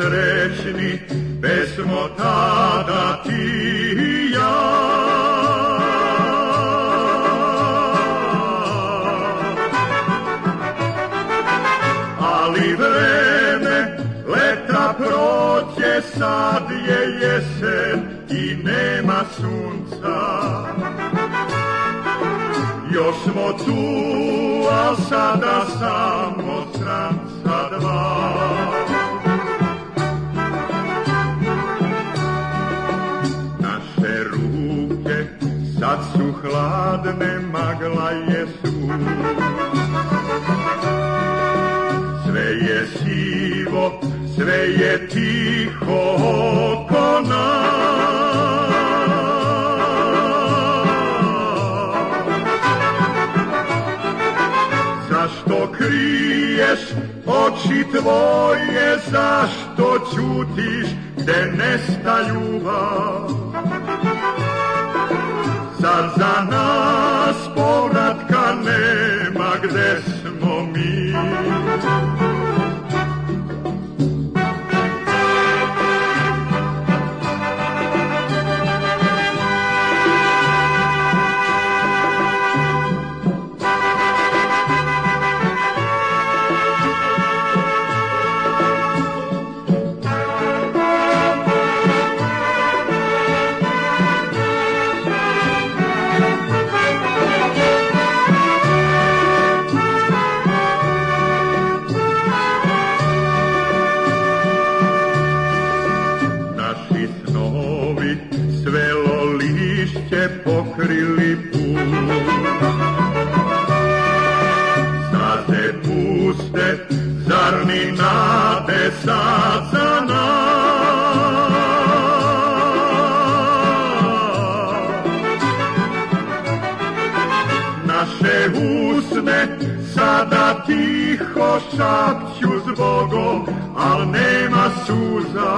srećni, pesmo tada ti i ja. Ali vreme leta prođe, sad je jesen i nema sunca. Još smo tu, a sada samo stranca dva. Naše ruke sad su hladne, magla je su. Sve je sivo, sve je tiho oko nas. Zašto kriješ oči tvoje, zašto ćutiš gde nesta ljubav? Zar za nas povratka nema, gde smo mi? Pokrili put, staze puste, zar ni nade sad za nas? Naše usne sada tiho šapću zbogom, al nema suza.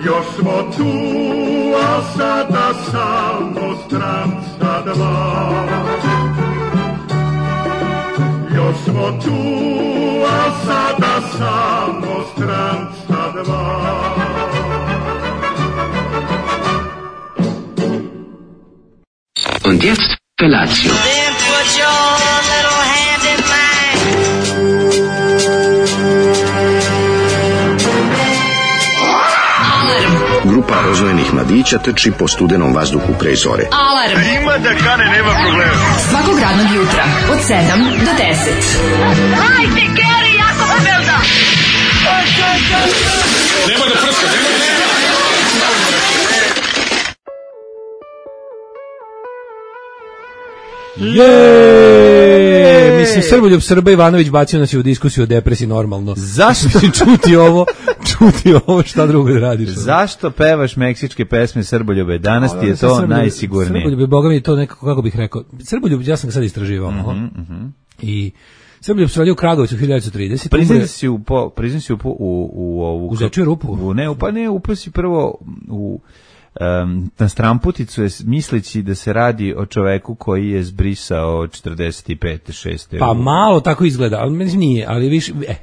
Još smo tu, a sada samo stranca dva. Još smo tu, a sada samo stranca dva. Und jetzt Felatio. Then put your little hand in mine. Grupa rozvojenih mladića trči po studenom vazduhu pre zore. Alarm! Ima da kane, nema problema. Svakog radnog jutra, od 7 do 10. Hajde, Geri, jako se velda! Nema da prska, nema da prska! Jeee! Mislim, Srboljub Srba Ivanović bacio nas je u diskusiju o depresiji normalno. Zašto? Mislim, čuti ovo, šta drugo da radiš? Zašto pevaš meksičke pesme Srboljube? Danas ti je to najsigurnije. Srboljub, boga mi je to nekako, kako bih rekao, Srboljub, ja sam ga sad istraživao. I Srboljub se rodio u Kragovicu 1930. Priznam si u ovu... U Zečiju rupu? Upao si prvo u... na stramputicu je misleći da se radi o čoveku koji je zbrisao 45. 6. Pa malo tako izgleda, ali meni nije, ali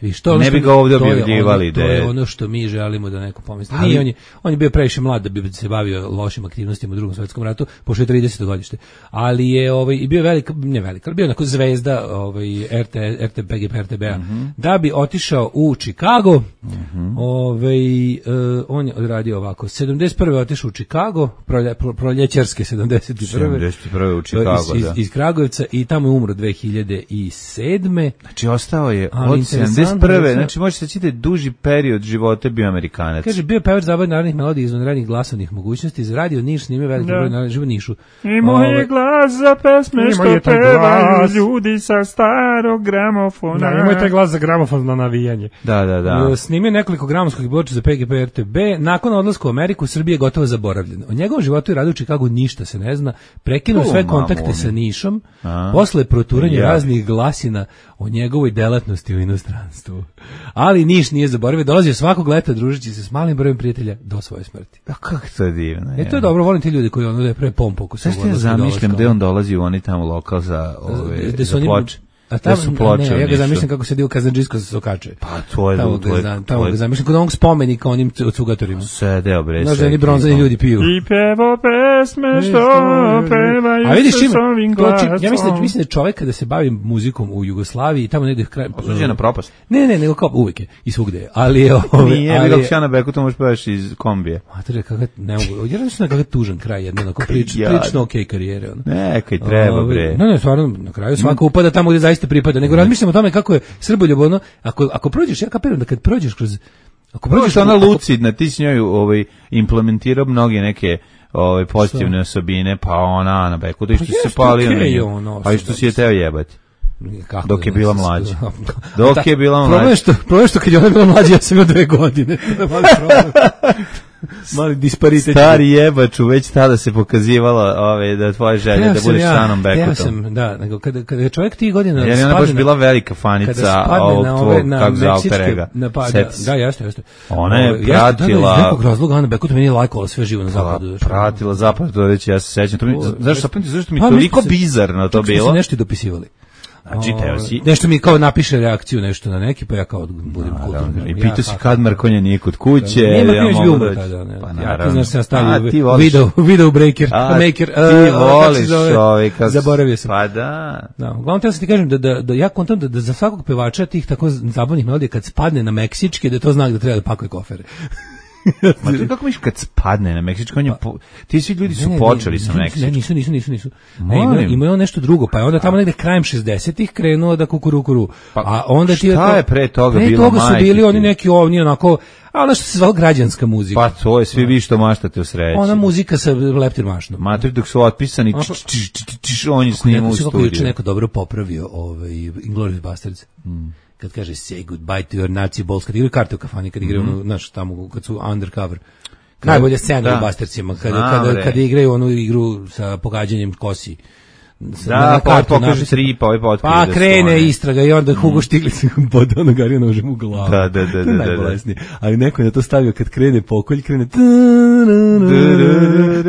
viš to ne bi ga ovdje objavljivali. To je ono što mi želimo da neko pomisli. Nije, on je bio previše mlad da bi se bavio lošim aktivnostima u Drugom svjetskom ratu, pošto je 30. godište. Ali je i bio ali bio onako zvezda RTPGP-a. Da bi otišao u Chicago, on je odradio ovako. 71. otišao u Chicago, proljećarske 71. u Chicago, iz Kragujevca i tamo je umro 2007. Znači ostao je od 71. Znači možete čitati duži period života bio Amerikanac. Kaže, bio pevač zabavnih narodnih melodija izvanrednih glasovnih mogućnosti, za radio Niš snimio veliki broj na živo Nišu. I moj glas za pesme što pevaju ljudi sa starog gramofona. Imao je taj glas za gramofon na navijanje. Da. Snimio nekoliko gramofonskih ploča za PGP RTB. Nakon odlaska u Ameriku, Srbija je gotovo zaboravljena. O njegovom životu i radu u Chicagu ništa se ne zna. Prekinuo sve kontakte sa Nišom, posle proturanja raznih glasina o njegovoj delatnosti u inostranstvu. Ali Niš nije zaboravio, dolazio svakog leta družeći se s malim brojem prijatelja do svoje smrti. A kako to je divno. To je dobro, volim ti ljudi koji da je pre pompu. Zašto ja zamišljam da on dolazi u oni tamo lokal za ploče. da su ploče. Ne, ja ga zamišljam kako se dio Kazandžijsko sa sokače. Pa to je tamo ga zamišljam kod onog spomenika onim cugatorima. Sedeo bre. Znaš da oni bronzani ljudi piju. I pevo pesme što pevaju. A vidiš sa ovim glasom. Ja mislim da čovjek kada se bavi muzikom u Jugoslaviji tamo negde kraj osuđen na propast. Ne, nego kao uvek je i svugde je. Ali nije bilo Sjana Beku, to možeš pevaš iz kombije. Mater, kako ne mogu. Ja mislim da kako tužan kraj jedno onako prilično okej karijere ona. Nekaj treba bre. Ne, stvarno na kraju svako upada tamo gdje zaista pripada. Nego razmišljam o tome kako je srboljubno. Ako prođeš, ja kapiram da kad prođeš kroz ona lucidna, ti s njoj implementirao mnoge neke pozitivne osobine, pa ona Ana Beku, da što se palio na nju, a i što si je teo jebati. Dok je bila mlađa. Dok je bila mlađa. Problem što kad je ona bila mlađa, ja sam imao 2 godine. To je mali problem. Mali disparitet. Stari jebaču, već tada se pokazivala da tvoja želja da budeš stanom Bekutom. Da, nego kada čovjek tih godina jer je ona baš bila velika fanica ovog tvog, kako za Alterega. Da, jeste. Ona je pratila... Iz nekog razloga Ana Bekut meni je lajkovala sve živo na zapadu. Pratila zapad, to već ja se sećam. Zašto mi toliko bizarno to bilo? Kako se nešto dopisivali. Znači, nešto mi kao napiše reakciju nešto na neki, pa ja kao budem kulturno. I pitao si kad Markonja nije kod kuće. Nema ja mogu doći. Ja znaš se ja stavio video breaker, maker. Ti voliš čovjeka. Zaboravio sam. Pa da. Uglavnom, teo sam ti kažem da ja kontam da za svakog pevača tih tako zabavnih melodija kad spadne na meksičke, da je to znak da treba da pakuje kofere. Ma ti kako misliš kad spadne na meksičko, ti svi ljudi su počeli sa meksičkim. Nisu. Imaju nešto drugo, pa je onda tamo negde krajem 60-ih krenuo da kukurukuru. A onda ti šta je pre toga bilo? Pre toga su bili oni neki ovni onako, a ono što se zvalo građanska muzika. Pa to je, svi vi što maštate u sreći. Ona muzika sa leptir mašnom. Matri dok su otpisani, on je snimao u studiju. Kako je neko dobro popravio Inglourious Basterds. Kad kaže say goodbye to your Nazi balls, kad igraju karte u kafani, kad igraju znaš, tamo kad su undercover. Najbolja scena u Basterdsima, kada igraju onu igru sa pogađanjem kosi. Da, pa pokaže tri, pa ovaj potkrije. Pa krene istraga i onda Hugo Stiglitz pod onog Arija nožem u glavu. Da. To je najbolesnije. Ali neko je na to stavio kad krene pokolj, krene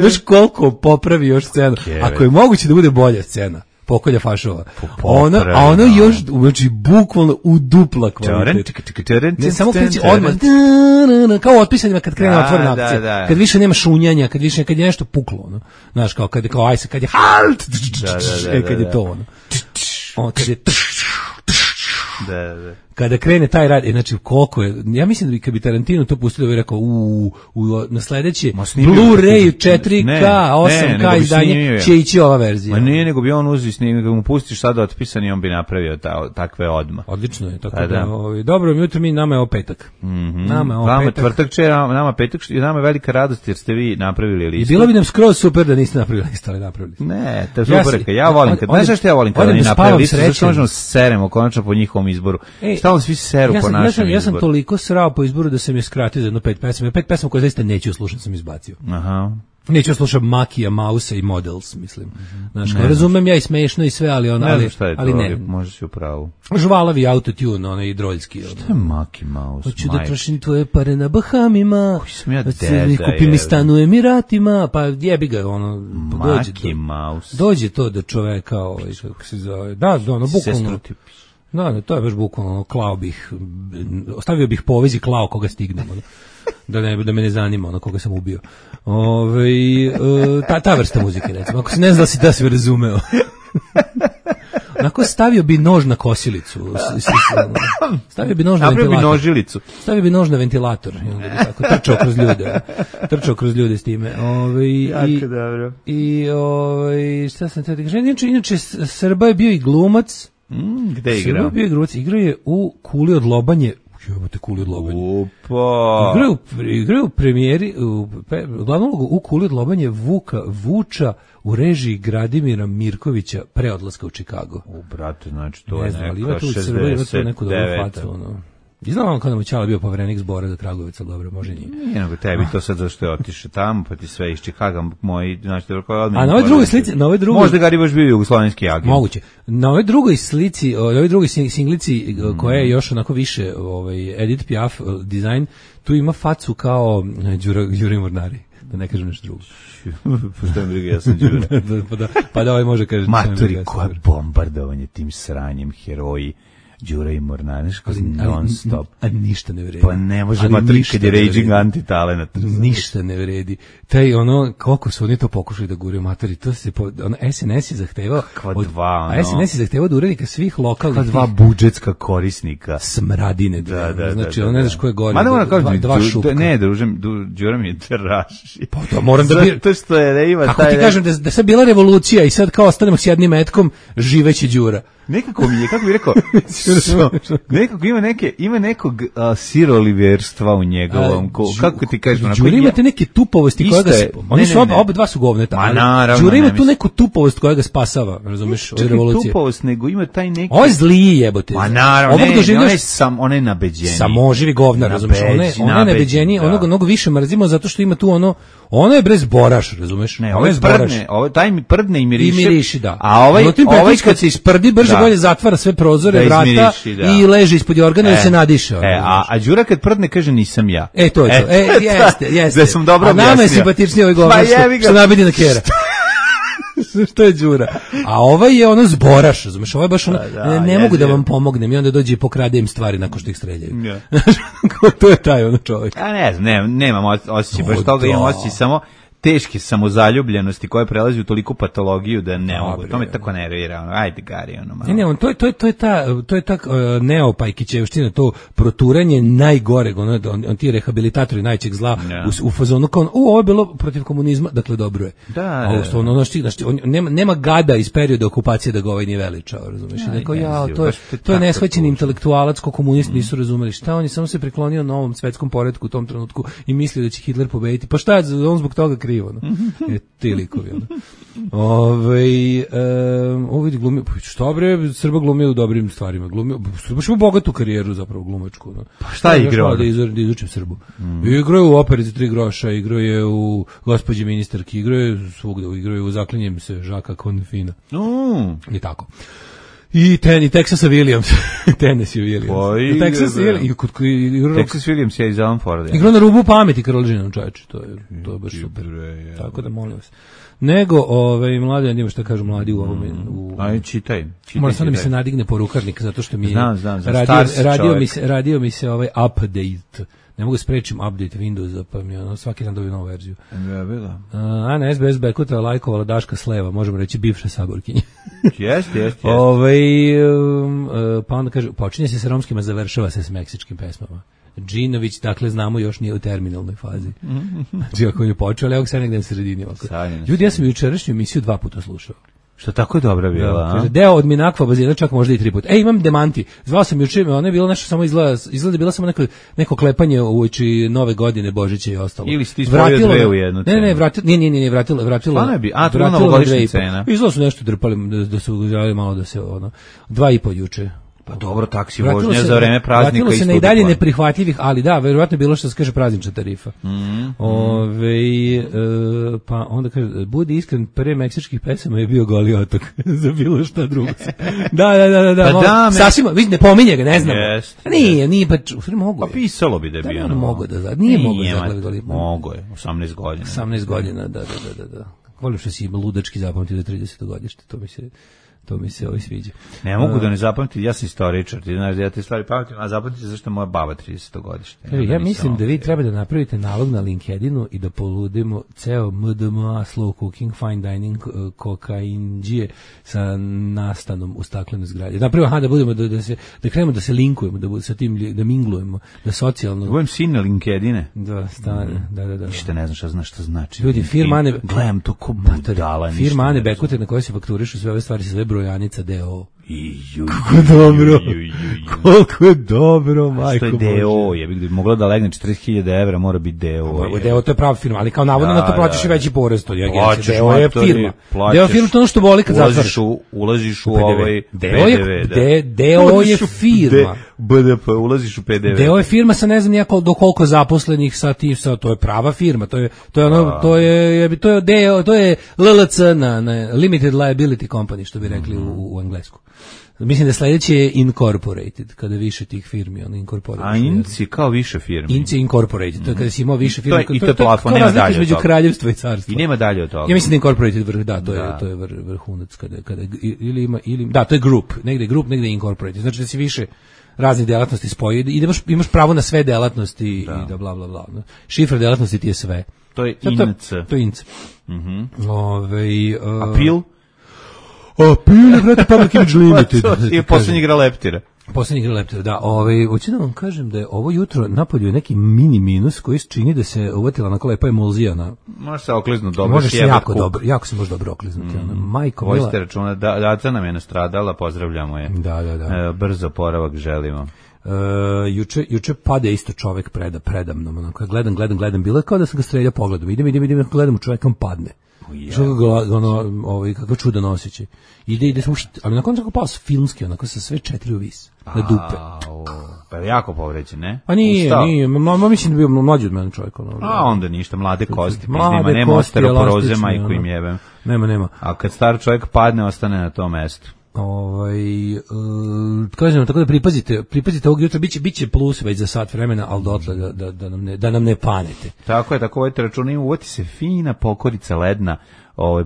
znaš koliko popravi još scenu. Ako je moguće da bude bolja scena. Pokolja fašova. A ono još, znači, bukvalno u dupla kvalitet. Ne, samo kreći odmah, kao otpisanima kad krene otvorena akcija. Kad više nema šunjanja, kad je nešto puklo, ono. Znaš, kao kad je halt, kad je to, ono. Kad je kada krene taj rad, znači koliko je, ja mislim da bi kad bi Tarantino to pustio da bi rekao na sledeće Blu-ray 4K 8K izdanje će ići ova verzija. Ma nije, nego bi on uzeo snimio, mu pustiš sada otpisan i on bi napravio takve odmah. Odlično je, tako da dobro jutro, nama je ovo petak. Nama je ovo petak. Tvrtak će, nama petak, i nama je velika radost jer ste vi napravili listu. I bilo bi nam skroz super da niste napravili listu, ali napravili. Ne, to je super, ja volim kad, ne znaš što ja volim kada oni napravili listu, zašto možemo seremo konačno po njihovom izboru. Stalno svi seru po našem izboru. Ja sam toliko srao po izboru da sam je skratio za jedno 5 pesama. 5 pesama koje zaista neću slušati sam izbacio. Aha. Neću slušati Makija, Mausa i Models, mislim. Znaš, razumem ja i smešno i sve, ali on, ali ne. Možeš si u pravu. Žvalavi autotune, onaj i droljski. Šta je Maki, Maus? Hoću da trošim tvoje pare na Bahamima. Koji sam ja deda. Kupi mi stan u Emiratima, pa jebi ga, ono. Maki, Maus. Dođe to do čoveka, kako se zove. Da, ono, bukvalno. Da, to je baš bukvalno, klao bih, ostavio bih po vezi klao koga stignem, da me ne zanima ono koga sam ubio. Ta vrsta muzike, recimo, ako se ne zna da si razumeo. Onako stavio bi nož na kosilicu, stavio bi nož na ventilator. Stavio bi nož na ventilator, tako, trčao kroz ljude s time. Jako dobro. I šta sam te kažem, inače Srba je bio i glumac. Gde igrao? Igrao je u Kuli od lobanje. Jebote, Kuli od lobanje. Upa. Igrao u premijeri, glavnu ulogu u Kuli od lobanje Vuča u režiji Gradimira Mirkovića pre odlaska u Chicago. Brate, znači to je neka 69. I znam kada mu Ćala bio poverenik zbora za Kragujevac, ali dobro, može nije. Nije nego tebi to sad zašto je otišao tamo, pa ti sve iz Chicaga moji, znači to je odmah. A na ovoj drugoj slici, možda Gari baš bio jugoslovenski agent. Moguće. Na ovoj drugoj slici, ovoj drugoj singlici koja je još onako više, Edith Piaf dizajn, tu ima facu kao Đure Mornari. Da ne kažem nešto drugo. Što je briga, ja sam Đura. pa da ovaj može kaže. Matori, koja bombardovanje tim sranjem, heroji. Đura i Mornaniš, non stop. A ništa ne vredi. Pa ne može Matori kad je raging anti-talent. Ništa ne vredi. Taj ono, koliko su oni to pokušali da guraju Matori, to se, SNS je zahtevao. A SNS je zahtevao od urednika svih lokalnih. Kakva dva budžetska korisnika. Smradine. Da. Znači, ono ne znaš ko je gore. Ma ne moram kažem, dva šupka. Ne, Đura mi je draži. Pa to moram da bi... To što je, da ima kako ti kažem, da sad bila revolucija i sad kao ostanemo s jednim metkom, živeći Đura. Nekako mi je, kako bih rekao, nekako ima nekog siroliverstva u njegovom, kako ti kažeš? Đura imate neke tupovosti koja ga, oni su oba dva su govneta, ali Đura ima tu neku tupovost koja ga spasava, razumeš, od revolucije. Tupovost, nego ima taj neki... Ovo je zliji jebote. Ma naravno, on je nabeđeniji. Samoživi govnar, razumeš, on je nabeđeniji, onoga mnogo više mrzimo zato što ima tu ono je brez boraš, razumeš? Ne, ovo je prdne, taj mi prdne i miriši. Da. A ovaj kad se isprdi, brže bolje zatvara sve prozore, vrata i leži ispod jorgana i se nadiše. A Đura kad prdne kaže nisam ja. To je to. Jeste. Da sam dobro objasnio. A nama je simpatičniji ovaj govor što nabidi na kera. Što je Đura? A ovaj je ono zboraš, razumeš, ovaj baš ono, ne mogu da vam pomognem i onda dođe i pokrade im stvari nakon što ih streljaju. To je taj ono čovjek. A ne znam, nemam osjećaj, baš toga imam osjećaj samo teške samozaljubljenosti koja prelazi u toliku patologiju da ne mogu. To me tako nervira, ajde Gari, malo. Ne, to je ta neopajkićevština, to proturanje najgoreg, on ti rehabilitatori najčeg zla u fazonu kao, ovo je bilo protiv komunizma, dakle dobro je. Da. Nema gada iz perioda okupacije da ga ovaj nije veličao, razumeš? To je neshvaćeni intelektualac ko komunisti nisu razumeli. Šta on je samo se priklonio novom svetskom poretku u tom trenutku i mislio da će Hitler pobediti. Pa šta je on zbog toga krivo? Ti likovi. Ovo vidi glumio, šta bre, Srba glumio u dobrim stvarima, baš ima bogatu karijeru zapravo glumačku. Pa šta je igrao? Da izučim Srbu. Igrao je u operi za 3 groša, igrao je u Gospođi ministarki, igrao je svugde, igrao je u Zaklinjem se Žaka Konfina. I tako. I Texasa Williams. Tennessee Williams. Texas Williams je iz Alan Forda. Igrao na rubu pameti Karolžina, čovječe. To je baš super. Tako da molim vas. Nego, mladi, nima šta kažu mladi u ovome. Aj, čitaj. Moram sad da mi se nadigne porukarnik, zato što mi je radio mi se update. Ne mogu sprečim update Windowsa, pa mi svaki dan dobiju novu verziju. Ana SBS Bekuta lajkovala Daška Sleva, možemo reći bivša saborkinja. Jeste. Pa onda kaže, počinje se sa romskima, završava se s meksičkim pesmama. Džinović, dakle, znamo, još nije u terminalnoj fazi. Znači, ako je počeo, ali evo sad negde na sredini. Ljudi, ja sam jučerašnju emisiju 2 puta slušao. Što tako dobra bila, a? Deo od Minakva bazena, čak možda i 3 puta. Imam demanti. Zvao sam juče, ono je bilo nešto samo izgleda bila samo neko klepanje uoči Nove godine, Božića i ostalo. Ili si ti spojio 2 u jednu cenu? Ne, vratilo. Stvarno je bi, to je novogodišnja cena. Izgleda su nešto drpali, da su želi malo da se, 2,5 juče. Pa dobro, taksi vožnja za vreme praznika. Vratilo se na i dalje neprihvatljivih, ali da, verovatno je bilo što se kaže praznična tarifa. Pa onda kaže, budi iskren, pre meksičkih pesama je bio Goli otok. Za bilo šta drugo. Da. Sasvim, vidi, ne pominje ga, ne znam. Nije, pa mogu. Pa pisalo bi da je bio. Nije mogo da Goli. Mogo je, 18 godina. 18 godina, da. Volim što si ludački zapamtio do 30. godište, to mi se sviđa. Ne mogu da ne zapamtim, ja sam istoričar, ti znaš da ja te stvari pamtim, a zapamtim zašto je moja baba 30. godište. Ja mislim da vi treba da napravite nalog na LinkedInu i da poludimo ceo MDMA, slow cooking, fine dining, kokainđije sa nastanom u staklenoj zgradi. Napravo, da budemo, da krenemo da se linkujemo, da sa tim, da minglujemo, da socijalno... Budem sin na LinkedIne. Da, stane, da. Ništa ne znaš šta znači. Ljudi, firma Ane... Gledam to ko budala. Firma Ane Bekute na kojoj se fakturišu sve ove stvari, sve brojanica DO. Koliko je dobro, majko Bože. Što je DO, je bi mogla da legne 40.000 evra, mora biti DO. DO to je prava firma, ali kao navodno na to plaćaš i veći porez, to je agencija. DO je firma. DO je firma, to ono što boli kad zatvoriš. Ulaziš u ovaj PDV. DO je firma. BDP, ulaziš u PDV. DO je firma sa ne znam nijako do koliko zaposlenih sa tim, to je prava firma, to je LLC na Limited Liability Company, što bi rekli u englesku. Mislim da sledeće je Incorporated, kada više tih firmi, ono Incorporated. A Inci kao više firmi. Inci Incorporated, to je kada si imao više firmi. I to je plafon, nema dalje od toga. Kraljevstva i carstva. I nema dalje od toga. Ja mislim da Incorporated vrh, to je vrhunac kada ili to je grup, negde Incorporated. Znači da si više raznih delatnosti spoji i da imaš pravo na sve delatnosti i da bla bla bla. Šifra delatnosti ti je sve. To je INC. To je INC. A PIL? PIL je, brate, Public Image Limited. I posljednji igra Leptira. Da. Hoću da vam kažem da je ovo jutro napolju neki mini minus koji čini da se uvatila onako lepa emulzija na... Može se okliznuti dobro. Može se jako se može dobro okliznuti. Majko mila. Vojste računa, daca nam je nastradala, pozdravljamo je. Da. Brzo oporavak želimo. Juče pade isto čovek predamnom, onako, gledam, bilo je kao da sam ga streljao pogledom, idem, gledam u čoveka, on padne. Kako čudan osjećaj. Ide, ali nakon tako pao filmski, onako sa sve 4 u vis, na dupe. Pa je jako povređen, ne? Pa nije, mislim da je bio mlađi od mene čovjek. A onda ništa, mlade kosti, nema osteoporoze, majku im jebem. Nema. A kad star čovjek padne, ostane na tom mestu. Kažem, tako da pripazite ovog jutra, biće plus već za sat vremena, ali dotle da nam ne panete. Tako je, tako vodite računa, uvati se fina pokorica ledna,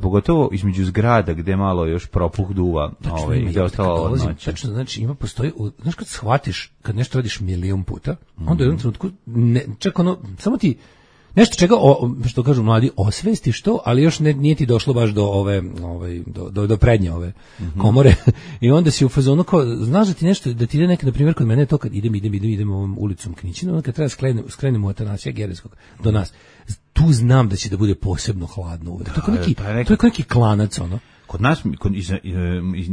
pogotovo između zgrada gde malo još propuh duva, gde je ostala odnoća. Tačno, znači postoji, znaš kad shvatiš, kad nešto radiš milion puta, onda u jednom trenutku, čak ono, samo ti nešto čega, što kažu mladi, osvestiš to, ali još nije ti došlo baš do prednje ove komore. I onda si u fazonu kao, znaš da ti nešto, da ti ide nekad, na primjer, kod mene je to kad idem ovom ulicom Knićinu, onda kad treba skrenemo od Atanasija Gereskog do nas, tu znam da će da bude posebno hladno uvek. To je kao neki klanac, ono. Kod nas,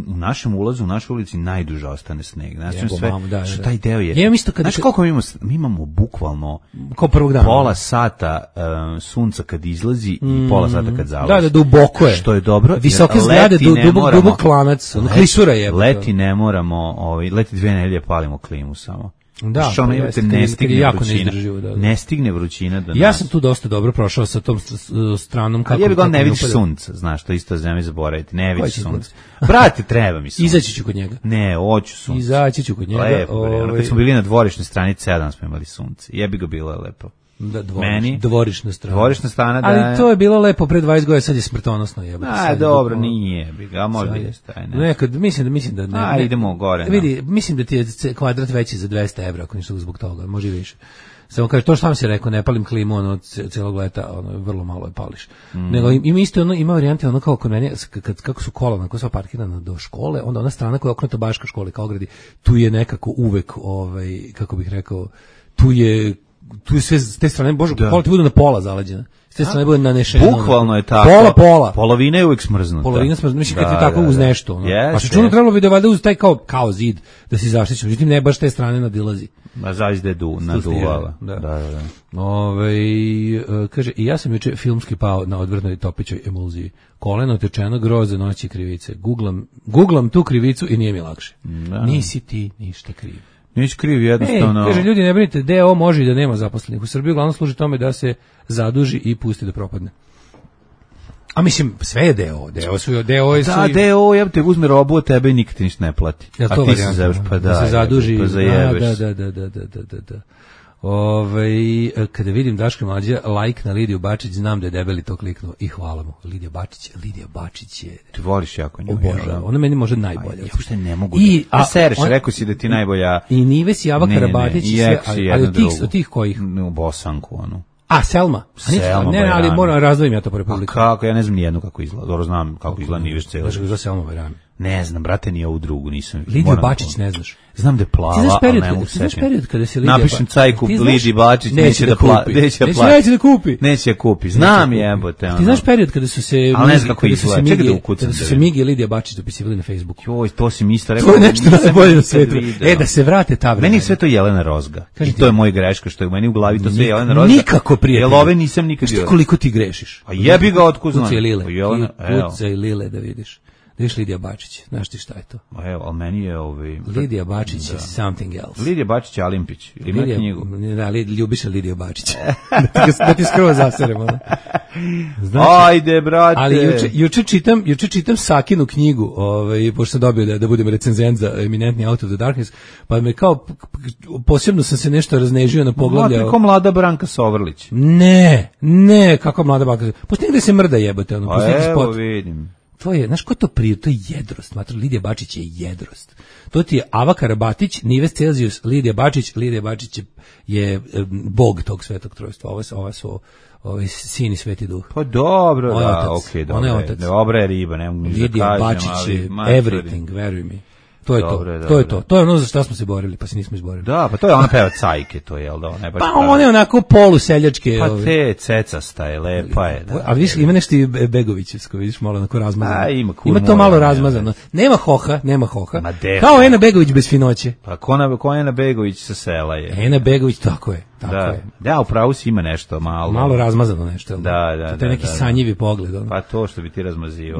u našem ulazu, u našoj ulici najduže ostane sneg. Znači sve, što taj deo je. Znači koliko mi imamo bukvalno kao prvog dana, pola sata sunca kad izlazi i pola sata kad zalazi. Da, duboko je. Što je dobro. Visoke zgrade, dubok klanac, klisura je. Leti ne moramo, leti 2 nedelje palimo klimu samo. Da, ne stigne vrućina do nas. Ja sam tu dosta dobro prošao sa tom stranom. Ali ja ne vidiš sunca, znaš, to isto zemlje zaboraviti, ne vidiš sunca. Brate, treba mi sunca. Izaći ću kod njega. Ne, hoću sunca. Izaći ću kod njega. Lepo, kad smo bili na dvorišnoj strani 7 smo imali sunce. Jebi ga, bilo je lepo. Dvorišna strana. Dvorišna strana, da. Ali to je bilo lepo pre 20 godina, sad je smrtonosno, jebote. Dobro, nije, a možda jeste. Nekad mislim da ne. Idemo gore. Vidi, mislim da ti je kvadrat veći za 200 evra, ako ništa zbog toga, može i više. Samo kaže, to što vam si rekao, ne palim klimu, celog leta, vrlo malo je pališ. Nego ima varijante, kao kod mene, kako su kola, onako sva parkirana do škole, onda ona strana koja je okrenuta baš ka školi, kao gradi, tu je nekako uvek, kako bih rekao, tu je sve s te strane, bože, kola ti bude na pola zaleđena. S te strane bude nanešeno. Bukvalno je tako. Pola. Polovina je uvijek smrznuta. Mislim kad je tako uz nešto. A što čuno trebalo bi da valjda uz taj kao zid da si zaštićen. Međutim, ne baš te strane nadilazi. A zaista je naduvala. Da. Kaže, i ja sam juče filmski pao na odvrnoj topićoj emulziji. Koleno tečeno, groze, noći, krivice. Googlam tu krivicu i nije mi lakše. Nisi ti ništa kriv. Nisi kriv, jednostavno. Kaže, ljudi, ne brinite, DO može i da nema zaposlenih. U Srbiji uglavnom služi tome da se zaduži i pusti da propadne. A mislim, sve je DO. DO, ja te uzme robu od tebe i nikad ti ništa ne plati. Ja, a ti se zajebeš, pa da se zaduži. Pa zajebeš. Da. Kada vidim Daška Mlađa like na Lidiju Bačić, znam da je debeli to kliknuo i hvala mu. Lidija Bačić je... Ti voliš jako nju. Obožavam. Ona meni može najbolja. Ja uopšte ne mogu da... Sereš, rekao si da ti najbolja... I Nives, Java Karabatić i sve, ali od tih kojih? U Bosanku, onu. A, Selma? Ne, ali moram razvojim ja to po Republiku. Kako? Ja ne znam nijednu kako izgleda. Dobro znam kako izgleda Nives cijelo. Znaš kako izgleda Selma Bajrami? Ne znam, brate, ni ovu drugu nisam vidio. Lidiju Bačić ne znaš. Znam da je plava, ali ne mogu se. Ti znaš period kada se Lidija... Napišem cajku Lidiji Bačić, neće da kupi. Neće da kupi. Znam jebote. Ti znaš period kada su se... Ali ne znam kako izgleda. Čekaj da ukucam. Kada su se Migi i Lidija Bačić dopisivali na Facebooku. Joj, to si mi isto rekao. To je nešto najbolje na svetu. Da se vrate ta vremena. Meni sve to Jelena Rozga. I to je moj greška, što je meni u glavi to sve Jelena Rozga. Nikako, prijatelj. Jel ove nisam nikad vidio. Koliko ti grešiš? A jebi ga otkud znam. Kucaj Lile da vidiš. Da viš Lidija Bačić, znaš ti šta je to? Evo, ali meni je Lidija Bačić je something else. Lidija Bačić je Alimpić. Ili ima knjigu? Da, ljubiš Lidija Bačić. da ti skroz zaseremo. Znači, ajde, brate. Ali juče čitam Sakinu knjigu, pošto sam dobio da budem recenzent za eminentni Out of the Darkness, pa me kao, posebno sam se nešto raznežio na poglavlja. Kao mlada Branka Sovrlić. Ne, kako mlada Branka Sovrlić. Pošto negde se mrda jebote, evo vidim. To je, znaš ko to prije, to je jedrost, Lidija Bačić je jedrost. To ti je Ava Karabatić, Nives Celzijus, Lidija Bačić je bog tog svetog trojstva, ova su sin i sveti duh. Pa dobro, da, okej, dobro. Dobra je riba, ne mogu ništa kažem. Lidija Bačić je everything, veruj mi. To je to. To je ono za što smo se borili, pa se nismo izborili. Da, pa to je ona peva cajke, to je, jel da? Pa ona je onako poluseljačke. Pa te cecasta je, lepa je. Da, a vidiš, ima nešto i Begovićevsko, vidiš, malo onako razmazano. Ima to malo razmazano. Nema hoha. Kao Ena Begović bez finoće. Pa ko Ena Begović sa sela je. Ena Begović, tako je. Da, upravo si ima nešto malo. Malo razmazano nešto. Da. To je neki sanjivi pogled. Pa to što bi ti razmazio.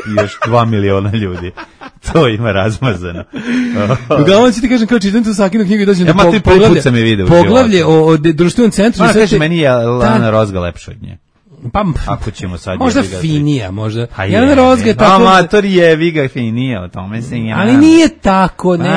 I još 2 miliona ljudi. To ima razmazano. Uglavnom ću ti kažem, kao čitam tu Sakinu knjigu i dođem do poglavlje o društvenom centru. Kaže, meni je Lana Rozga lepša od nje. Pa, ako ćemo sad možda finija, možda. Jelena Rozga je tako. Amator jebiga finija, o tome se ja. Ali nije tako, ne,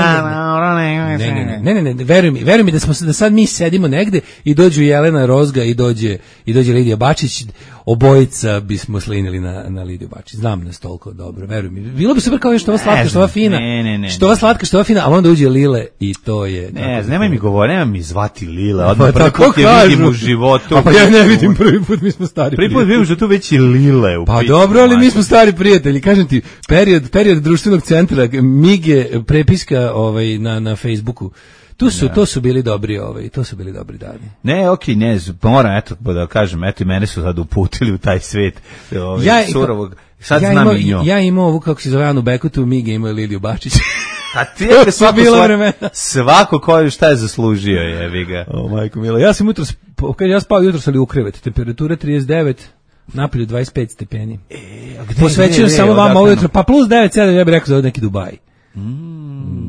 veruj mi da sad mi sedimo negde i dođu Jelena Rozga i dođe Lidija Bačić, obojica bismo slinili na Lidiju Bačić. Znam nas toliko dobro, veruj mi. Bilo bi super kao što ova slatka, što ova fina. Što ova slatka, što ova fina, a onda uđe Lile i to je. Ne, nemoj mi govori, nemoj mi zvati Lile. Odmah prvi put je vidim u životu. Pa ja ne vidim prvi put, mi smo stari. Prvi put vidim što tu već i Lile u pitanju. Pa dobro, ali mi smo stari prijatelji. Kažem ti, period društvenog centra, Mige, prepiska na Facebooku. To su bili dobri, dani. Ne, okej, ne, moram da kažem, i mene su sad uputili u taj svet surovog. Sad znam i nju. Ja imao ovu, kako se zove, Anu Bekutu, Mige imao Lidiju Bačić. A ti svako ko šta je zaslužio, jebi ga. O, majko mila, ja spao jutros, ali u krevet, temperatura 39, napolju 25 stepeni. Posvećujem samo vama ovo jutro, pa plus 9, ja bih rekao za neki Dubaj.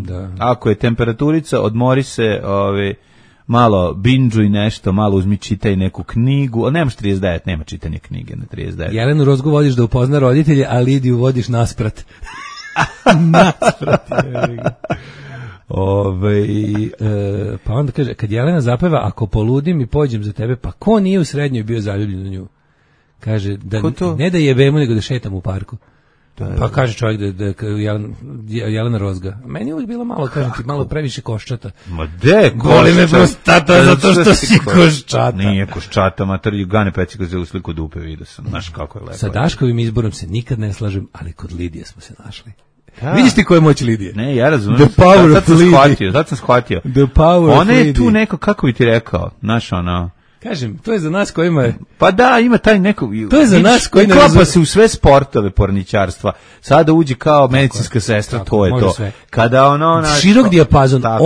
Da. Ako je temperaturica, odmori se, malo binđuj nešto, malo uzmi, čitaj neku knjigu, ali nemaš 39, nema čitanje knjige na 39. Jelenu Rozgu vodiš da upozna roditelje, a Lidiju vodiš nasprat. Pa onda kaže, kad Jelena zapeva, ako poludim i pođem za tebe, pa ko nije u srednjoj bio zaljubljen u nju? Kaže, ne da jebemo, nego da šetam u parku. Pa kaže čovjek da Jelena Rozga. Meni je uvijek bilo malo, kažem ti, malo previše koščata. Ma de, boli me prostata zato što si koščata. Nije koščata, mater, Gane Pecika za usliku dupe, vidio sam, znaš kako je lepo. Sa Daškovim izborom se nikad ne slažem, ali kod Lidije smo se našli. Vidiš ti koja je moć Lidije? Ne, ja razumijem. The power of Lidije. Sad sam shvatio. The power of Lidije. Ona je tu neko, kako bi ti rekao, znaš ono... Kažem, to je za nas kojima je... Pa da, ima taj neko... To je za nas koji ne uklapa se u sve sportove porničarstva. Sada uđi kao medicinska sestra, to je to. Sve. Kada ono... Širok dijapazon. A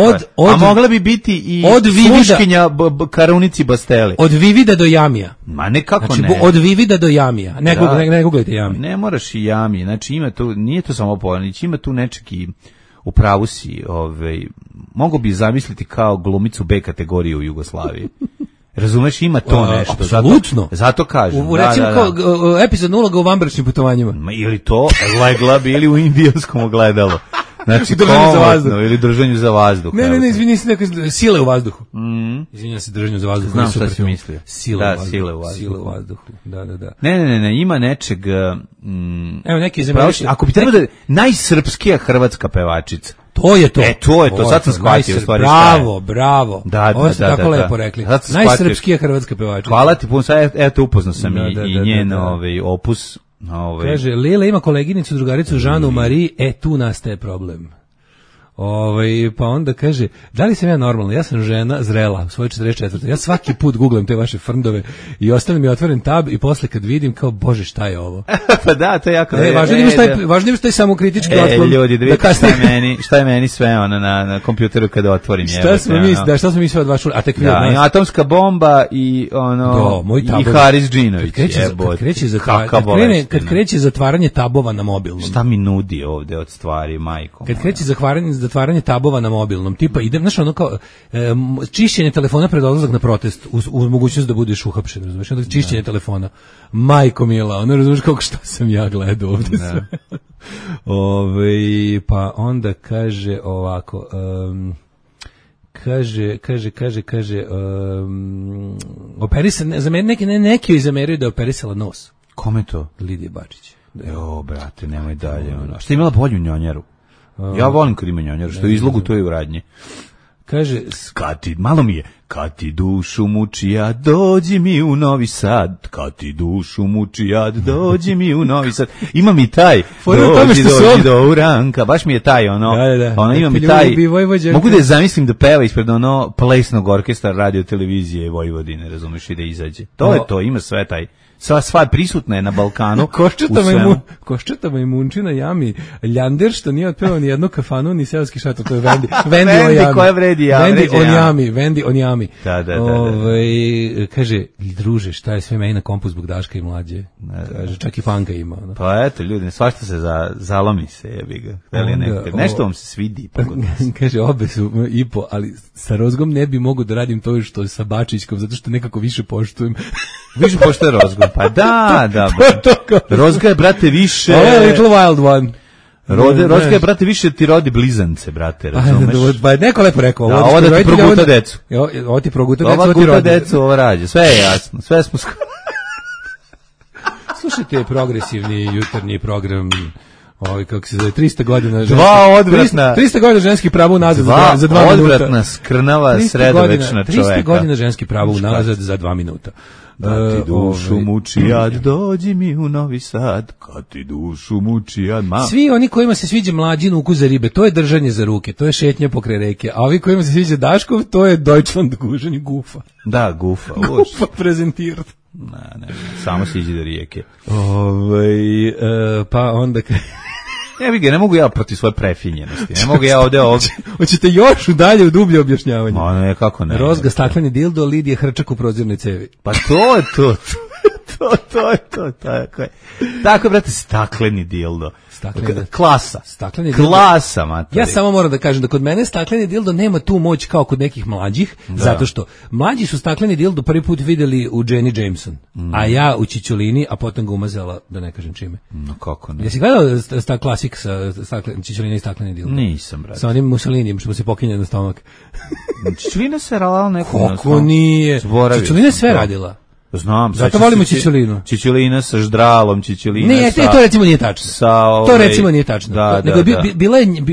mogla bi biti i sluškinja Karunici Basteli. Od Vivida do Jamija. Ma nekako znači, ne. Od Vivida do Jamija. Ne googlajte Jami. Ne moraš i Jami. Znači ima tu, nije to samo pornić, ima tu nečeki... U pravu si, mogu bi zamisliti kao glumicu B kategorije u Jugoslaviji. Razumeš, ima to nešto. Apsolutno. Zato kažem. Recimo kao epizodna uloga u vanbračnim putovanjima. Ili to, legla bi ili u indijanskom ogledalu. Znači, držanju za vazduh. Ili držanju za vazduh. Ne, izvini se, sile u vazduhu. Izvinjam se, držanju za vazduh. Znam šta si mislio. Sile u vazduhu. Da. Ne, ima nečeg... Evo neki zemljište. Ako bi trebalo da... Najsrpskija hrvatska pevačica. To je to. To je to, sad sam shvatio. Bravo. Da. Tako lepo rekli. Najsrpskija hrvatska pevačica. Hvala ti puno, sad eto upoznao sam i njen opus. Kaže, Lila ima koleginicu, drugaricu Žanu Mariji, tu nastaje problem. Pa onda kaže, da li sam ja normalna? Ja sam žena zrela, u svojoj 44. Ja svaki put googlam te vaše frndove i ostavim mi otvoren tab i posle kad vidim kao, bože, šta je ovo? Pa da, to je jako... Važno je što je samokritički otklon. Ljudi, da vidite šta je meni sve na kompjuteru kada otvorim. Šta smo mi sve od vas čuli? A tek i atomska bomba i i Haris Džinović. Kad kreće zatvaranje tabova na mobilnom. Šta mi nudi ovde od stvari, majko? Kad kreće zatvaranje tabova na mobilnom, tipa idem, znaš, ono kao čišćenje telefona pred odlazak na protest, uz mogućnost da budeš uhapšen, razumiješ, onda čišćenje telefona, majko mila, ono, razumiješ kako šta sam ja gledao ovde sve. Pa onda kaže ovako, kaže, operisan, za mene neki joj zameraju da je operisala nos. Kome to? Lidija Bačić. Brate, nemoj dalje. Šta je imala bolju njonjeru? Ja volim kad ima njonjeru, što je izlogu, to je u radnji. Kaže, kad ti dušu muči jad, dođi mi u Novi Sad, kad ti dušu muči jad, dođi mi u Novi Sad. Ima mi taj, dođi do Uranka, baš mi je taj, ima mi taj, mogu da je zamislim da peva ispred plesnog orkestra radio televizije Vojvodine, razumeš, i da izađe. To je to, ima sve taj. Sva prisutna je na Balkanu. Koščetama i Munčina jami Ljander, što nije otpevao ni jednu kafanu, ni seoski šator, to je Vendi koja vredi Vendi on jami. Da. Kaže, druže, šta je sve meni na kompu zbog Daška i Mlađe? Kaže, čak i fanka ima. Pa eto, ljudi, svašta se zalomi se, jebi ga. Nešto vam se svidi. Kaže, obe su ipo, ali sa Rozgom ne bi mogu da radim to što sa Bačićkom, zato što nekako više poštujem. Više pošto je Rozgo. Pa da. Rozga je, brate, više... Ovo je Little Wild One. Rozga je, brate, više ti rodi blizance, brate, razumeš? Pa je neko lepo rekao. Ovo da ti proguta decu. Ovo ti proguta decu, ovo ti rodi. Decu, ovo rađe. Sve je jasno. Sve smo Slušajte progresivni jutarnji program... kako se zove, 300 godina... 300 godina ženskih prava unazad za 2 minuta. Odvratna, skrnava, sredovečna čoveka. 300 godina ženskih prava unazad za 2 minuta. Da ti dušu muči jad, dođi mi u Novi Sad, kad ti dušu muči jad, Svi oni kojima se sviđa Mlađin ukus za ribe, to je držanje za ruke, to je šetnja pokraj reke, a ovi kojima se sviđa Daškov, to je Deutschland guženje gufa. Da, gufa. Gufa prezentirat. Ne, samo se iđe do rijeke. Pa onda... Ne mogu ja protiv svoje prefinjenosti. Ne mogu ja ovde... Hoćete još dalje u dublje objašnjavanje? Ne, kako ne. Rozga stakleni dildo, Lidija hrčak u prozirnoj cevi. Pa to je to. Tako je, brate, stakleni dildo. Klasa. Klasa, matori. Ja samo moram da kažem da kod mene stakleni dildo nema tu moć kao kod nekih mlađih, zato što mlađi su stakleni dildo prvi put videli u Jenny Jameson, a ja u Čičolini, a potom ga umazala, da ne kažem čime. No kako ne? Jesi gledao klasik sa Čičolina i stakleni dildo? Nisam, brate. Sa onim Mussolinijem što mu se pokinje na stomak. Čičolina se radila neko. Kako nije? Čičolina sve radila. Znam, zato volimo Čičolinu. Čičolina sa ždralom, Čičolina ne, to recimo nije tačno. To recimo nije tačno. Nego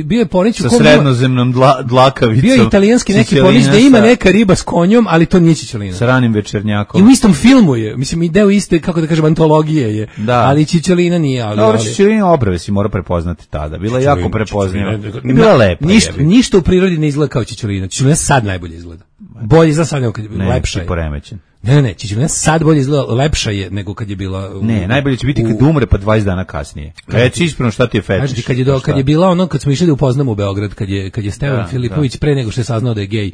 bio je Ponić sa srednozemnom dlakavicom. Bio je italijanski neki Ponić da ima neka riba s konjom, ali to nije Čičolina. Sa ranim večernjakom. I u istom filmu je, mislim, i deo iste, kako da kažem, antologije je. Ali Čičolina nije. Dobro, Čičolina obrve si mora prepoznati tada. Bila je jako prepoznata. I bila lepa. Ništa u prirodi ne izgleda kao Čičolina. Čičolina sad najbolje izgleda. Bolje za sad nego kad je lepša je. Poremećen. Ne, Čičolina sad bolje izgleda, lepša je nego kad je bila... Ne, najbolje će biti kad umre pa 20 dana kasnije. Reci ispravno šta ti je fetiš. Kad je bila ono, kad smo išli da upoznamo u Beograd, kad je Stevan Filipović pre nego što je saznao da je gej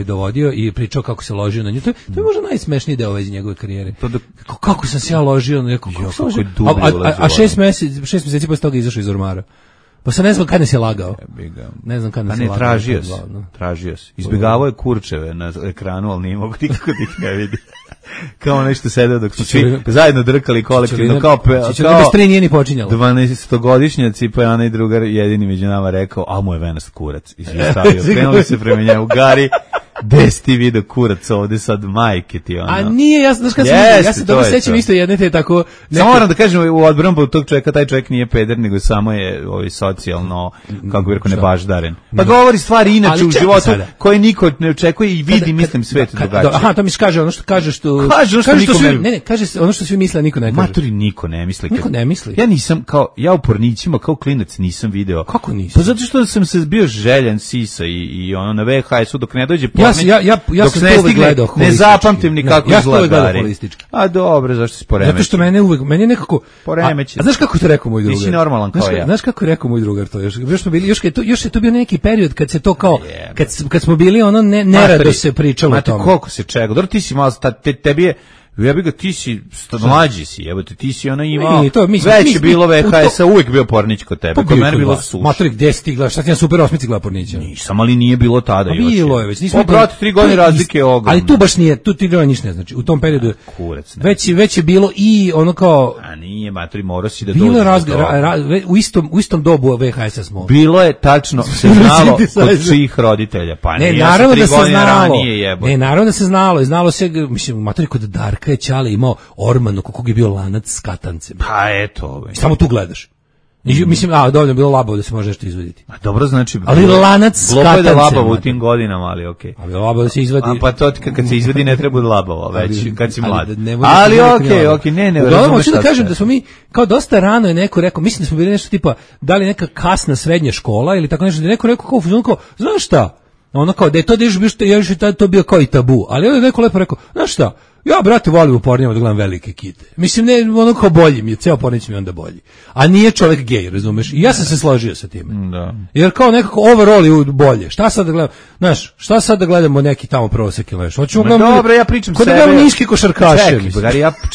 dovodio i pričao kako se ložio na nju. To je možda najsmešniji deo iz njegove karijere. Kako sam se ja ložio na nekog... A 6 meseci posle toga izašao iz ormara. Pa se ne znam kad nas je lagao. Ne znam kad nas je lagao. Tražio si. Izbjegavao je kurčeve na ekranu, ali nije mogu nikako da ih ne vidi. Kao nešto sedeo dok su svi zajedno drkali kolektivno. Čičolina bez 3 nije ni počinjalo. 12-godišnjaci, pa je onaj drugar jedini među nama rekao, a mu je venast kurac. I svi stavio. Krenuli se prema njemu. Gari, Gde si ti vidio kurac ovde sad, majke ti ono. A nije, ja se dobro sećam isto jedne te tako... Samo moram da kažem, u odbranu tog čovjeka, taj čovjek nije peder, nego samo je socijalno, kako bih rekao, nebaždaren. Pa govori stvari inače u životu koje niko ne očekuje i vidi, mislim, svet drugačije. Aha, to mi kaže ono što kaže što... Kaže ono što svi misle, niko ne kaže. Maturi niko ne misli. Niko ne misli. Ja nisam, ja u Pornićima, kao klinac nisam video. Kako nisi? Pa zato što sam se bio željan sisa i ono na VHS-u dok ne dođe Pornić. Ja sam to uvek gledao holistički. Ne zapamtim ni kako izgleda. A dobro, zašto si poremećen? Zato što meni je nekako poremećen. A znaš kako to rekao moj drugar? Nisi normalan kao ja. Znaš kako je rekao moj drugar to? Još je to bio neki period kad se to kao kad smo bili ono nerado se pričalo o tome. Koliko se čega? Dobro, ti si malo tebi je ja bih ga, ti si mlađi si, jebote, ti si ona imao, već je bilo VHS-a, uvijek bio Pornić kod tebe, kod mene bilo suš. Maturi, gde si ti gledaš, šta ti na Super 8 gleda Pornića? Nisam, ali nije bilo tada još. Bilo je već, nismo... brate, 3 godine razlike je ogromno. Ali tu baš nije, tu ti gleda ništa ne znači, u tom periodu već je bilo i ono kao... A nije, maturi, morao si da dođe. Bilo u istom dobu VHS-a smo. Bilo je, tačno, se znalo od čijih roditelja, pa ne, naravno da se znalo, i znalo se, mislim, maturi, kod Darka je Ćale imao Ormanu, kog je bio lanac s katancem. Pa eto. Samo tu gledaš. Mislim, dovoljno bilo labavo da se može nešto izvaditi. A dobro, znači... Ali lanac s katancem. Glopo je da labavo u tim godinama, ali okej. Ali labavo da se izvadi... A pa to kad se izvadi ne treba da labavo, već kad si mlad. Ali okej, ne. Uglavnom, hoću da kažem da smo mi, kao dosta rano je neko rekao, mislim da smo bili nešto tipa, da li neka kasna srednja škola ili tako nešto, da je neko rekao, znaš šta? Ono kao da je to to bio kao i tabu, ali onda je neko lepo rekao, znaš šta, ja, brate, volim u Pornjama da gledam velike kite. Mislim, ne, ono kao bolji mi je, ceo Pornić mi je onda bolji. A nije čovjek gej, razumeš? I ja sam se složio sa time. Da. Jer kao nekako overall je bolje. Šta sad da gledamo? Znaš, šta sad da gledamo neki tamo prosek ili nešto? Hoćemo gledamo... Dobro, ja pričam sebe. Kod da gledamo niški košarkaše.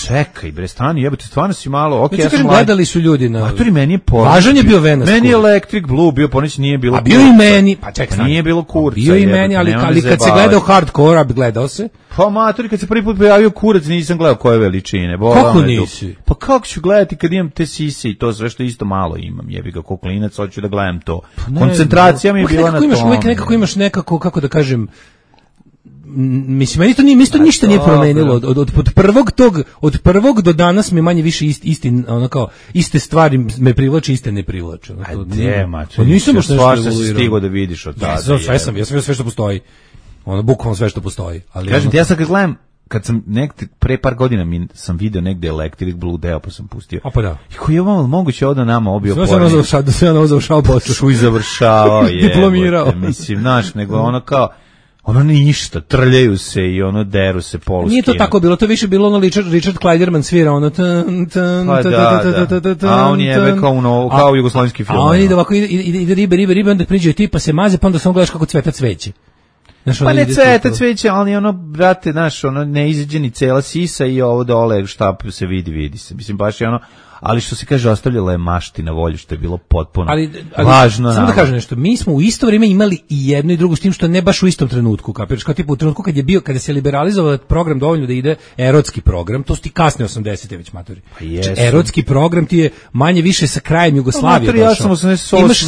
Čekaj, bre, stani, jebote, stvarno si malo, okej, ja sam gledali su ljudi na... Maturi, meni je Pornić. Važan je bio Venas. Meni je Electric Blue, bio Pornić, nije bilo... A bio i meni, pa čekaj, nije bilo kurca. Bio i meni, ali kad se gledao hardcore, a gledao se. Pa maturi, kad se prvi put pojavio kurac, nisam gledao koje veličine. Kako nisi? Pa kako ću gledati kad imam te sise i to sve što isto malo imam. Jebi ga ko klinac, hoću da gledam to. Koncentracija mi je bila na tome. Nekako imaš nekako, kako da kažem, mislim, meni to ništa nije promenilo. Od prvog do danas me manje više iste stvari me privlače, iste ne privlače. A gdje, mačo? Nisam baš nešto što si stigao da vidiš od tada. Ja sam sve što postoji. Bukvalno sve što postoji. Kažem ti, ja sad kad gledam, kad sam pre par godina sam video negde Electric Blue deo, pa sam pustio. A pa da. I koji je vam moguće ovdje nama obio Pornić. Sve ono završao posao. Šuj završao, diplomirao. Mislim, znaš, nego ono kao, ono ništa, trljaju se i ono deru se poluskinu. Nije to tako bilo, to više bilo ono Richard Kleiderman svira, ono a on je kao jugoslovenski film. A on ide ovako, ide ribe, onda priđe tipa se maze, pa onda samo gledaš kako cveta cveće. Pa ne cveta cveće, ali ono, brate, znaš, ono ne izađe ni cela sisa i ovo dole šta se vidi se. Mislim, baš je ono, ali što se kaže, ostavljala je mašti na volju, što je bilo potpuno važno. Samo da kažem nešto, mi smo u isto vrijeme imali i jedno i drugo, s tim što ne baš u istom trenutku, kapiraš, kao tipu u trenutku kada se liberalizovao program dovoljno da ide erotski program, to su ti kasne 80-te već, maturi. Pa jesu. Erotski program ti je manje više sa krajem Jugoslavije došao. Ja sam 88. Imaš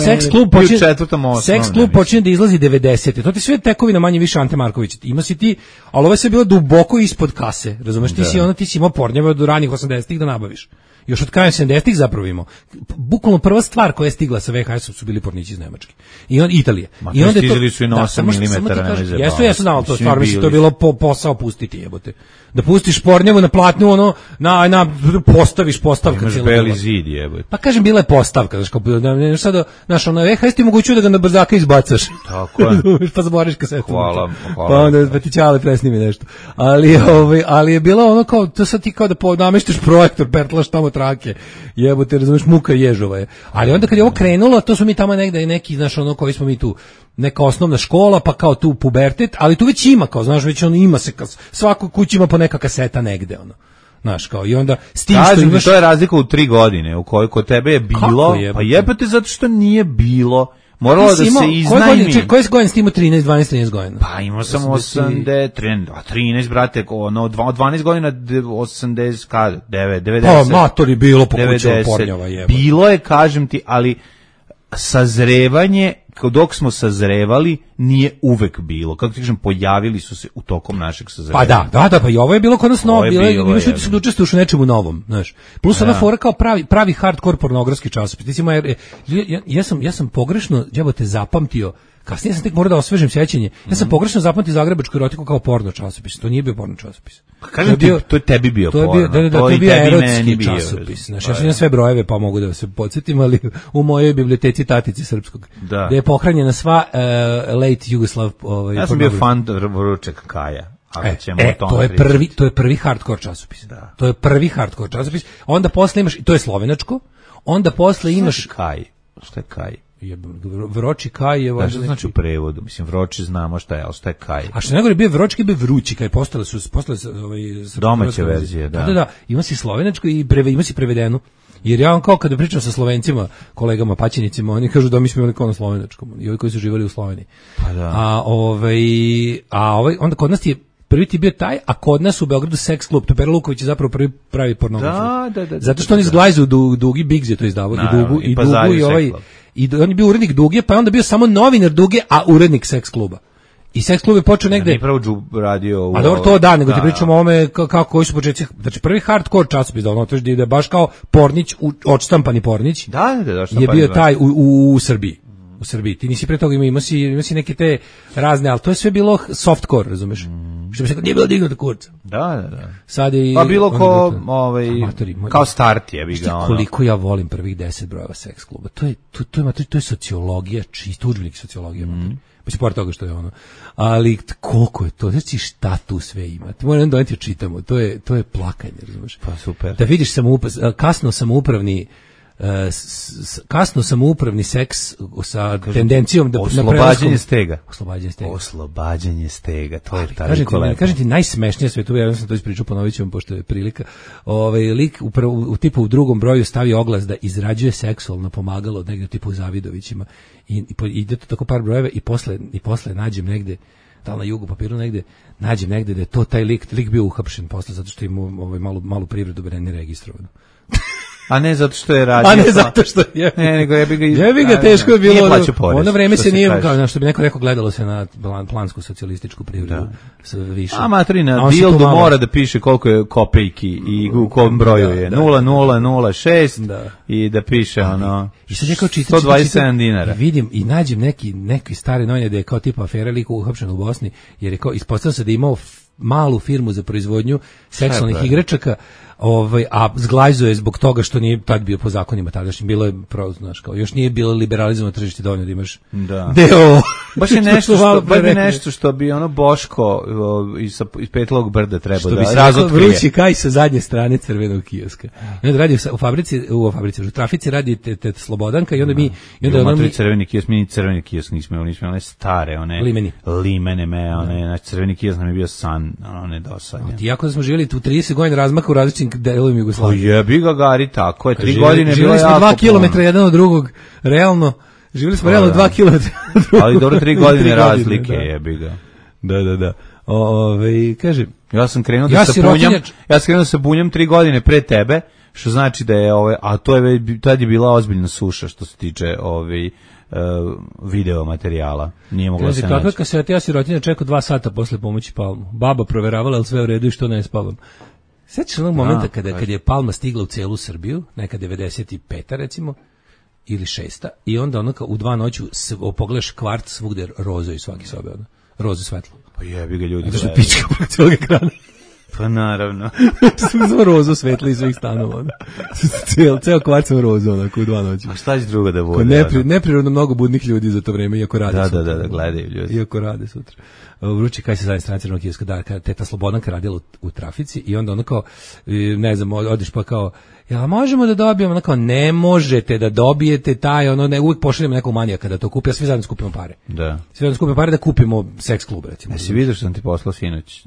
seks klub počinje da izlazi 90-te, to ti sve tekovina manje više Ante Marković. Ima si ti, ali ovo je sve bilo duboko ispod kase, razumeš, ti si imao Pornjeve od ranih 80-ih da nabaviš. Još od kraja 70-ih zapravo imamo. Bukvalno prva stvar koja je stigla sa VHS-om su bili Pornići iz Nemačke. I Italije. I onda stizali su i na 8 mm. Jesu znao to stvar, mislim, to je bilo posao pustiti, jebote. Da pustiš Pornjevu na platnu, ono, postaviš postavka. Imaš beli zid, jebote. Pa kažem, bila je postavka, znaš, ono, VHS ti mogućuje da ga na brzaka izbacaš. Tako je. Pa zaboriš kasetu. Hvala. Pa onda ti Ćale presnimi nešto. Ali je bilo ono kao, to sad ti kao da nameštiš projektor, pertlaš tamo trake, jebote, razumiješ, muka ježova je. Ali onda kad je ovo krenulo, to smo mi tamo negde neki, znaš, ono koji smo mi tu, neka osnovna škola, pa kao tu pubertet, ali tu već ima, kao, znaš, već ono ima se, svako kući ima po neka kaseta negde, ono. Znaš, kao, i onda s tim što imaš... To je razlika u 3 godine, u kojoj kod tebe je bilo, pa jebate zato što nije bilo. Moralo da se iznajmi. Koje godine si imao 13 godina? Pa imao sam 13, brate, ono, 12 godina, 80, 90. Pa, matori bilo po kućama Pornjava, jeba. Bilo je, kažem ti, ali sazrevanje dok smo sazrevali, nije uvek bilo. Kako ti kažem, pojavili su se u tokom našeg sazrevanja. Pa da, pa i ovo je bilo kod nas novo, imaš ljudi su da učestvuju u nečemu novom, znaš. Plus ona fora kao pravi hardcore pornografski časopis. Recimo, ja sam pogrešno, jebote, zapamtio. Kasnije sam tek morao da osvežim sećanje. Ja sam pogrešno zapamtio zagrebačku erotiku kao porno časopis. To nije bio porno časopis. Kažem ti, to je tebi bio porno. To je bio erotski časopis. Znaš, ja sam sve brojeve pa mogu da se podsjetim, ali u mojoj biblioteci Tatici Srpskog. Da. Gde je pohranjena sva late Jugoslav. Ja sam bio fan Vrućeg Kaja. To je prvi hardcore časopis. Da. To je prvi hardcore časopis. Onda posle imaš, to je slovenačko, onda posle imaš... Kaj? Šta je Kaj? Vroči kaj je... Da, što znači u prevodu? Mislim, vroči znamo šta je, ali šta je kaj? A što nego je bio vročki, bio vrući kaj, postale domaće verzije, da. Da, ima si slovenačko i ima si prevedenu. Jer ja kao kada pričam sa Slovencima, kolegama, paćenicima, oni kažu da mi smo imali kao na slovenačkom, i ovi koji su živjeli u Sloveniji. Pa da. Onda kod nas je prvi ti bio taj, a kod nas u Beogradu Seks klub. Pera Luković je zapravo prvi pravi pornografiju. Da. Zato što oni izglajzu Dugi, Biggs je to izdavao, i Dugu i ovaj... I on je bio urednik Duge, pa je onda bio samo novinar Duge, a urednik Seks kluba. I Seks klub je počeo negde... Ne pravo radio... A dobro, to da, nego ti pričamo o ome koji su početci... Znači, prvi hardcore časopis da ono, da je baš kao Pornić, odštampani Pornić, je bio taj u Srbiji. U Srbiji. Ti nisi pre toga imao si neke te razne, ali to je sve bilo softcore, razumeš? Što bi se nije bilo dignuto kurca. Da. Sad je... Pa bilo kao start je. Koliko ja volim prvih 10 brojeva Seks kluba. To je sociologija, čisto udžbenik sociologije. Pa se pored toga što je ono. Ali koliko je to? Znači šta tu sve ima? Ti moram da ti čitamo. To je plakanje, razumeš? Pa super. Da vidiš kasno samoupravni seks sa tendencijom da oslobađanje stega. Oslobađanje stega, to je taj kolega. Kažem ti najsmešnije sve tu, ja sam to ispričao, ponovit ću vam pošto je prilika. Lik u drugom broju stavi oglas da izrađuje seksualno pomagalo negde tipu u Zavidovićima i ide to tako par brojeva i posle nađem negde, da li na jugu papiru negde, nađem negde da je to taj lik bio uhapšen posle zato što ima malu privredu ne registrovanu. A ne zato što je radio. A ne zato što je. Ne, nego jebi ga teško je bilo. Ono vreme se nije, kao što bi neko rekao, gledalo se na plansku socijalističku privredu. Više. A materina, Dildo mora da piše koliko je kopejki i u kom broju je. 0006 i da piše ono 127 dinara. Vidim i nađem neki stare novine da je kao tipa afera lik uhapšen u Bosni, jer je kao ispostavilo se da je imao malu firmu za proizvodnju seksualnih igračaka, a zglajzuje zbog toga što nije tad bio po zakonima tadašnjim, bilo je znaš, kao još nije bilo liberalizovano tržište dovoljno da imaš deo. Baš je nešto što bi ono Boško iz Petlog brda trebao da razotkrije. Vrući kaj sa zadnje strane crvenog kioska. I onda radi u trafici radi te Slobodanka i onda mi... crveni kiosk, mi crveni kiosk nismo one stare, one limene, one crveni kiosk nam je bio san, one dosanje. Iako da smo živjeli tu 30 godina razmaka u različitim delovima Jugoslavije. Jebi ga Gari, tako je, 3 godine bilo jako. Živjeli smo 2 km jedan od drugog, realno, živjeli smo realno 2 km. Ali dobro 3 godine razlike, jebi ga. Da. Kaže, ja sam krenuo da se bunjam 3 godine pre tebe, što znači da je a to je tad je bila ozbiljna suša što se tiče video materijala. Nije mogla se naći. Kakva kaseta, ja sirotinja čekao 2 sata posle pomoći Palmu. Baba proveravala, ali sve u redu i što ne spavam. Sjećaš onog momenta kad je Palma stigla u celu Srbiju, neka 95. recimo, ili 6. I onda ono u 2 noću pogledaš kvart svugde rozo i svaki sobe, rozo svetlo. Pa jebi ga ljudi. Zato što pička preko cijelog ekrana. Pa naravno. Samo rozo svetlo iz svih stanova. Ceo kvart sam rozo, onako u 2 noći. A šta će druga da bude? Neprirodno mnogo budnih ljudi za to vreme, iako rade sutra. Da, gledaju ljudi. Iako rade sutra. Vrući kaj se zadnje strane crvenog kioska, da, teta Slobodanka radila u trafici i onda ono kao, ne znam, odeš pa kao, ja možemo da dobijemo, ono kao, ne možete da dobijete taj, uvijek pošaljemo nekog manijaka da to kupi, a svi zajedno skupimo pare. Da. Svi zajedno skupimo pare da kupimo Seks klub, recimo. Jesi vidio što sam ti poslao sinoć?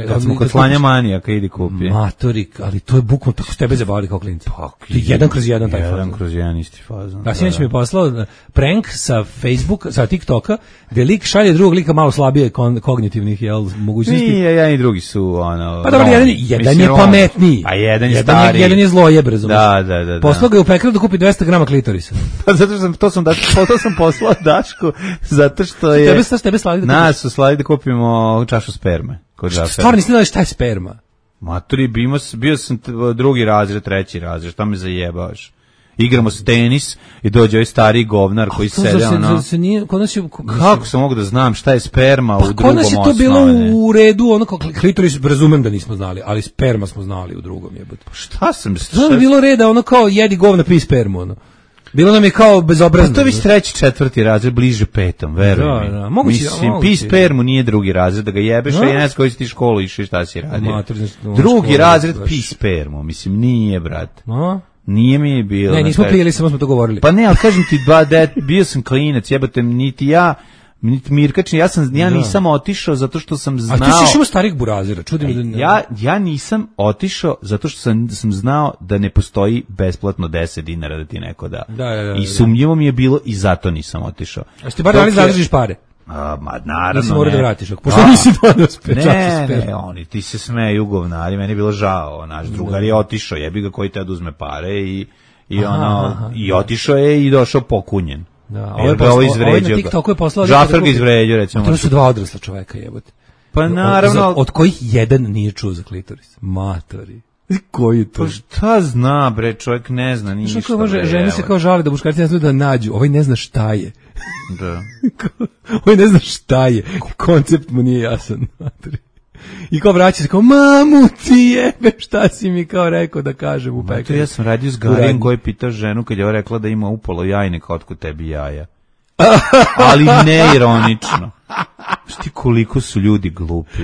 Kad smo kod slanja manijaka, idi kupi. Matorik, ali to je bukvalno tako s tebe zabavili kao klinci. Jedan kroz jedan taj fazon. Jedan kroz jedan isti fazon. Da, sinoć mi je poslao prank sa Facebooka, sa TikToka, gde lik šalje drugog lika malo slabije kognitivnih mogućnosti. Nije, jedan i drugi su pa dobro, jedan je pametniji. A jedan je stari. Jedan je zlojeb, razumiješ. Da. Poslao ga je u pekaru da kupi 200 grama klitorisa. Pa zato što to sam poslao Dašku, zato što je... Tebe slali da kupiš? Nas su slali da kupimo čašu sperme. Stvarno nisi znali šta je sperma? Maturi, bio sam drugi razred, treći razred, šta me zajebavaš? Igramo se tenis i dođe ovaj stari govnar koji sede ono... Kako sam mogu da znam šta je sperma u drugom osnovne? Pa kod nas je to bilo u redu, ono kao klitoris, razumem da nismo znali, ali sperma smo znali u drugom jebote. Šta sam... Znam bilo reda, ono kao jedi govna, pi spermu, ono. Bilo nam je kao bezobrazno. Pa to je već treći, četvrti razred, bliže petom, veruj mi. Da, moguće. Mislim, pi spermu nije drugi razred, da ga jebeš, a jednac koji si ti školu išao i šta si radio. Drugi razred, pi spermu, mislim, nije, brat. Nije mi bilo. Ne, nismo pijeli, samo smo to govorili. Pa ne, ali kažem ti, bio sam klinac, jebate, niti ja, niti Mirkačin, ja nisam otišao zato što sam znao... A ti si išao starih burazira, čudi mi da... Ja nisam otišao zato što sam znao da ne postoji besplatno 10 dinara da ti neko da. I sumnjivo mi je bilo i zato nisam otišao. A ste bar dali zadržiš pare? Ma naravno nisi morao da vratiš, pošto nisi donio ne, oni ti se smeju govnari, meni je bilo žao, naš drugar je otišao, jebi ga koji te da uzme pare i otišao je i došao pokunjen. Da, ovo izvređao. Na TikToku je poslao Žafer ga izvređao, recimo. To su dva odrasla čoveka, jebote. Pa naravno, od kojih jedan nije čuo za klitoris. Matori. Koji to? Pa šta zna, bre, čovjek ne zna ništa. Žene se kao žale da muškarci ne znaju da nađu. Ovaj ne zna šta je. Da. Ovaj ne zna šta je. Koncept mu nije jasan. I kao vraća se kao, mamu ti jebe, šta si mi kao rekao da kažem u pekari. Ja sam radio s Garijem koji je pitao ženu kad je ova rekla da ima upolo jajnika, otkud tebi jaja. Ali ne ironično. Šti koliko su ljudi glupi.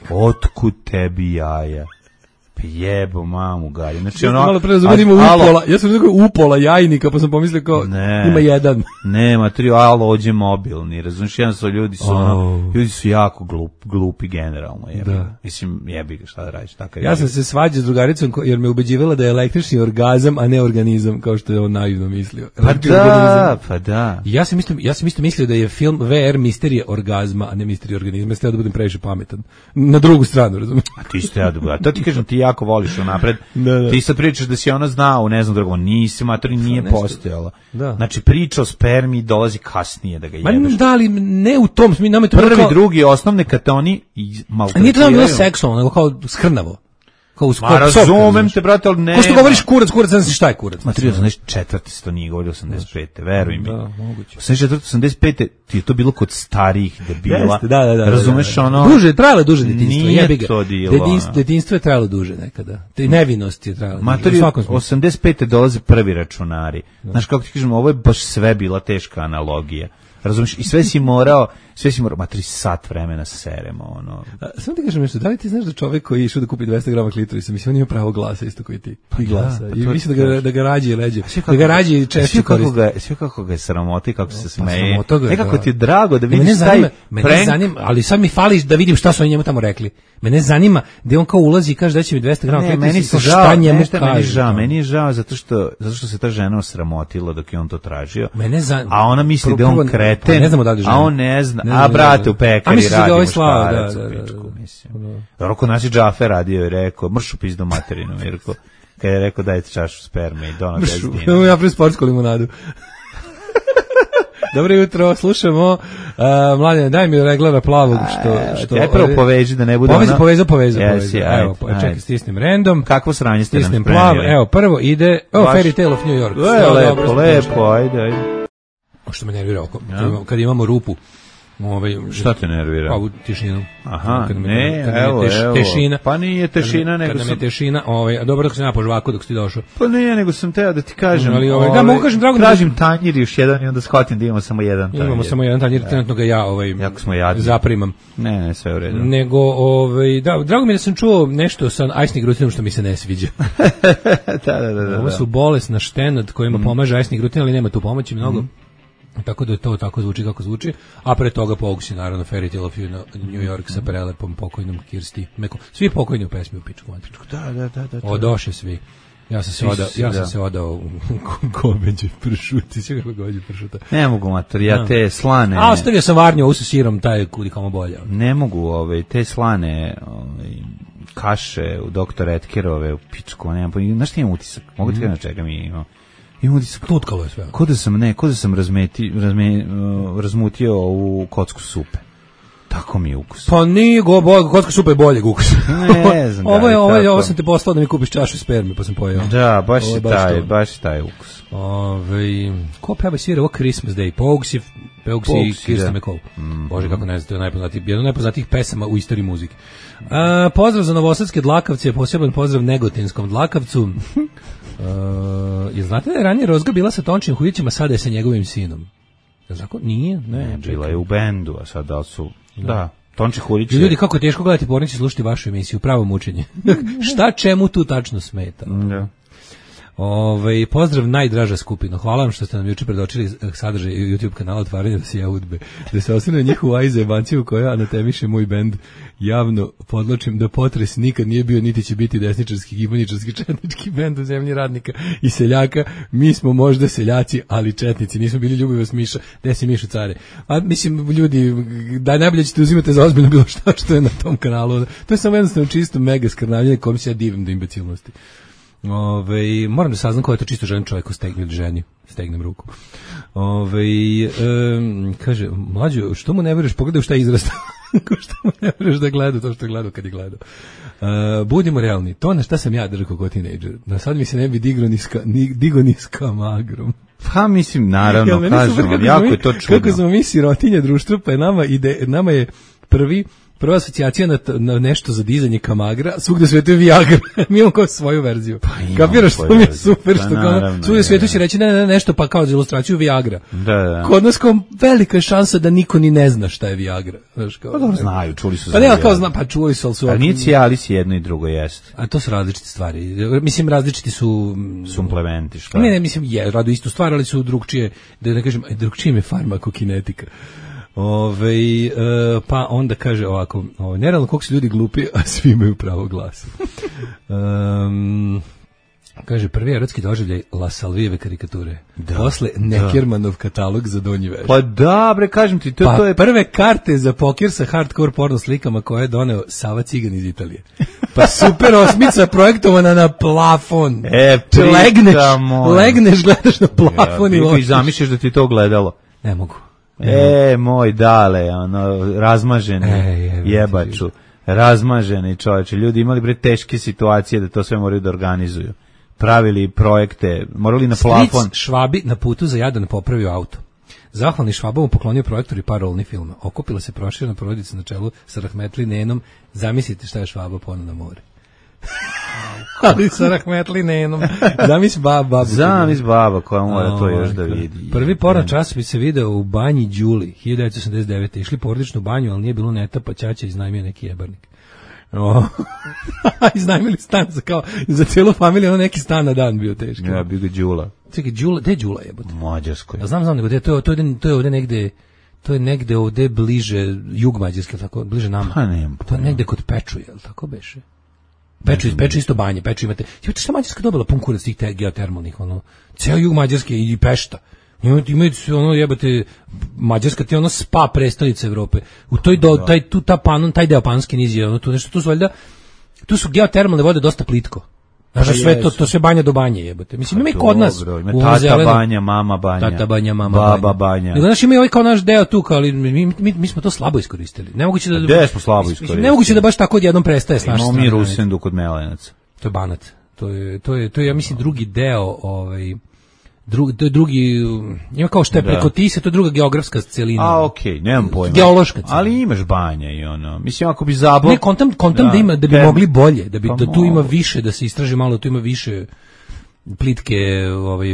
Otkud tebi jaja. Jebo mamu Gari. Znači ono, malo pre razumem upola. Ja sam rekao upola jajnika, pa sam pomislio kao ima jedan. Nema, ođe mobilni. Razumiješ, jednostavno ljudi su jako glupi generalno. Mislim, jebi ga, šta da radiš. Ja sam se svađao s drugaricom jer me ubeđivala da je električni orgazam, a ne organizam, kao što je on naivno mislio. Pa da. Ja sam isto mislio da je film VR misterija orgazma, a ne misterija organizma. Ja da budem previše pametan. Na drugu stranu, razumiješ. A ti ste ja dobro. To ti kažem, ti jako voliš napred. Ti sad pričaš da si ona znao, ne znam drugo, nisi, matori nije postojala. Znači priča o spermi dolazi kasnije da ga jebeš. Da, ali ne u tom smislu. Prvi, drugi, osnovne kad te oni maltretiraju. Nije to nam bilo seksualno, nego kao skrnavo. Razumem te, brate, ali ne. Ko što govoriš kurac, ne znaš šta je kurac. Ma 84. to nije govorio 85. Veruj mi. Da, moguće. 84. ti je to bilo kod starijih debila. Da. Razumeš ono? Trajalo duže detinjstvo. Nije to dilo. Detinjstvo je trajalo duže nekada. Nevinost je trajala. Matori, 85. dolaze prvi računari. Znaš kako ti kažem, ovo je baš sve bila teška analogija. Razumiješ, i sve si morao, matri sat vremena seremo, ono. Samo ti kažem nešto, da li ti znaš da čovjek koji je išao da kupi 200 grama klitorisa, mislim, on ima pravo glasa isto koji ti. I glasa. I mislim da ga rađe i leđe. Da ga rađe i češće koristi. Sve kako ga je sramoti, kako se smeje. Nekako ti je drago da vidiš mene zanima, ali sad mi fali da vidim šta su oni njemu tamo rekli. Mene zanima da on kao ulazi i kaže da će mi 200 grama klitorisa, šta njemu kaže. Meni je žao zato što se ta žena osramotila dok je on to tražio. A ona misli da on kreten, a on ne zna. A brate u pekari radi muškarac u pičku, mislim. Roko naši Džafer radio i rekao, mršu pizdu materinu, Mirko. Kad je rekao dajte čašu sperme i dono 10 dinara. Ja pre sportsku limonadu. Dobro jutro, slušamo Mladen, daj mi reglara plavog što ja prvo poveži da ne bude povezao. Evo, čekaj, stisnem random. Kakvo sranje ste nam spremili? Plav, evo, prvo ide Fairy Tale of New York. Lepo, ajde. Što me nervira oko, kad imamo rupu. Šta te nervira? Pa u tišinu. Aha, evo. Tešina. Pa nije tešina, nego kad nam je tešina, dobro dok se na po žvaku dok si došao. Pa nije, nego sam teo da ti kažem. Da, mogu kažem, drago. Tražim tanjir još jedan i onda shvatim da imamo samo jedan tanjir. Imamo samo jedan tanjir, trenutno ga ja jako smo jadni. Zaprimam. Ne, sve u redu. Nego, da, drago mi je da sam čuo nešto sa ajsnim grutinom što mi se ne sviđa. Da. Ovo su bolesna štenad kojima pomaže ajsni grutin, ali nema tu pomoći mnogo. Tako da to tako zvuči kako zvuči, a pre toga Pogusi naravno Fairy Tale of New York sa prelepom pokojnom Kirsti Meko. Svi pokojni u pesmi u pičku matričku. Da. Odoše svi. Ja sam se odao u goveđe pršuti, sve kako goveđe pršuta. Ne mogu mater, ja te slane. A ostavio sam varnju u sa sirom, taj kudi kamo bolje. Ne mogu te slane kaše u doktor Etkerove, u pičku, nemam pojma, znaš ti imam utisak, mogu ti na čega mi imam? Imam utisak, tutkalo je sve. Ko da sam razmutio ovu kocku supe. Tako mi je ukus. Pa nije kocka supe je boljeg ukusa. Ne znam. Ovo sam te poslao da mi kupiš čašu sperme, pa sam pojeo. Da, baš je taj ukus. Ko peva svira ovo Christmas Day? Pogues i Kirsten McCall. Bože, kako ne znam, to je jedan od najpoznatijih pesama u istoriji muzike. Pozdrav za novosadske dlakavce, poseban pozdrav negotinskom dlakavcu. Jel znate da je ranije Rozga bila sa Tončim Hujićem, a sada je sa njegovim sinom? Zako? Nije? Ne, bila je u bendu, a sada su... Da, Tonči Hujić. Ljudi, kako je teško gledati pornici i slušati vašu emisiju, pravo mučenje. Šta čemu tu tačno smeta? Da. Pozdrav najdraža skupina. Hvala vam što ste nam juče predočili sadržaj YouTube kanala Otvaranje dosija udbe. Da se osvrne njihovu ajzebanciju koja anatemiše moj bend. Javno podločim da Potres nikad nije bio niti će biti desničarski, gibaničarski, četnički bend u zemlji radnika i seljaka. Mi smo možda seljaci, ali četnici. Nismo bili Ljubivost Miša. Gde si Mišo care? A mislim, ljudi, da najbolje ćete uzimati za ozbiljno bilo što je na tom kanalu. To je samo jednostavno čisto mega skrnavljanje kom se ja divim do imbecilnosti. Moram da saznam ko je to čisto žen čovjek ko stegne ili ženi, stegnem ruku. Kaže, mlađo, što mu ne veruješ, pogledaj šta je izrastao. Što mu ne veruješ da gleda to što je gledao kad je gledao. Budimo realni, to na šta sam ja držao kao tinejdžer. Na sad mi se ne bi digo ni s kamagrom. Pa mislim, naravno, kažem, jako je to čudno. Kako smo mi sirotinje društva, pa nama je prva asocijacija na nešto za dizanje kamagra, svugde svetu je Viagra. Mi imamo kao svoju verziju. Kapiraš što mi je super, što kao svugde svetu će reći ne, nešto, pa kao za ilustraciju Viagra. Da. Kod nas kao velika je šansa da niko ni ne zna šta je Viagra. Znaš, kao, pa dobro znaju, čuli su. Pa ne, kao zna, pa čuli su, ali su... A nije Cialis jedno i drugo jest. A to su različite stvari. Mislim, različiti su... Suplementi, šta? Ne, mislim, radu istu stvar, ali su drugčije, da ne kažem, drugčije je farmakokinetika. Pa onda kaže ovako, nerealno koliko su ljudi glupi, a svi imaju pravo glasa. Kaže, prvi erotski doživljaj La Salvijeve karikature. Posle Neckermanov katalog za donji veš. Pa da, bre, kažem ti, to je... prve karte za pokir sa hardcore porno slikama koje je doneo Sava Cigan iz Italije. Pa super osmica projektovana na plafon. Legneš, gledaš na plafon i lošiš. I zamišljaš da ti to gledalo. Ne mogu. Moj dale, razmaženi jebaču, razmaženi čovječe, ljudi imali bre teške situacije da to sve moraju da organizuju, pravili projekte, morali na plafon. Stric Švabi na putu za Jadran popravio auto. Zahvalni Švabovu poklonio projektor i par rolnih filma. Okupila se proširena porodica na čelu sa Rahmetli Nenom. Zamislite šta je Švaba poneo na more. Ali sa Rahmetli Nenom. Zamisli baba koja mora to još da vidi. Prvi porno časopis se video u banji Đuli 1989. Išli porodičnu banju, ali nije bilo neta, pa ćaća iznajmio neki jebarnik. Iznajmili stan za cijelu familiju, neki stan na dan bio teški. Ja, bio ga Đula. Čekaj, gde je Đula jebote? Mađarskoj. Znam nego to je ovde negde. To je negde ovde bliže jug Mađarske, tako bliže nama. Pa nemam. To je negde kod Pečuje, jel tako beše? Peču isto banje, Peču imate. Imate šta Mađarska dobila pun kurac tih geotermalnih, ceo jug Mađarske i Pešta. Imaju jebate, Mađarska ti je spa prestolnica Evrope. U taj deo Panski niz je, tu su valjda, tu su geotermalne vode dosta plitko. Znaš, sve to sve banja do banje jebote. Mislim, ima i kod nas. Tata banja, mama banja. Tata banja, mama baba banja. Znaš, ima i ovaj kao naš deo tu, ali mi smo to slabo iskoristili. Nemoguće da... Gde smo slabo iskoristili? Nemoguće da baš tako odjednom prestaje s naše strane. Imamo mi Rusendu kod Melenaca. To je Banat. To je, ja mislim, drugi deo, to je drugi, ima kao što je preko Tise, to je druga geografska celina. Okej, nemam pojma. Geološka celina. Ali imaš banja i mislim, ako bi Zabor... Ne, kontam da ima, da bi mogli bolje, da tu ima više, da se istraži malo, tu ima više plitke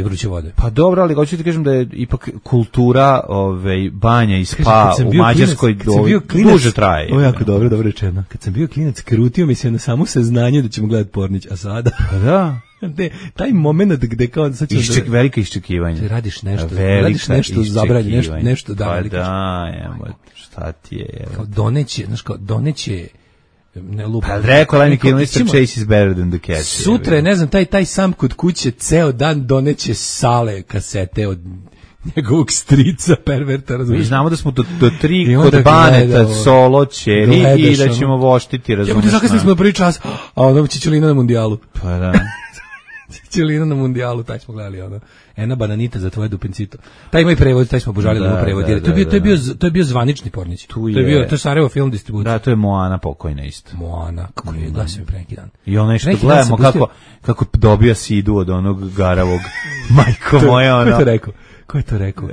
vruće vode. Pa dobro, ali hoću ti kažem da je ipak kultura banja i spa u Mađarskoj duže traje. Ovo je jako dobro rečeno. Kad sam bio klinac, krutio mi se na samo saznanje da ćemo gledati Pornić, a sada... Pa da. Taj moment gde kao sad velika iščekivanja. Ti radiš nešto zabranjeno, nešto da. Pa da, šta ti je? Kao doneće ne lupa. Pa rekao Lemmy Kilmister, Chase is better than the cat. Sutra, ne znam, taj sam kod kuće ceo dan doneće sale kasete od njegovog strica, perverta, razumiješ. Mi znamo da smo do 3 kod Baneta, Solo, Čeri i da ćemo voštiti, razumiješ. Ja zakasnili smo na prvi čas, a ono Čičelina na mundijalu. Pa da. Čičelina na mundijalu, taj smo gledali, ono. Ena bananita za tvoje dupencito. Taj ima i prevod, taj smo obožavali da prevod. To je bio zvanični Pornić. To je Sarajevo film distribucija. Da, to je Moana pokojna isto. Moana, kako je glasio mi pre neki dan. I ono što gledamo kako dobija sidu od onog garavog. Majko moja, ono. Ko je to rekao?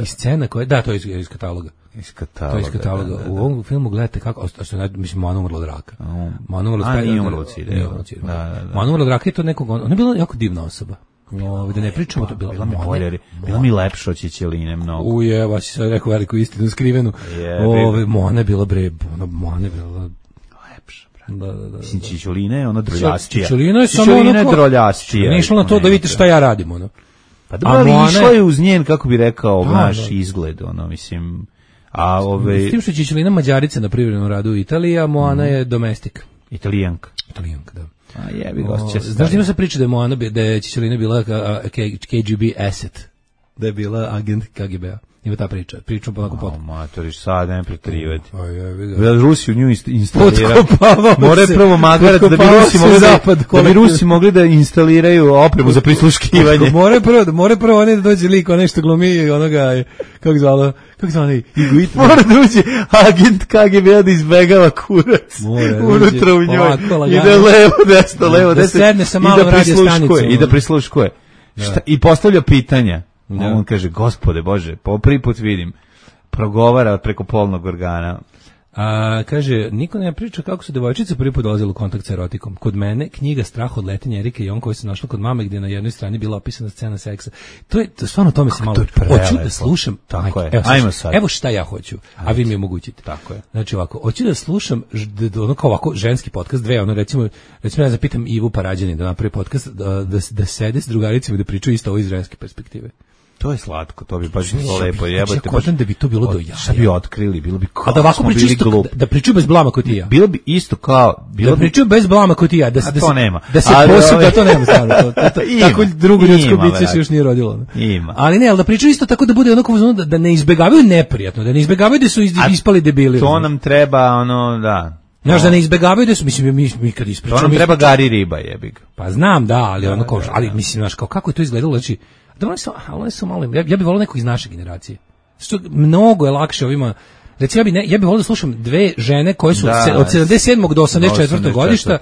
I scena koja, da, to je iz kataloga. To je iz kataloga. U ovom filmu gledate kako, mislim, Moana umrla od raka. Moana umrla od sida. Moana umrla od raka je to nekog, ona je bila jako divna osoba. Da ne pričamo, to bila mi lepša od Čičeline mnogo. Ujeva, si sad rekao veliku istinu skrivenu. Moana je bila Moana je bila lepša. Da. Mislim, Čičelina je ona droljastija. Čičelina je samo ono droljastija. Ne išla na to da vidite šta ja radim, ono. Pa dobro, ali išla je uz njen, kako bi rekao, naš izgled, ono, mislim. S tim što je Čičelina Mađarica na privrednom radu u Italiji, a Moana je domestik. Italijanka, da. A jebi ga, znaš da ima se priča da je Čičelina bila KGB asset, da je bila agent KGB-a. Ima ta priča. Pričam onako potom. Matoriš, sad ne pretrivati. Rusi u nju instaliraju. More prvo magarac da bi Rusi mogli da instaliraju opremu za prisluškivanje. More prvo oni da dođe lik, onaj što glumi onoga, kako zvalo Iguit. Mora da uđe agent KGB-a da izbegava kurac. Unutra u njoj. Ide levo, desno. Da sedne sa malom radio stanicom. I da prisluškuje. I postavlja pitanja. On kaže, Gospode Bože, po prvi put vidim, progovara preko polnog organa. Kaže, niko ne priča kako su devojčice prvi put dolazile u kontakt sa erotikom. Kod mene knjiga Strah od letenja Erike Jon koja se našla kod mame gdje na jednoj strani bila opisana scena seksa. To je stvarno tome se malo hoću da slušam. Tako je. Ajmo sad. Evo šta ja hoću, a vi mi omogućite. Tako je. Znači ovako, hoću da slušam ono kao ovako ženski podcast, ono recimo ja zapitam Ivu Parađanin da napravi podcast da sede s drugaricima i da pričaju isto ovo iz ženske perspektive. To je slatko, to bi baš bilo lepo. Jebote, baš da bi to bilo do jaja. Šta bi otkrili, bilo bi kao. A da ovako pričaju isto, da pričaju bez blama kao ti ja. Bilo bi isto kao, da pričaju bez blama kao ti ja, to nema. Da se posudi, to nema stvarno. Tako drugo ljudsko biće se još nije rodilo. Ima. Ali ne, al da pričaju isto tako da bude onako da ne izbegavaju neprijatno, da ne izbegavaju da su ispali debili. To nam treba ono, da. Znaš da ne izbegavaju da su, mislim, mi kad ispričamo. To nam treba Gari riba, jebig. Pa znam, da, ali ono kao, ali mislim, znaš, kako je to izgledalo, znači, da one su malo, ja bih volio neko iz naše generacije. Što mnogo je lakše ovima, recimo ja bih volio da slušam dve žene koje su od 77. do 84. godišta,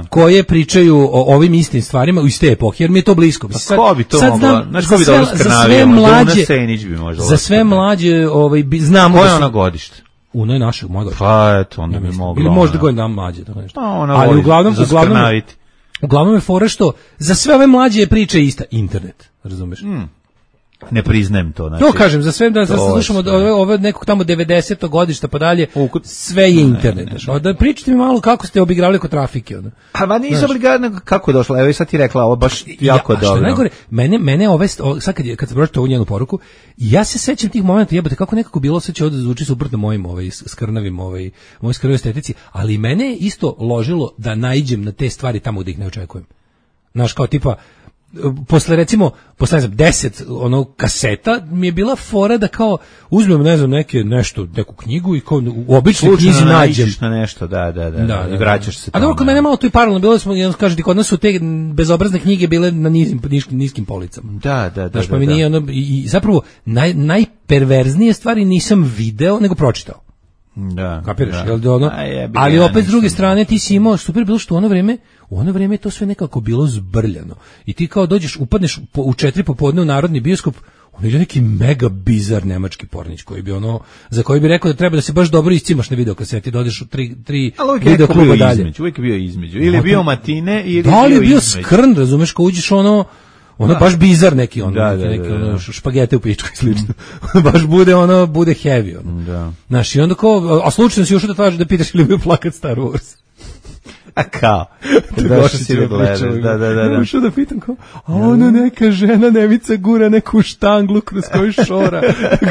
koje pričaju o ovim istim stvarima iz te epohe, jer mi je to blisko. Pa ko bi to mogla? Znaš ko bi dobro skrnavio? Za sve mlađe znam. Koje je ona godište? Uno je našeg moj godište. Pa eto, onda bi mogla. Ili možda godina mlađe, tako nešto. Ali uglavnom je fora što za sve ove mlađe priče ista internet, razumeš? Ne priznajem to. Znači, to kažem, za sve da slušamo ove nekog tamo 90. godišta pa dalje, sve je internet. Da pričate mi malo kako ste obigravali kod trafike. A nisu obigravali, kako je došlo? Evo i sad ti rekla, ovo baš jako dobro. Što najgore, mene sad kad se pročite ovu njenu poruku, ja se sećam tih momenta, jebote, kako nekako bilo, sad će ovdje zvuči suprotno mojim mojoj skrnavoj estetici, ali mene je isto ložilo da naiđem na te stvari tamo gdje ih ne očekujem. Znaš, kao tipa, posle 10 onog kaseta mi je bila fora da kao uzmem neku knjigu i kao u običnoj knjizi nađem na nešto, da, i vraćaš se tamo. A dobro, kod mene malo tu i paralelno bilo smo, kažete, kod nas su te bezobrazne knjige bile na niskim policama. Da. Znaš, pa mi nije i zapravo najperverznije stvari nisam video, nego pročitao. Da. Kapiraš? Ali opet s druge strane ti si imao super bilo što u ono vrijeme je to sve nekako bilo zbrljano. I ti kao upadneš u 4 popodne u Narodni bioskop, on je neki mega bizar nemački pornić koji bi za koji bi rekao da treba da se baš dobro iscimaš na videokaseti, dodeš u 3 video kluba dalje. Uvijek je bio između. Ili je bio matine, ili da li je bio skrn, razumeš, kao uđeš baš bizar neki špagete u pičku i slično. Baš bude heavy. Da. Znaš, i onda kao, a slučajno si još da traži da pitaš ili bi plakat Star Wars. A kao? Došao si da gledaš. Da. Ušao da pitam kao, a neka žena Nevica gura neku štanglu kroz koju šora.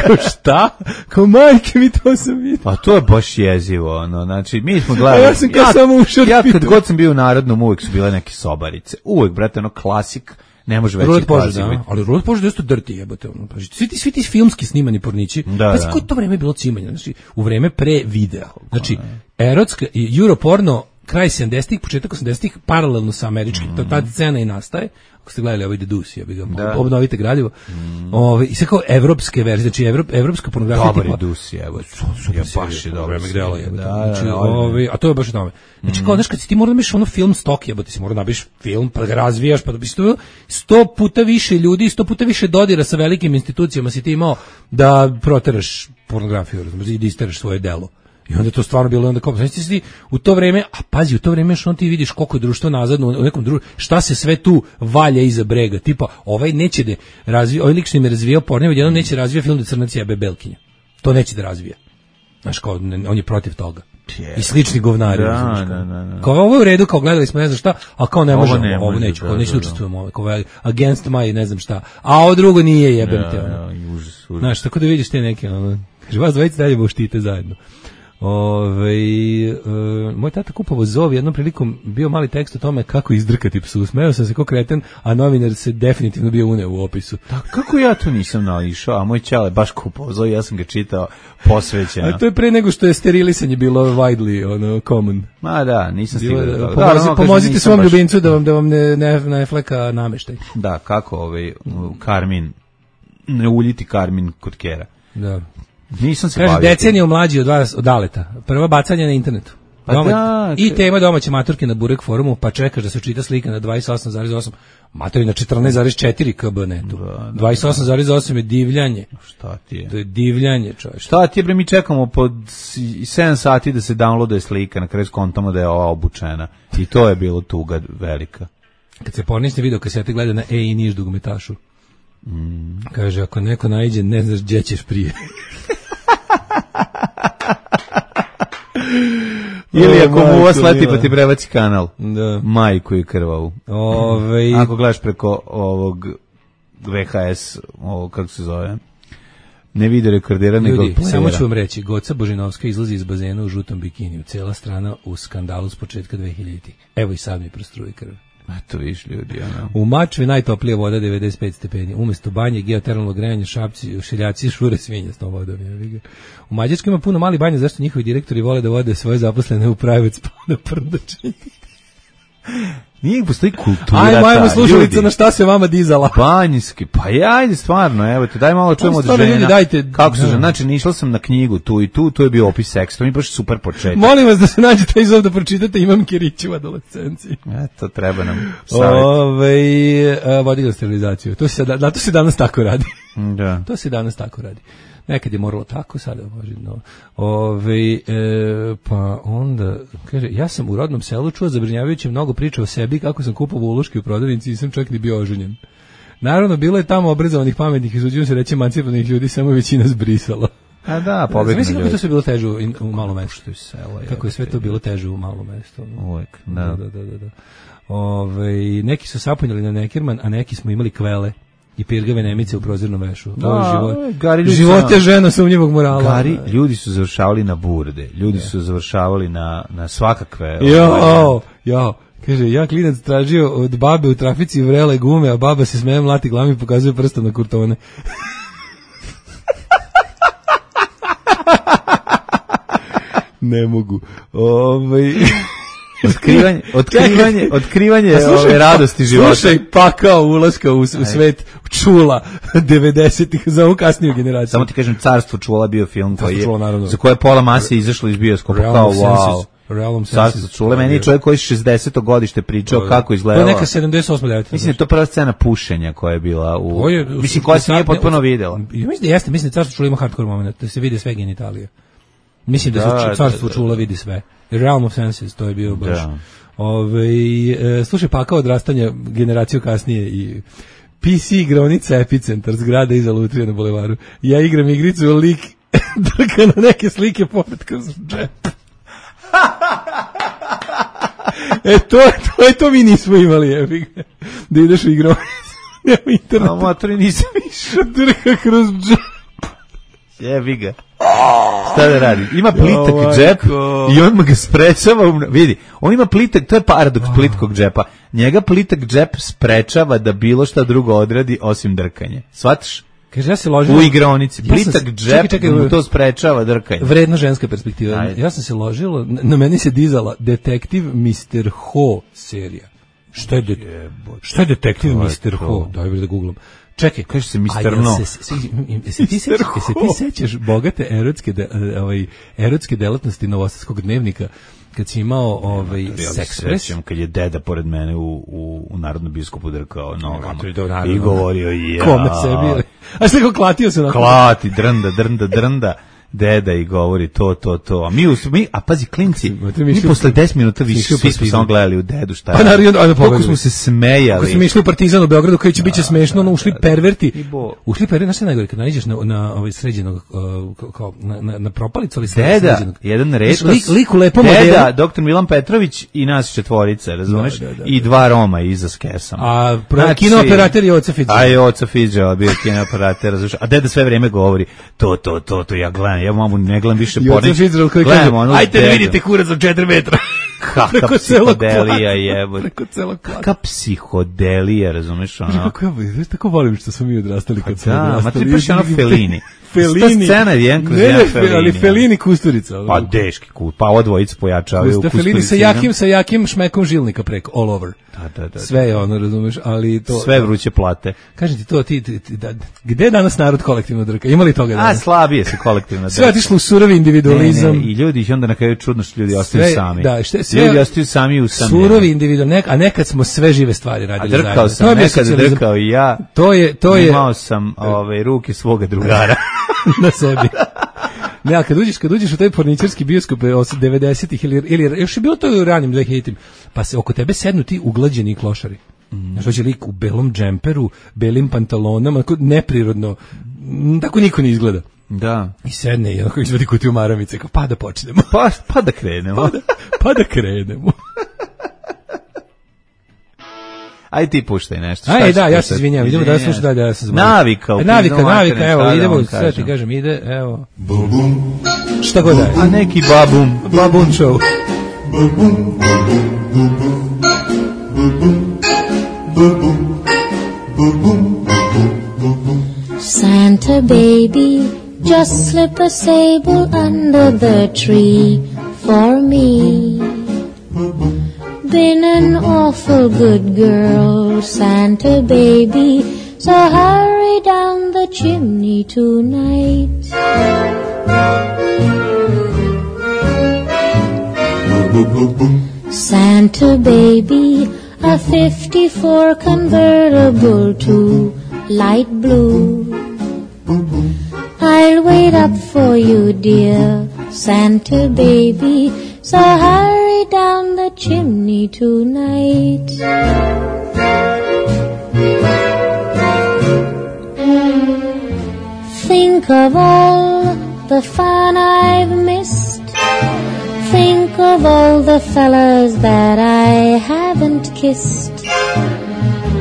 Kao šta? Kao majke mi to sam vidio. Pa to je baš jezivo. Znači, mi smo gledali. Ja sam kao samo ušao da pitam. Kad god sam bio u Narodnom, uvijek su bile neke sobarice. Uvijek, brate, klasik. Ne može veći klasik. Ali Ruled Požar dosta drti jebote. Svi ti filmski snimani pornići. Kako to vreme je bilo cimanje? Znači, u vreme pre videa. Znači, erotska i Europorno kraj 70-ih, početak 80-ih, paralelno sa američkim. Ta scena i nastaje. Ako ste gledali ovaj Dedus, obnovite gradivo. I sve kao evropske verzije, znači evropska pornografija. Dobar je Dus, evo. Baš je dobro. A to je baš tome. Znači kao, znaš, kad si ti mora da biš ono film stok, jebote, si mora da biš film, pa ga razvijaš, pa da biš 100 puta više ljudi, 100 puta više dodira sa velikim institucijama si ti imao da proteraš pornografiju, i da isteraš svoje delo. I onda to stvarno bilo onda kao, znači ti u to vreme, a pazi, u to vreme što ti vidiš koliko je društvo nazadno u nekom društvu, šta se sve tu valja iza brega, tipa ovaj neće da razvija, ovaj lik što im je razvijao porno, jednom neće razvija film da crnac jebe belkinja. To neće da razvija. Znaš, kao, on je protiv toga. I slični govnari. Kao ovo je u redu, kao gledali smo ne znam šta, a kao ne možemo, ovo neću, kao neću da učestvujemo, kao against my ne znam šta, a ovo drugo nije jebem te. Znaš, tako da vidiš te neke, kaže, vas dvojice dalje štite zajedno. Moj tata kupovao Zov, jednom prilikom bio mali tekst o tome kako izdrkati psu. Smeo sam se ko kreten, a novinar se definitivno bio uneo u opisu. Kako ja tu nisam naišao, a moj ćale baš kupovao Zov, ja sam ga čitao posvećeno. A to je pre nego što je sterilisanje bilo widely common. Ma da, nisam stigao. Pomozite svom ljubimcu da vam ne fleka nameštaj. Da, kako Karmin, ne uljiti Karmin kod kera. Da. Nisam se bavio. Kaže, deceniju mlađi od vas, od Daleta. Prva bacanje na internetu. I tema domaće maturke na Burek forumu, pa čekaš da se čita slika na 28,8. Matori na 14,4 kb netu. 28,8 je divljanje. Šta ti je? To je divljanje, čovječ. Šta ti je, bre, mi čekamo pod 7 sati da se downloaduje slika, na kraju skontamo da je ova obučena. I to je bilo tuga velika. Kad se pornisne video kasete gleda na i Niš dugometašu. Kaže, ako neko naiđe, ne znaš gdje ćeš prije. Ili ako mu ova sleti pa ti prebaci kanal. Da. Majku i krvavu. Ako gledaš preko ovog VHS, kako se zove, ne vide rekordera nego playera. Samo ću vam reći, Goca Božinovska izlazi iz bazena u žutom bikiniju. Cijela strana u skandalu s početka 2000-ih. Evo i sad mi prostruje krv. Eto viš ljudi, U Mačvi najtoplija voda 95 stepeni. Umesto banje, geotermalno grejanje, šapci, šiljaci, šure svinja s tom vodom. U Mađarskoj ima puno mali banja, zašto njihovi direktori vole da vode svoje zaposlene u private spa na prdačenje. Nije postoji kultura. Ajmo slušalica na šta se vama dizala. Banjski, pa ajde stvarno, evo te, daj malo čujemo od žena. Ljudi, dajte, kako su žena, znači išla sam na knjigu tu i tu, to je bio opis seksa, to mi je baš super početak. Molim vas da se nađete iz ovdje da pročitate, imam Kiriću u adolescenciji. Eto, treba nam savjet. Vodila sterilizaciju, to se danas tako radi. Da. To se danas tako radi. Nekad je moralo tako, sada može. Pa onda, kaže, ja sam u rodnom selu čuo zabrinjavajuće mnogo priča o sebi, kako sam kupovao uloške u prodavnici i sam čak ni bio oženjen. Naravno, bilo je tamo obrazovanih, pametnih, izuđujem se reći emancipovanih ljudi, samo većina zbrisala. A da, pobegni ljudi. Mislim kako to sve bilo teže u malom mestu. Kako je sve to bilo teže u malom mestu. Uvijek, da. Neki su sapunjali na Nekirman, a neki smo imali kvele i pirgave nemice u prozirnom vešu. Život je žena sumnjivog morala. Gari, ljudi su završavali na burde, ljudi su završavali na svakakve. Jo. Kaže, ja klinac tražio od babe u trafici vrele gume, a baba se smeje, mlati glavom i pokazuje prstom na kurtone. Ne mogu. Otkrivanje ove radosti života. Slušaj, pakao ulaska u svet čula 90-ih za ovu kasniju generaciju. Samo ti kažem, Carstvo čula bio film za koje je pola mase izašlo iz bioskopa. Kao wow. Carstvo čula, meni je čovjek koji je 60. godište pričao kako izgledala. To je neka 78-9. Mislim, to je prva scena pušenja koja je bila u... Mislim, koja se nije potpuno videla. Mislim da Carstvo čula ima hardcore moment, da se vide sve genitalije. Mislim da Carstvo čula vidi sve. Realm of Senses, to je bio baš. Slušaj, pakao odrastanja generaciju kasnije i PC igraonica Epicentar, zgrada iza Lutrije na Bulevaru. Ja igram igricu, lik drka na neke slike pored kroz džep. To mi nismo imali, da ideš u igraonicu. Nema interneta. A motori nisam išao. Drka kroz džep. Jebi ga. Šta da radi? Ima plitak džep i on ga sprečava, vidi, on ima plitak, to je paradoks plitkog džepa. Njega plitak džep sprečava da bilo šta drugo odradi osim drkanje. Shvataš? Kaže, ja se ložila u igraonici. Plitak džep mu to sprečava drkanje. Vredna ženska perspektiva. Ajde. Ja sam se ložila, na meni se dizala Detektiv Mr. Ho serija. Šta je Detektiv Mr. Ho? Daj da googlam. Čekaj, kaže se Mr. No. Se ti sećaš bogate erotske delatnosti Novosadskog dnevnika kad si imao Sexpress, kad je deda pored mene u Narodnom biskupu drkao nogama i govorio kome sebi. A što ga klatio se na klati, drnda. Deda i govori to. A a pazi, klinci, mi posle 10 minuta više svi smo samo gledali u dedu šta je. Kako smo se smejali. Kako smo išli u Partizan u Beogradu, koji će biće smešno, ušli perverti. Ušli perverti, znaš šta najgore, kad naiđeš na ovaj sređenog, kao na propalicu, ali sređenog. Deda, jedan retos. Lik u lepom Deda, doktor Milan Petrović i nas četvorica, razumeš? I dva Roma iza s kesom. A kinooperater je Oca Fitzgerald. A je Oca Fitzgerald, bio kinooperater, razumeš? A deda sve vreme govori to, ja gledam. Ja mamu ne gledam više pornić. Gledam ono. Ajde da vidite kurac od 4 metra. Kakva psihodelija jebote. Preko celog kvadra. Kakva psihodelija, razumeš ono? Kako ja tako volim što smo mi odrastali kad smo odrastali. Ma ti baš ono Fellini. Fellini. Scena je jedan kroz Fellini. Ali Fellini Kusturica. Pa deški kut. Pa ovo dvojica pojačavaju u Fellini sa jakim šmekom žilnika preko all over. Da. Sve je ono, razumeš, ali to sve vruće plate. Kažem ti to, gde je danas narod kolektivno drka? Ima li toga danas? Slabije se kolektivno drka. Sve je otišlo u surovi individualizam. I ljudi ih onda na kraju čudno što ljudi ostaju sami. Da, ljudi ostaju sami u samljenju. Surovi individualizam, a nekad smo sve žive stvari radili zajedno. A drkao sam, nekad drkao i ja. To je. Imao sam ruke svoga drugara. Na sebi. Ne, a kad uđeš u taj porničarski bioskop 90-ih ili još je bilo to u ranim 2000-im, pa se oko tebe sednu ti uglađeni klošari. Znaš, dođe lik u belom džemperu, belim pantalonama, neprirodno, tako niko ne izgleda. Da. I sedne i onako izvadi kutiju maramice, kao pa da počnemo. Pa da krenemo. Pa da krenemo. Aj ti puštaj nešto. Aj da, ja se izvinjavam, idemo da slušam dalje, ja se zvonim. Navika, evo, idemo, sve ti kažem, ide, evo. Šta god daje. A neki babum. Babun show. Santa baby, just slip a sable under the tree for me. Been an awful good girl, Santa baby, so hurry down the chimney tonight. Santa baby, a 54 convertible to light blue. I'll wait up for you, dear Santa baby, so hurry down the chimney tonight. Think of all the fun I've missed. Think of all the fellas that I haven't kissed.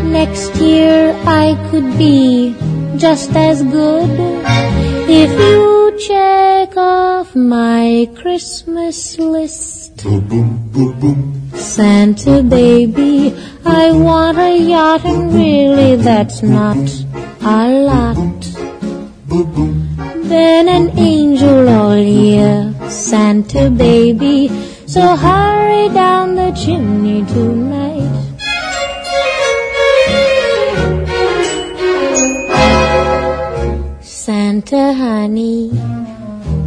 Next year I could be just as good if you check off my Christmas list. Santa baby, I want a yacht, and really that's not a lot. Been an angel all year, Santa baby, so hurry down the chimney tonight. Santa honey,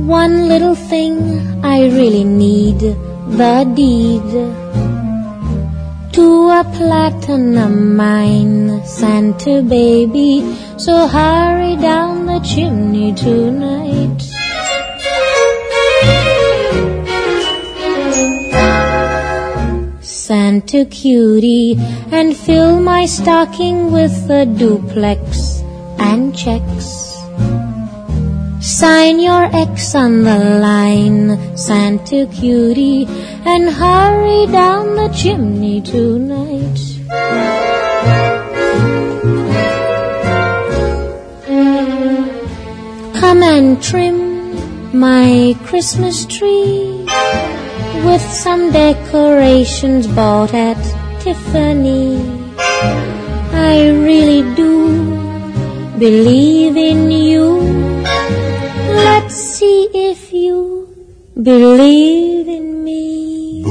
one little thing I really need, the deed to a platinum mine, Santa baby, so hurry down the chimney tonight. Santa cutie, and fill my stocking with a duplex and checks. Sign your X on the line, Santa cutie, and hurry down the chimney tonight. Come and trim my Christmas tree with some decorations bought at Tiffany. I really do believe in you. Let's see if you believe in me.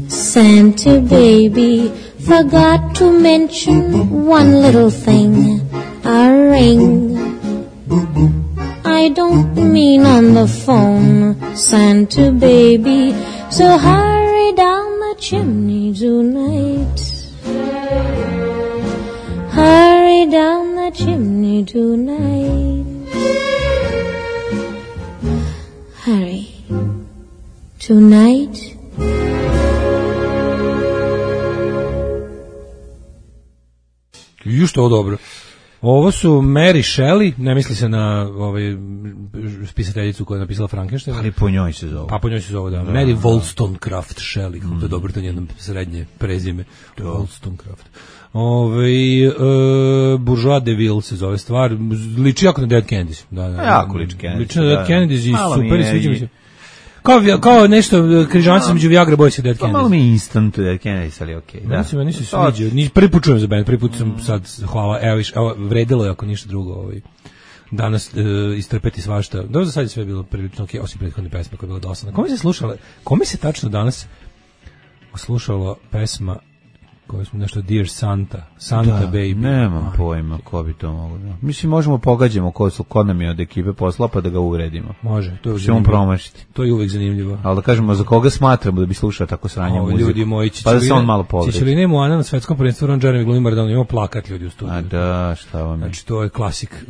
Santa baby forgot to mention one little thing, a ring. I don't mean on the phone, Santa baby, so hurry down the chimney tonight. Hurry down the chimney tonight. Hurry. Tonight. Ju što ovo dobro. Ovo su Mary Shelley, ne misli se na spisateljicu koja je napisala Frankenstein. Ali po njoj se zove. Pa po njoj se zove, da. Mary Wollstonecraft Shelley, kako to je dobro, to je jedno srednje prezime. Wollstonecraft. Bourgeois de Ville se zove stvar, liči jako na Dead Kennedys. Da. Jako liči Kennedys. Liči na Dead Kennedys i super, sviđa mi se. Kao nešto križanca među Viagra Boys i Dead Kennedys. Malo mi instant Dead Kennedys, ali okej. Meni se sviđa. Prvi put čujem za band, prvi put sam sad, hvala, evo vredilo je ako ništa drugo danas istrpeti svašta. Dobro, za sad je sve bilo prilično okej, osim prethodne pesme koja je bila dosadna. Kome se tačno danas slušalo pesma koja smo nešto Dear Santa Baby. Nemam pojma ko bi to moglo. Mislim, možemo pogađamo ko nam je od ekipe posla pa da ga uvredimo. Može, to je ćemo promašiti. To je uvek zanimljivo. Ali da kažemo za koga smatramo da bi slušao tako sranje muziku. Ljudi moji, pa da se on malo pogleda. Čičeline Moana na svetskom prvenstvu Ron Jeremy glumi Maradona, ima plakat ljudi u studiju. A da, šta vam je? Znači, to je klasik.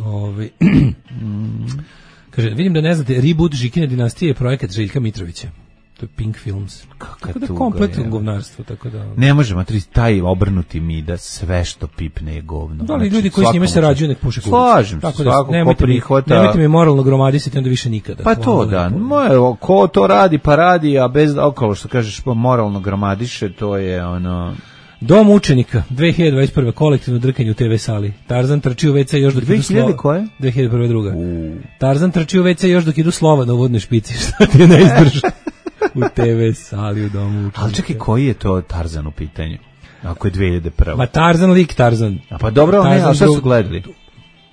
Kaže, vidim da ne znate, reboot Žikine dinastije je projekat Željka Mitrovića. To je Pink Films. Tako da je kompletno govnarstvo, tako da... Ne možemo, taj obrnuti mi da sve što pipne je govno. Da, ali ljudi koji s njime se rađuju nek puše kurac. Slažem se, svako ko prihvata... Nemojte mi moralno gromadisati, onda više nikada. Pa to da, ko to radi pa radi, a bez okolo što kažeš moralno gromadiše, to je ono... Dom učenika, 2021. kolektivno drkanje u TV sali. Tarzan trči u WC još dok idu slova. 2000 koje? 2001. druga. Tarzan trči u WC još dok idu slova na uvodnoj špici. Šta ti je ne izdrža? U TV sali, u domu učenika. Ali čekaj, koji je to Tarzan u pitanju? Ako je 2001. Ma Tarzan, lik Tarzan. A pa dobro, ne, a šta su gledali?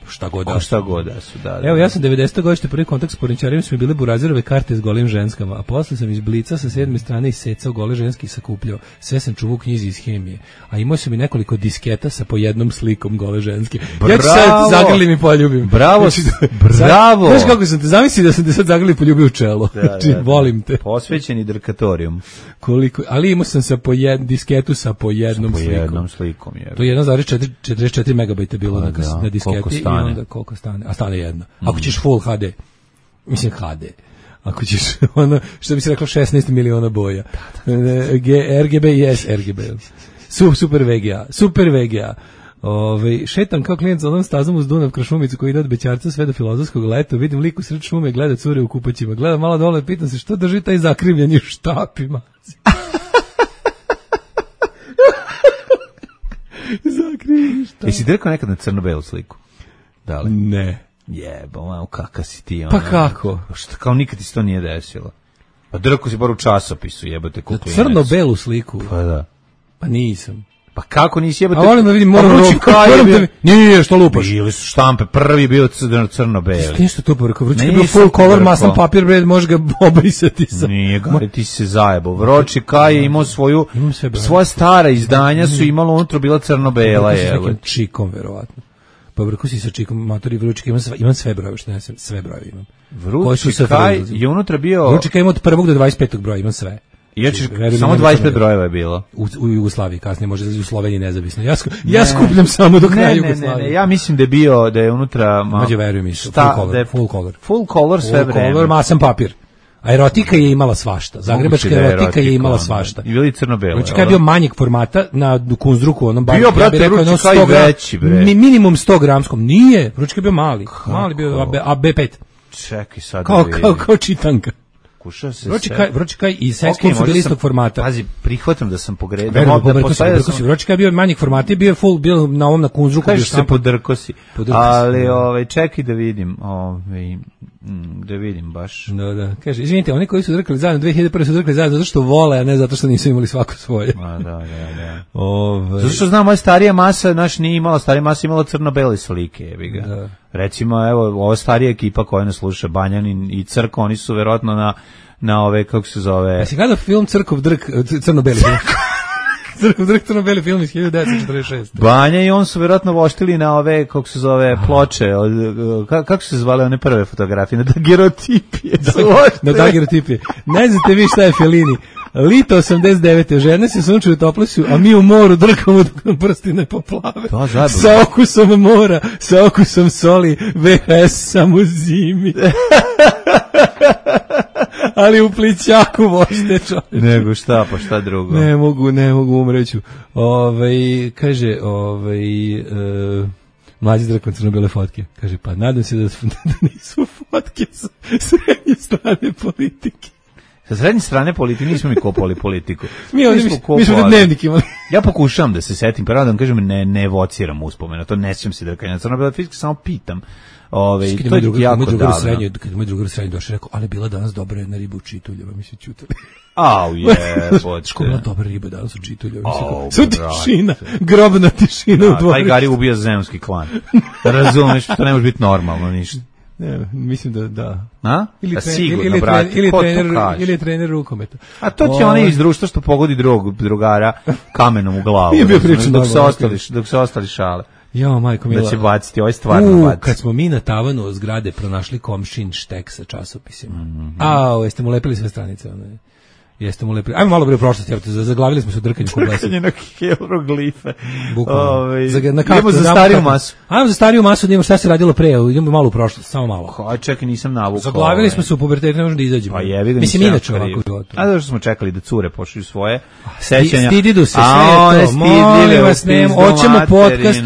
Šta god da su, da. Evo, ja sam 90. godište prvi kontakt s porničarima su mi bile burazirove karte s golim ženskama, a posle sam iz Blica sa 7. strane isecao gole ženske i sakupljao. Sve sam čuvao u knjizi iz hemije. A imao sam i nekoliko disketa sa po jednom slikom gole ženske. Bravo! Ja ću sad zagrlim i poljubim. Bravo! Bravo! Znaš kako sam te zamisli da sam te sad zagrlim i poljubio u čelo. Znači, volim te. Posvećeni drkatorijum. Ali imao sam sa disketu sa po jednom slikom. Po jednom slikom, je. To je 1,44 megabajta bilo na disketi. Onda koliko stane? A stane jedno. Ako ćeš full HD, mislim HD, ako ćeš ono, što bi se reklo 16 miliona boja. RGB, yes, RGB. Super VGA. Šetam kao klijent za onom stazom uz Dunav kroz šumicu koji ide od Bećarca sve do Filozofskog leta, vidim lik u sred šume, gleda cure u kupaćima, gledam malo dole, pitam se što drži taj zakrivljeni u štapima. Zakrivljeni štapima. Jesi drkao nekad na crno-belu sliku? Da li? Ne. Jebo, kakav si ti. Pa kako? Šta, kao nikad ti se to nije desilo. Pa drko si bar u časopisu, jebote kuklinac. Crno-belu sliku? Pa da. Pa nisam. Pa kako nisi jebote? A volim da vidim, moram da... Nije, što lupaš? Bili su štampe, prvi bio crno-beli. Nešto to poreko, Vručika je bio full color, maslan papir, bre, može ga obrisati sa... Nije, gari, ti si se zajebao. Vručika je imao svoja stara izdanja su imalo unutra bila crno-bela, jebote. S nekim čikom, verovatno. Pa vrko si sa čikom, matori Vručika, imam sve brojeve, što ne znam, sve brojeve imam. Vručika je unutra bio... Vručika ima od 1. do 25. broja, imam sve. Samo 25 brojeva je bilo. U Jugoslaviji, kasnije može u Sloveniji nezavisno. Ja skupljam samo do kraja Jugoslavije. Ne, ja mislim da je unutra... Mađe, verujem, full color. Full color sve vreme. Full color, masan papir. A erotika je imala svašta. Zagrebačka erotika je imala svašta. I bili crno-belo. Vručika je bio manjeg formata na Kunzdruku, onom baru. Bio, brate, Vručika i veći, bre. Minimum 100 gramskom. Nije, Vručika je bio mali. Mali bio AB5. Čekaj sad. Kao čitanka. pokušao se Vročikaj i Sex Club su bili istog formata. Pazi, prihvatam da sam pogredio. Vročikaj je bio manjeg formata i bio full, bio na ovom na Kunzruku. Kažeš se podrkosi. Ali čekaj da vidim, da vidim baš. Da. Kaže, izvinite, oni koji su drkali zajedno 2001 su drkali zajedno zato što vole, a ne zato što nisu imali svako svoje. Da. Zato što znam, moja starija masa, nije imala, starija masa imala crno-bele slike, jebi ga. Da. Recimo, evo, ova starija ekipa koja nas sluša, Banjanin i Crko, oni su verovatno na ove, kako se zove... Jesi gledao film Crkov drk, crno-beli film? Crkov drk, crno-beli film iz 1946. Banja i on su verovatno voštili na ove, kako se zove, ploče, kako se zvale one prve fotografije, na dagerotipije. Na dagerotipije. Ne znate vi šta je Fellini. Lito 89. Žene se sunčaju toplesi, a mi u moru drkamo dok nam prsti ne poplave. Sa okusom mora, sa okusom soli, VHS samo zimi. Ali u plićaku vošte čovječe. Nego šta, pa šta drugo? Ne mogu, umreću. Kaže, mlađi drakon crno-bele fotke. Kaže, pa nadam se da nisu fotke sa srednje strane politike. Sa srednje strane politike nismo mi kopali politiku. Mi smo dnevnik imali. Ja pokušavam da se setim, pa da vam kažem, ne evociram uspomena, to ne sjećam se drkanja crno-bele fotke, samo pitam. To je jako davno. Kad moj drugar srednji došao, rekao, ali bila danas dobra jedna riba u Čituljeva, mi se čutali. Škola dobra riba danas u Čituljeva. Sve tišina, grobna tišina u dvorištu. Taj Gari ubija zemski klan. Razumeš, to ne može biti normalno ništa. Ne, mislim da. A? Ili je trener rukometa. A to ti onaj iz društva što pogodi drugara kamenom u glavu. Nije bio pričan dok se ostali šale. Jo, majko mila. Da će baciti, ovo je stvarno baciti. Kad smo mi na tavanu zgrade pronašli komšin štek sa časopisima. Jeste mu lepili sve stranice? Jeste mu lepili. Ajmo malo bre u prošlosti, zaglavili smo se u drkanju kublesa. Drkanje na hieroglife. Bukvalno. Idemo za stariju masu. Ajmo za stariju masu, da imamo šta se radilo pre, idemo malo u prošlost, samo malo. Aj, čekaj, nisam navukao. Zaglavili smo se u pubertetu, ne možemo da izađemo. Pa jebi ga. Mislim, inače ovako u životu. A zašto smo čekali da cure pošalju svoje sećanja? Stididu se, sve je to. Molim vas, hoćemo podcast.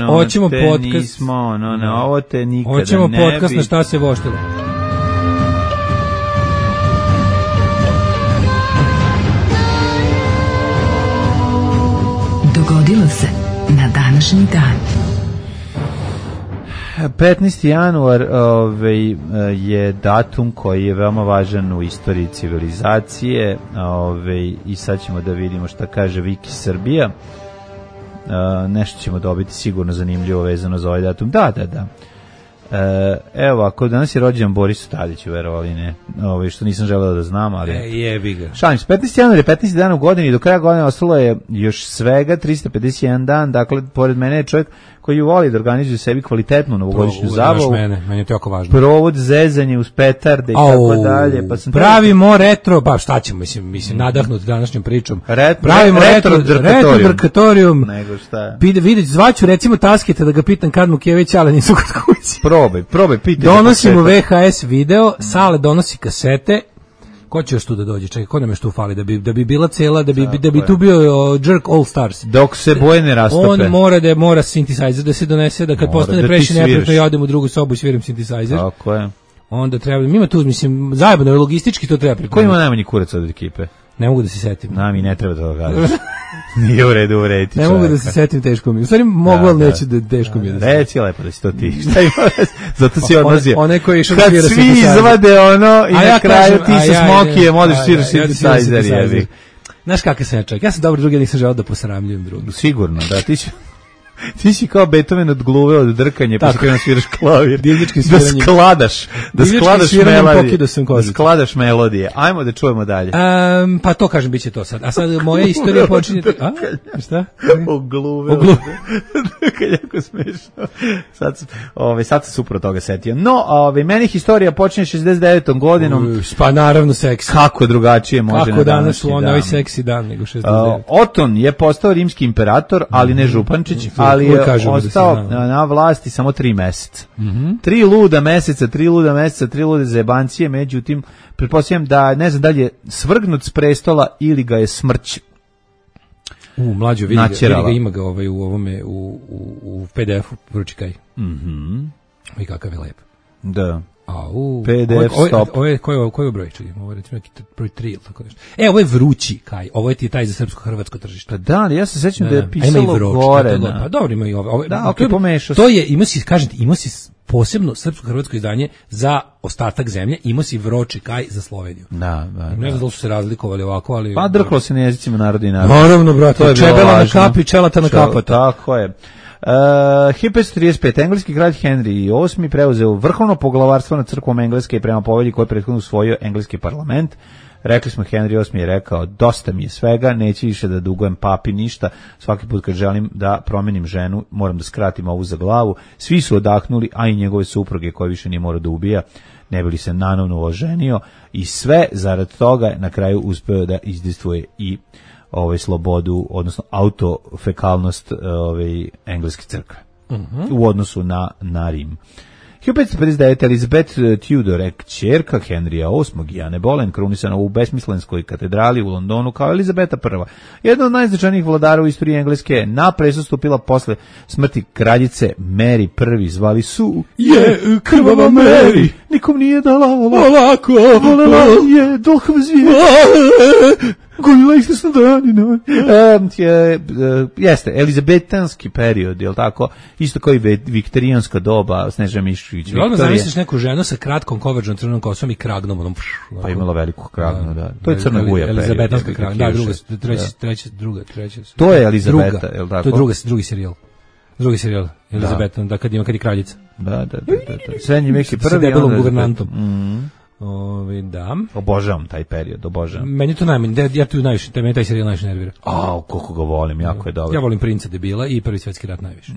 Nismo, ovo te nikada ne bi. Hoćemo podcast na šta se voštilo. Dogodilo se na današnji dan. 15. januar je datum koji je veoma važan u istoriji civilizacije, i sad ćemo da vidimo šta kaže Wiki Srbija. Nešto ćemo dobiti sigurno zanimljivo vezano za ovaj datum. Da. Evo, ako danas je rođendan Borisu Tadiću, verovali ne, što nisam želeo da znam, ali... Jebi ga. Šalim se, 15. januar je 15. dan u godini i do kraja godine ostalo je još svega 351 dan, dakle, pored mene je čovjek koji voli da organizuje sebi kvalitetnu novogodišnju zabavu. Meni je to jako važno. Provod, zezanje uz petarde i tako dalje. Pa pravimo retro, pa šta ćemo, mislim, nadahnut današnjom pričom. Pravimo retro drkatorijum. Nego šta? Vidite, zvaću recimo Tasketa da ga pitam kad mu Kević, ali nisu kod kući. Probaj, pitaj. Donosimo VHS video, Sale donosi kasete. Ko će još tu da dođe? Čekaj, ko nam još tu fali? Da bi bila cela, da bi tu bio Jerk All Stars. Dok se boje ne rastope. On mora synthesizer da se donese, da kad postane previše neprijatno ja odem u drugu sobu i sviram synthesizer. Tako je. Onda treba, ima tu, mislim, zajebano, logistički to treba pripremiti. Ko ima najmanji kurac od ekipe? Ne mogu da se setim. Mi ne treba to da kažeš. Nije u redu urediti čovjeka. Ne mogu da se setim, teško mi. U stvari mogu, ali neću da teško mi je da se. Reci lepo da si to ti. Šta ima? Zato si odlazio. Kad svi izvade i na kraju ti sa Smokijem odeš sviraš synthesizer jebi. Znaš kakav sam ja čovjek? Ja sam dobro drugi, nisam želeo da posramljujem drugi. Sigurno, da, ti si kao Beethoven od gluve, od drkanje, pa kada sviraš klavir. Da skladaš melodije. Ajmo da čujemo dalje. Pa to kažem, bit će to sad. A sad moja istorija počinje... Šta? O gluve. Drkanje, jako smešno. Sad se super od toga setio. No, meni historija počinje 69. godinom. Pa naravno seksi. Kako drugačije može na danas u onoj seksi dan nego 69. Oton je postao rimski imperator, ali ne župančić, ali je ostao na vlasti samo 3 meseca. 3 luda meseca, 3 lude zebancije, međutim, pretpostavljam da, ne znam da li je svrgnut s prestola ili ga je smrć mlađo, vidi ga, ima ga u ovome, u PDF-u, pročikaj. I kakav je lep. Da. PDF stop. Koji je broj? Čekaj, ovo je recimo neki broj 3 ili tako nešto. Ovo je vrući kaj. Ovo je ti taj za srpsko-hrvatsko tržište. Pa da, ali ja se sećam da je pisalo gore. Pa dobro, ima i ovo. Da, okej, pomešao. To je, imao si posebno srpsko-hrvatsko izdanje za ostatak zemlje, imao si Vroči kaj za Sloveniju. Da. Ne znam da li su se razlikovali ovako, ali... Pa drklo se na jezicima naroda i naroda. Naravno, brate, čebela na kapi, čelata na kapata. Tako je. 1535. Engleski kralj Henry VIII preuzeo vrhovno poglavarstvo nad crkvom Engleske i prema povelji koju je prethodno usvojio engleski parlament. Rekli smo, Henry VIII je rekao, dosta mi je svega, neće više da dugujem papi ništa, svaki put kad želim da promenim ženu, moram da skratim ovu za glavu. Svi su odahnuli, a i njegove supruge koje više nije morao da ubija, ne bi li se nanovno oženio, i sve zarad toga na kraju uspeo da izdejstvuje i slobodu, odnosno autofekalnost engleske crkve u odnosu na Rim. 1559. Elizabeth Tudor, kćerka Henrya VIII i Ane Boleyn, krunisana u besmislenskoj katedrali u Londonu kao Elizabeta I. Jedna od najznačajnijih vladara u istoriji Engleske, na presto stupila posle smrti kraljice Mary I, zvali su krvava Mary, nikom nije dala ovako, volela je dolhov zvijer, goljila istasno danina. Jeste, elizabetanski period, je li tako? Isto kao i viktorijanska doba, Snežana Mišković, Viktorija. Odmah zamisliš neku ženu sa kratkom koverđnom crvenom kosom i kragnom. Onom, pa imala veliku kragnu, da. To je Crna Guja period. Elizabetanska kragna, treća. To je Elizabeta, je li tako? To je drugi serijal. Drugi serijal, Elizabetan, da kad je kraljica. Da. Srednji vek je prvi. Sa debelom guvernantom. Da. Obožavam taj period, obožavam. Meni to najmanje, ja tu najviše, meni taj serijal najviše nervira. Koliko ga volim, jako je dobro. Ja volim Princa debila i Prvi svjetski rat najviše.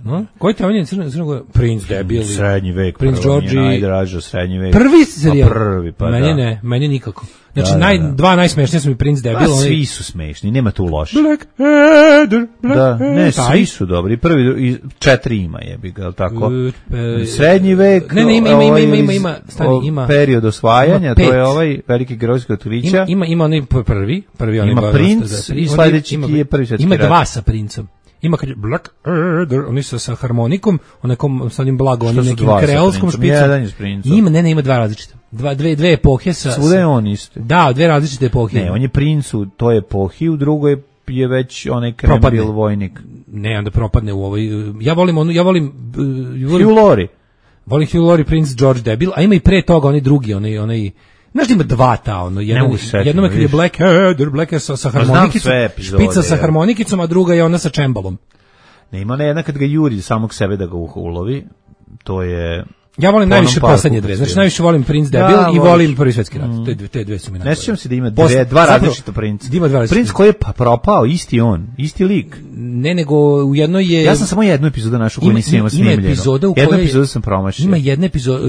Ne. Koji te on je Crnogora? Princ debil. Srednji vek, Princ George. Najdraža srednji vek. Prvi serijal. Prvi, pa meni ne, meni nikako. Znači, dva najsmešnije su mi Princ debil. Svi su smešni, nema tu loše. Blackadder. Ne, svi su dobri. Prvi, 4 ima jebi ga, tako? Srednji vek. Ne, ima. Period osvajanja, to je ovaj veliki herojski otkrića. Ima onaj prvi onaj. Ima Princ i sledeći je Prvi svjetski rat. Ima dva sa Princom. Ima kad je Blackadder, oni su sa harmonikom, onekom sa onim blago, onim nekim kreolskom špicom. Ima dva različite. Dve epohe sa... Svuda je on isto. Da, dve različite epohe. Ne, on je Princ u toj epohi, u drugoj je već onaj Krembil vojnik. Ne, onda propadne u ovoj... Ja volim Hugh Laurie. Volim Hugh Laurie, Prince George debil, a ima i pre toga onaj drugi, onaj znaš da ima dva jednom je kad je Blackadder sa harmonikicom, špica sa harmonikicom, a druga je ona sa čembalom. Ne, ima ona jedna kad ga juri samog sebe da ga ulovi, to je... Ja volim najviše poslednje dve, znači najviše volim Prince debil i volim Prvi svjetski rat, te dve su mi najbolje. Ne sjećam se da ima dva različita Prince. Prince koji je propao, isti lik. Ne, nego u jednoj je... Ja sam samo jednu epizodu našao koju nisam imao snimljeno. Jednu epizodu sam promašio. Ima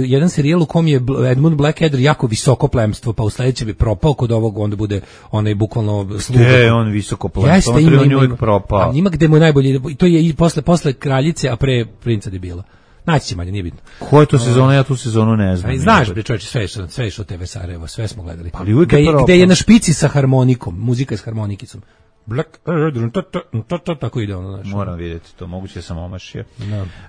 jedan serijal u kom je Edmund Blackadder jako visoko plemstvo, pa u sledećem bi propao, kod ovog onda bude onaj bukvalno sluga. On visoko plemstvo, on je uvijek propao. Ima gde mu je najbolje, to je i posle kraljice, a pre princa debila. Naći će manje, nije bitno. Koja je to sezona? Ja tu sezonu ne znam. Znaš, bre čovječe, sve je što TV Sarajevo, sve smo gledali. Gde je na špici sa harmonikom, muzika s harmonikicom. Tako ide ono. Moram vidjeti to, moguće sam omašio.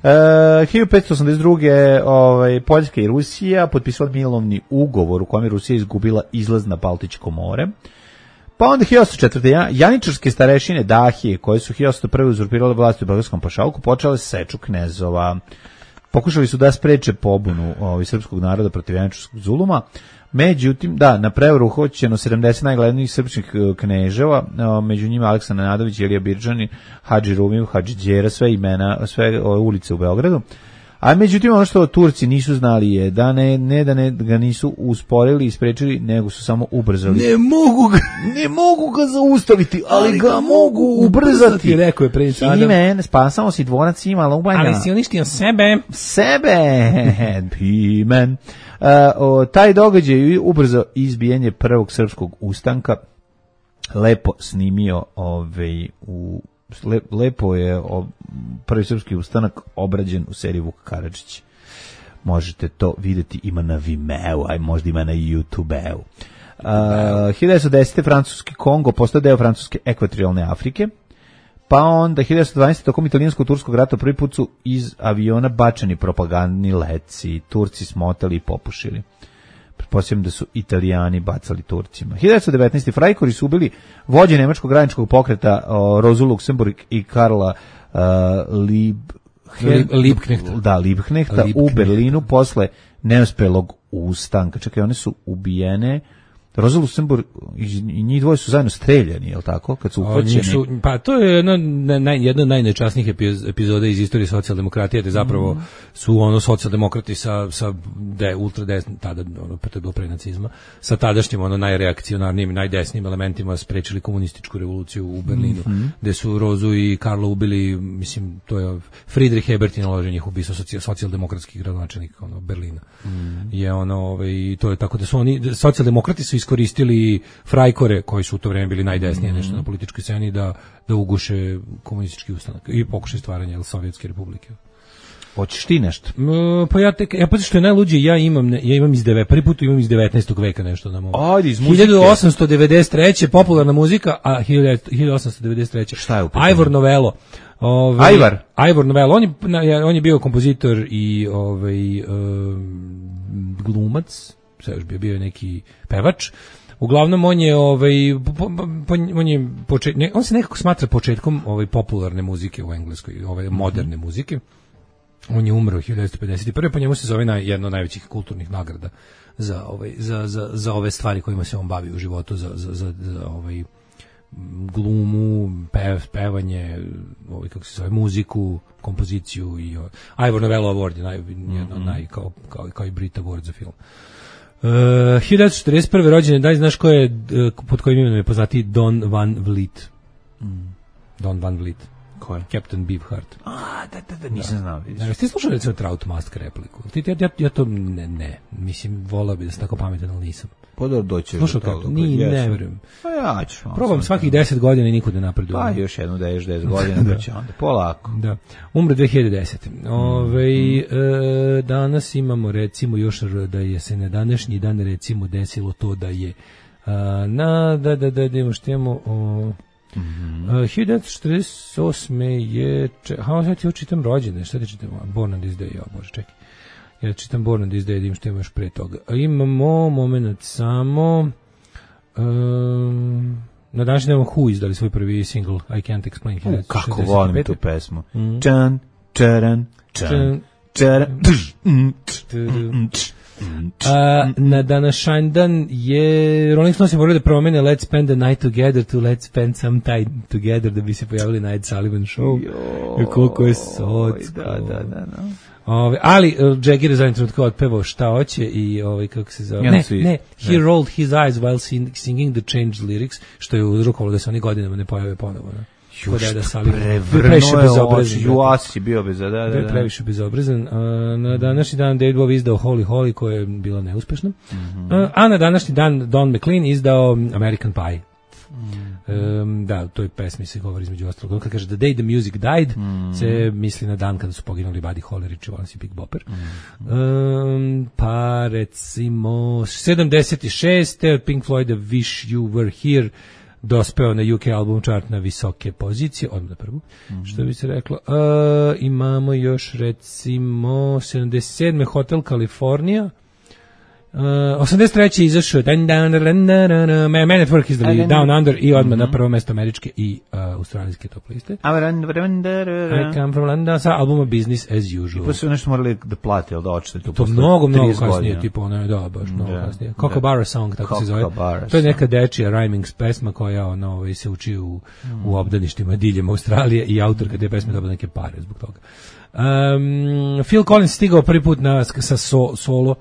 1582. Poljska i Rusija potpisali mirovni ugovor u kojem je Rusija izgubila izlaz na Baltičko more. Pa onda 1804. Janičarske starešine Dahije, koje su 1801. uzurpirale vlast u Beogradskom pašalku, počele seču knezova. Pokušali su da spreče pobunu srpskog naroda protiv janičarskog zuluma. Međutim, na prevaru uhoćeno 70 najglednijih srpskih kneževa, među njima Aleksandar Nadović, Ilija Birdžani, Hadži Rumiv, Hadži Đera, sve imena, sve ulice u Beogradu. A međutim, ono što Turci nisu znali je da ne ga nisu usporili i sprečili, nego su samo ubrzali. Ne mogu ga zaustaviti, ali ga mogu ubrzati. Rekao je princ Adam. Pimen, spasamo si dvorac ima lubanja. Ali si uništio sebe. Pimen. Taj događaj ubrzo izbijanje prvog srpskog ustanka. Lepo snimio lepo je prvi srpski ustanak obrađen u seriji Vuk Karadžić. Možete to vidjeti, ima na Vimeo, a možda ima na YouTube-u. 1910. francuski Kongo postao deo francuske ekvatorijalne Afrike. Pa onda 1912. tokom italijansko-turskog rata prvi put su iz aviona bačeni propagandni leci. Turci smotali i popušili. Pretpostavljam da su Italijani bacali Turcima. 1919. Freikorpi su ubili vođe nemačkog radničkog pokreta Rozu Luksemburg i Karla Liebknechta u Berlinu posle neuspelog ustanka. Čekaj, one su ubijene. Roza Luxemburg i njih dvoje su zajedno streljani, je li tako? Kad su uhvaćeni. Pa to je jedna od najnečasnijih epizoda iz istorije socijaldemokratije, da zapravo su socijaldemokrati sa ultradesnim, tada, to je bilo pre nacizma, sa tadašnjim najreakcionarnijim, najdesnijim elementima sprečili komunističku revoluciju u Berlinu, gde su Rozu i Karla ubili, mislim, to je Friedrich Ebert je naložio njih ubistvo socijaldemokratskih gradonačelnika Berlina. Je i to je tako da su oni, socijaldemokrati su iskoristili frajkore koji su u to vreme bili najdesnije nešto na političkoj sceni da uguše komunistički ustanak i pokušaj stvaranja Sovjetske republike. Hoćeš ti nešto? Pa pa što je najluđe, ja imam prvi put imam iz 19. veka nešto na mom. Ajde, iz muzike. 1893. popularna muzika, a 1893. Šta je u pitanju? Ivor Novello. Ivor Novello, on je bio kompozitor i glumac, sve još bio je neki pevač. Uglavnom on je on se nekako smatra početkom popularne muzike u Engleskoj, moderne muzike. On je umro 1951. po njemu se zove jedno od najvećih kulturnih nagrada za ove stvari kojima se on bavi u životu, za glumu, pevanje, kako se zove, muziku, kompoziciju i Ivor Novello Award je jedno kao i Brit Award za film. 1941. rođen, daj znaš ko je, pod kojim imenom je poznati Don Van Vliet. Don Van Vliet. Ko je? Captain Beefheart. Da, nisam znao. Ti slušao recimo Trout Mask repliku? Ja to ne. Mislim, volao bi da sam tako pametan, ali nisam. Podor doćeš do toga. Ne verujem. Pa ja ću. Probam svakih 10 godina i niko ne napreduje. Pa još jednu da ješ 10 godina, da će onda polako. Da. Umre 2010. Danas imamo recimo još da je se na današnji dan recimo desilo to da je da imamo što imamo 1948. je sad ti čitam rođene, šta ti čitam? Born on this day, bože, čekaj. Ja čitam Born on this day, da imam što imaš pre toga. Imamo moment samo na današnji dan Who izdali svoj prvi single I Can't Explain. Kako volim tu pesmu. Čan, čaran, čan, čaran. Na današnji dan je Rolling Stones je morali da promene Let's Spend the Night Together to Let's Spend Some Time Together da bi se pojavili na Ed Sullivan Show. Koliko je socko. Da. Ali Jagger je zadnji trenutka otpevao šta hoće i kako se zove. He rolled his eyes while singing the changed lyrics, što je uzrokovalo da se oni godinama ne pojave ponovo. Previše bezobrazan. Juasi bio bezobrazan. Previše bezobrazan. Na današnji dan David Bowie izdao Holy Holy, koja je bila neuspešna. A na današnji dan Don McLean izdao American Pie. Da, u toj pesmi se govori između ostalog. Kad kaže The Day the Music Died, se misli na dan kada su poginuli Buddy Holly, Richie Valens i Big Bopper. Pa recimo 76. Pink Floyd Wish You Were Here dospeo na UK album chart na visoke pozicije, odmah na prvu, što bi se reklo. Imamo još recimo 77. Hotel California. 83. izašao Man at Work izdali Down Under i odmah na prvo mesto američke i australijske top liste. I Come From London sa albuma Business as Usual. I pa su nešto morali da plati, ali da očete to mnogo kasnije, tipo ono, da, baš mnogo kasnije. Kookaburra Song, tako se zove. To je neka dečija rhyming pesma koja se uči u obdaništima diljem Australije i autorka te pesme dobila neke pare zbog toga. Phil Collins stigao prvi put sa solo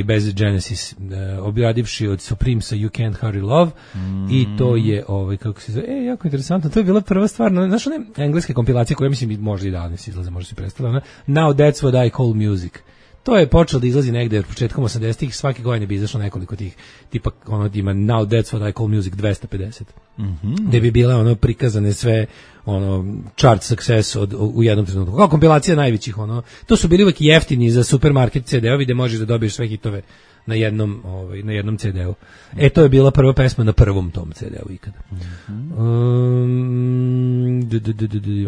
bez Genesis, objavivši od Supremesa You Can't Hurry Love, i to je kako se zove, jako interesantno, to je bila prva stvar, znaš one engleske kompilacije koje mislim možda i danas izlaze, možda se predstavila, Now That's What I Call Music. To je počelo da izlazi negde početkom 80-ih, svake godine bi izašlo nekoliko tih, tipa ima Now That's What I Call Music 250. Gde bi bile prikazane sve chart success u jednom trenutku. Kao kompilacija najvećih, to su bili uvijek jeftini za supermarket CD-ovi gde možeš da dobiješ sve hitove na jednom CD-u. To je bila prva pesma na prvom tom CD-u ikada.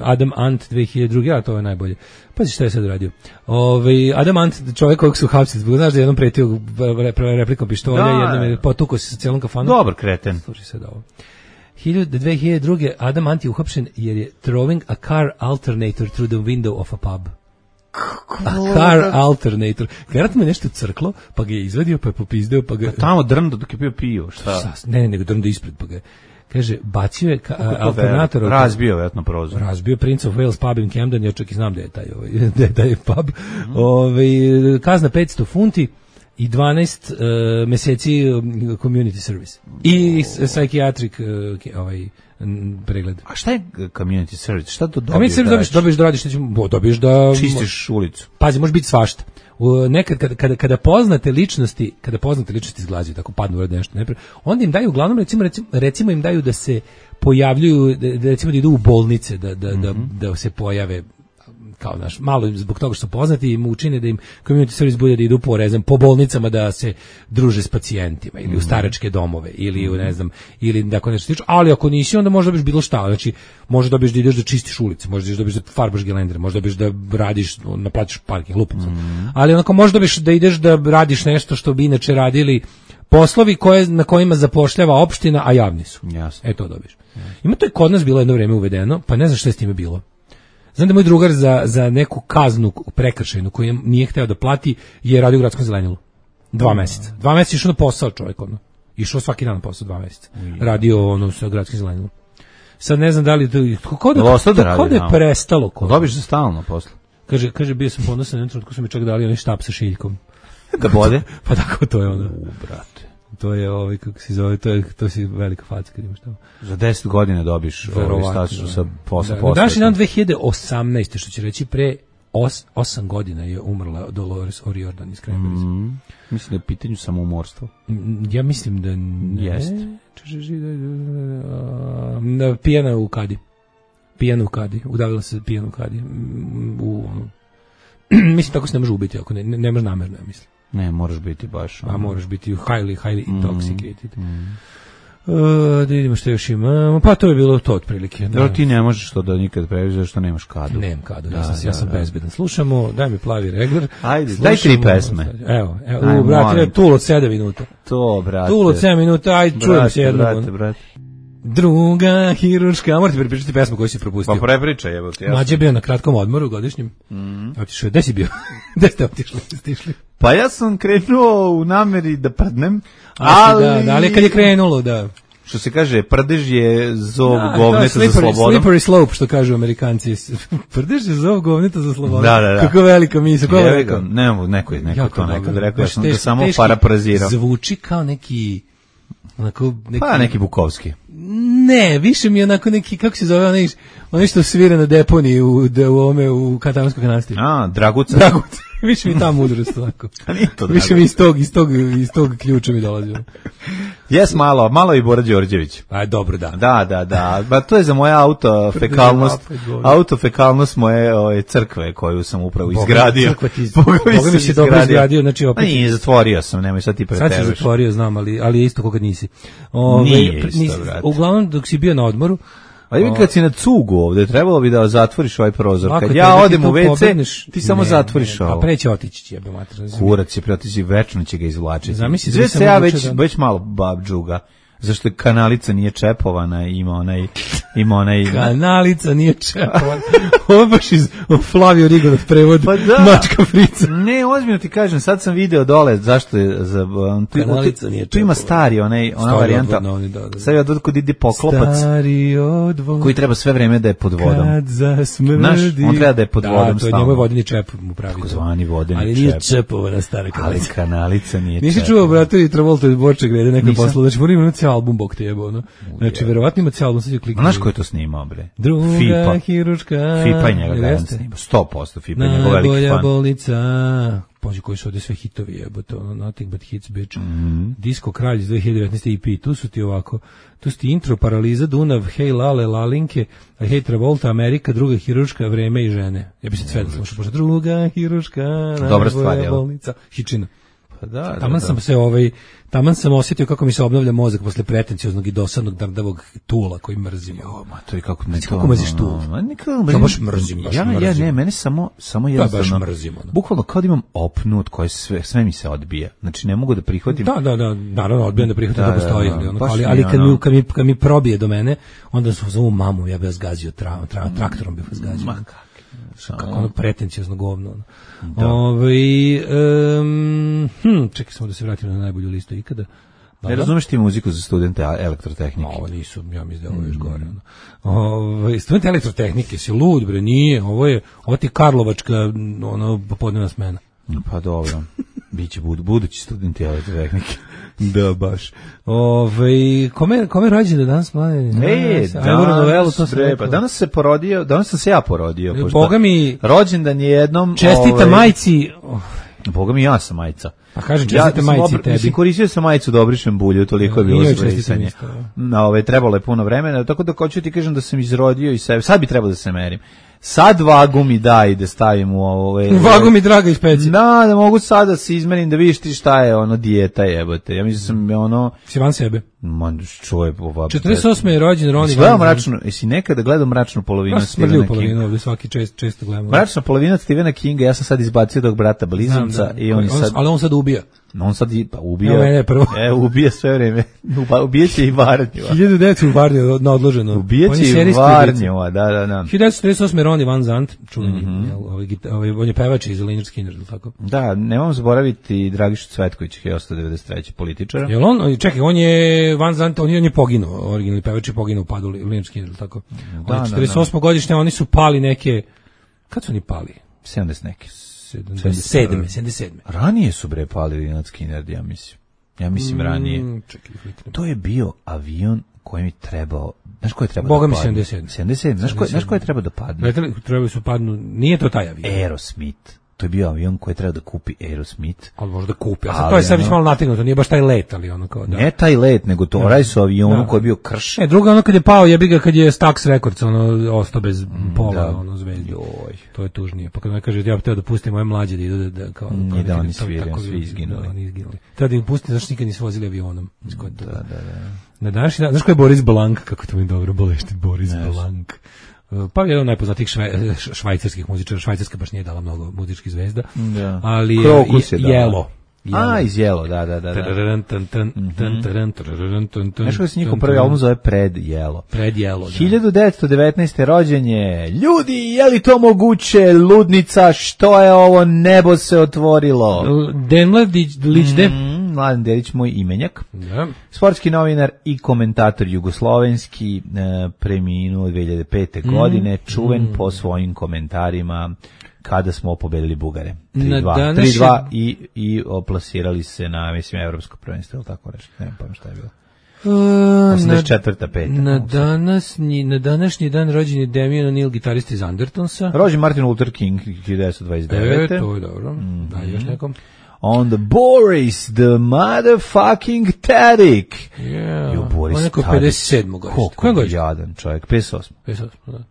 Adam Ant 2002, to je najbolje. Pazi šta je sad radio. Adam Ant, čovjek kojeg su hapsili, znaš da je jednom pretio replikom pištolja, jednom je potukao se sa cijelom kafanom. Dobar kreten. Slušaj sad ovo. 2002. Adam Ant je uhapšen jer je throwing a car alternator through the window of a pub. A car alternator. Vjerojatno me nešto crklo, pa ga je izvadio, pa je popizdeo, pa ga... Pa tamo drndo dok je bio pio, šta? Ne, nego drndo ispred, pa ga kaže, bacio je alternator... Razbio, vjerojatno, prozor. Razbio Prince of Wales pub in Camden, ja čak i znam da je taj pub. Kazna 500 funti i 12 meseci community service. I psychiatric pregled. A šta je community service? Šta to dobiješ? Community service dobiješ da čistiš ulicu. Pazi, može biti svašta. Nekad kada poznate ličnosti izglađuju, tako padnu u nešto, onda im daju uglavnom recimo im daju da se pojavljuju, recimo da idu u bolnice, da se pojave kao malo zbog toga što su poznati im učine da im community service bude da idu po bolnicama da se druže s pacijentima ili u staračke domove ili u ili tako nešto slično, ali ako nisi onda možda biš bilo šta, znači možda dobiš da ideš da čistiš ulice, možda dobiš da farbaš gelendere, možda dobiš da radiš, naplatiš parking, lupam sad. Ali onako možda dobiš da ideš da radiš nešto što bi inače radili poslovi na kojima zapošljava opština, a javni su. Jasno. To dobiš. Ima to je kod nas bilo jedno vrijeme uvedeno, pa ne znam šta je s time bilo. Znam da moj drugar za neku kaznu prekršajnu koju nije hteo da plati je radio u gradskom zelenilu. 2 meseca. 2 meseca išao na posao čovjek. Išao svaki dan na posao 2 meseca. Radio sa gradskim zelenilom. Sad ne znam da li kako da je prestalo. Dobiš za stalno posle. Kaže bio sam ponosan na trenutku su mi čak dali onaj štap sa šiljkom. Da bode? Pa tako to je ono. Brate. To je kako se zove, to si velika faca kad imaš tamo. Za 10 godina dobiš status sa posle. Danas je dan 2018. što će reći pre 8 godina je umrla Dolores O'Riordan iz Cranberries. Mislim da je pitanju samoumorstvo. Ja mislim da ne. Jest. Pijana u kadi. Udavila se pijana u kadi. Mislim tako se ne može ubiti ako ne može namerno, ja mislim. Ne, moraš biti baš. A moraš biti highly intoxicated. Da vidimo što još ima. Pa to je bilo to otprilike. Dobro, ti ne možeš to da nikad previđaš što nemaš kadu. Nemam kadu, ja sam bezbedan. Slušamo, daj mi plavi regler. Ajde, daj 3 pesme. Evo, brate, Tool od 7 minuta. To, brate. Tool od 7 minuta, ajde, čujem se jednu. Brate. Druga hiruška, morate prepričati pesmu koju si propustio. Pa prepričaj, evo ti. Mlađe je bio na kratkom odmoru godišnjem. Otišao je, gde si bio? Gde ste otišli? Pa ja sam krenuo u nameri da prdnem, ali kad je krenulo, da. Što se kaže, prdež je zov govneta za slobodom. Slippery slope, što kažu Amerikanci. Prdež je zov govneta za slobodom. Da. Kako velika misla, ko je rekao? Nemo, neko to nekad rekao, ja sam to samo paraprazirao. Zvuči kao neki... Pa neki Bukovski. Ne, više mi je onako neki, kako se zove, onaj što svira na deponiji u Katanskoj kanasti. Draguca. Više mi ta mudrost tako. To više mi iz tog ključa mi dolazilo. Jes, malo i Bora Đorđević. A dobro, da. Da. Ba to je za moja autofekalnost moje crkve koju sam upravo izgradio. Boga mi si dobro izgradio, znači opet. Nije, zatvorio sam, nemoj sad ti preteruješ. Sad si zatvorio, znam, ali je isto kokad nisi. Nije isto, brate. Uglavnom, dok si bio na odmoru, ali kad si na cugu ovde, trebalo bi da zatvoriš ovaj prozor. Kad ja odem u WC, ti samo zatvoriš ovo. Pa preće otići, jebe mater. Kurac će preotići, večno će ga izvlačiti. Zamisli da se ja već malo babdžuga. Zašto je kanalica nije čepovana, ima onaj... Kanalica nije čepovana. Ovo baš iz Flavio Rigonov prevod, pa da. Mačka Frica. Ne, ozbiljno ti kažem, sad sam video dole, zašto je... Kanalica nije čepovana. Tu ima stari, ona varijanta. Sad je kod ide poklopac, koji treba sve vreme da je pod vodom. Kad zasmrdi. Znaš, on treba da je pod vodom. Da, to je njegov vodeni čep mu pravi. Tako zvani vodeni čep. Ali nije čepovana stara kanalica. Ali kanalica nije čepovana. Nisi čuo, brate, i Travolta i Borček glede nekoj poslu, znači moram imati album bok te jebo, no. Znači, verovatno ima cijel album, sad ću klikati. Znaš ko je to snimao, bre? Druga hiruška. Fipa je njega gajan snimao, 100% Fipa je njegov veliki fan. Najbolja bolnica. Pođe koji su ovdje sve hitovi jebote, Nothing But Hits, bitch. Disco Kralj iz 2019. EP, tu su ti ovako, tu su ti Intro, Paraliza, Dunav, Hej Lale, Lalinke, Hej Travolta, Amerika, Druga hiruška, Vreme i žene. Ja bi se sve da slušao, pošto Druga hiruška, najbolja bolnica. Hičina. Pa da. Taman sam osjetio kako mi se obnavlja mozak posle pretencioznog i dosadnog dardavog tula koji mrzim. Ma to je kako ne to. Kako mrziš tul? Ja baš mrzim. Ja ne, mene samo jednostavno. Baš mrzim. Bukvalno kao da imam opnu od koje sve mi se odbija. Znači ne mogu da prihvatim. Da, naravno odbijam da prihvatim da postoji, ali kad mi probije do mene, onda su zovu mamu, ja bih vas gazio traktorom bih vas gazio. Kako ono pretenciozno govno. Čekaj samo da se vratim na najbolju listu ikada. Ne razumeš ti muziku za studente elektrotehnike? Ovo nisu, ja mislim da ovo je još gore. Student elektrotehnike si lud, bre, nije. Ovo ti Karlovačka popodnevna smena. Pa dobro, biće budući studenti elektrotehnike. Da, baš. Kome rođen da danas mlade? Danas se porodio, danas sam se ja porodio. Boga mi... Rođendan je jednom... Čestita majci... Boga mi, ja sam majica. Pa kažem, čestite majci tebi. Mislim, koristio sam majicu da obrišem bulju, toliko je bilo zbrisanje. Trebalo je puno vremena, tako da hoću ti kažem da sam izrodio i sebe. Sad bi trebalo da se merim. Sad vagu mi daj da stavim u ovo... Vagu mi draga iz peci. Da mogu sad da se izmerim, da vidiš ti šta je dijeta jebote. Ja mislim sam Si van sebe. Man, čuje... 48. je rođen Ronnie Van Zant. Jesi nekada gledao Mračnu polovinu Stephena Kinga? Polovinu, ovdje svaki često gledamo. Mračna polovina Stephena Kinga, ja sam sad izbacio dok brata blizanca i on sad... Ali on sad ubija. On sad ubija. Ubija sve vreme. Ubijeće i Varnjeva. 1900 u Varnjeva na odloženo. Ubijeće i Varnjeva, da. 1948. Ronnie Van Zant, čuveni. On je pevač iz Lynyrd Skynyrd, tako? Da, nemam zaboraviti Dragišu Cvetkovića, 1993. političara. Jel on, čekaj, on je Van Zant, on je poginuo, originalni pevač je poginuo u padu Lynyrd Skynyrd, tako? Da, 48. godišnje, oni su pali neke, kad su oni pali? 70 neke. 77. Ranije su pali Lynyrd Skynyrd, ja mislim. Ja mislim ranije. Čekaj, to je bio avion koji mi trebao, znaš ko je trebao Boga da padne? Boga mi 77. Znaš ko je trebao da padne? Trebali su padnu, nije to taj avion. Aerosmith. To je bio avion koji je trebao da kupi Aerosmith. Ali možda kupi. A sad to je sad malo nategnuto, nije baš taj let, ali kao da. Ne taj let, nego to raj su avionu koji je bio kršen. Druga kad je pao, kad je Stax Records ostao bez pola, zvezdi. To je tužnije. Pa kad me kaže ja bih hteo da pustim moje mlađe da idu kao nije da oni sviraju, svi izginuli. Treba da im pustim, zašto nikad nisu vozili avionom. Da. Na današnji dan, znaš ko je Boris Blanc, kako to mi dobro bolešti Boris Blanc. Pa jedan od najpoznatijih švajcarskih muzičara. Švajcarska baš nije dala mnogo muzičkih zvezda. Ali Jelo. Iz Jelo, da. Znaš kako se njihov prvi album zove Pred Jelo. Pred Jelo, da. 1919. rođenje. Ljudi, je li to moguće? Ludnica, što je ovo? Nebo se otvorilo. Mladen Delić, moj imenjak. Da. Sportski novinar i komentator jugoslovenski, preminuo 2005. godine, čuven po svojim komentarima kada smo pobedili Bugare. 3-2 i oplasirali se na, mislim, evropsko prvenstvo, ili tako reći. Ne znam šta je bilo. 84. Na današnji dan rođen je Damien O'Neill, gitarista iz Undertonsa. Rođen Martin Luther King, 1929. To je dobro. Da, još nekom. On the Boris, the motherfucking Tadik. On je neko 57. godište. Koliko je jadan čovjek? 58.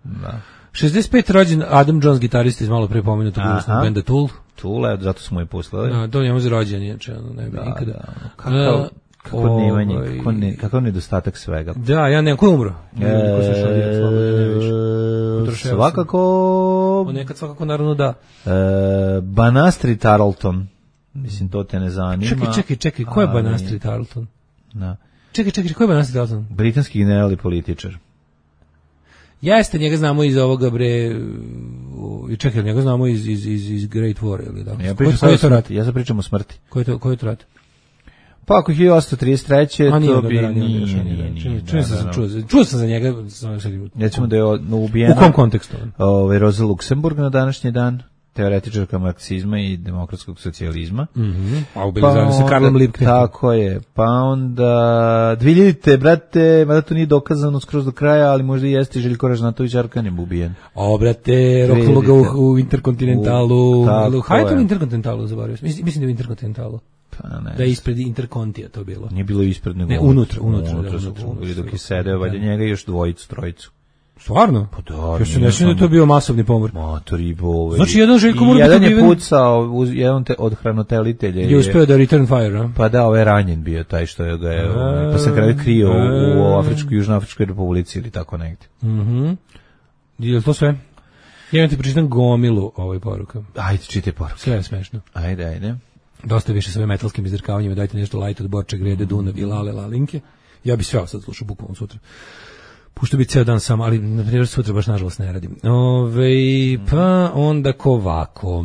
Da. 65. rođen Adam Jones, gitarista iz malo pre pomenutog benda Tool. Tool, zato smo i poslali. Da, to njemu za rođen, inače, ne bi nikada. Kakav nedostatak svega. Da, ja nemam, ko je umro? Svakako... Nekad svakako, naravno, da. Banastri Tarleton. Mislim, to te ne zanima. Čekaj, ko je Banastri Tarleton? Da. Čekaj, ko je Banastri Tarleton? Britanski general i političar. Jeste, njega znamo iz ovoga, čekaj, njega znamo iz Great War, ili da? Ja sad pričam o smrti. Koji je to rat? Pa ako 1833. to bi nije. Čuo sam za njega. Recimo da je ubijena. U kom kontekstu? Rosa Luxemburg na današnji dan. Teoretičarka marksizma i demokratskog socijalizma. A ubili se Karlom Liebknechtom. Tako je. Pa onda 2000-te, brate, mada to nije dokazano skroz do kraja, ali možda i jeste Željko Ražnatović Arkanem ubijen. Brate, roknulo ga u Interkontinentalu. Hajde to u Interkontinentalu, zaboravio sam. Mislim da je u Interkontinentalu. Da je ispred Interkontija to bilo. Nije bilo ispred, nego unutra. Ili dok je sedeo, valjda njega i još trojicu. Stvarno? Pa da. Ja se ne sjećam da je to bio masovni pomor. Matori bove. Znači jedan Željko mora biti jedan je pucao uz jedan od hranitelitelja. Je uspeo da return fire, a? Pa da, ovaj ranjen bio taj što je ga je, pa se kraj krio u Južnoafričkoj republici ili tako negdje. Je to sve? Ja ti pročitam gomilu ovoj poruka. Ajde, čitaj poruke. Sve je smešno. Ajde. Dosta više sa metalskim izdrkavanjima, dajte nešto light od Borča, Grede, Dunav i Lale Lalinke. Ja bi sve sad slušao bukvalno sutra. Pušto bi ceo dan sam, ali na primjer sutra baš nažalost ne radim. Pa onda kovako.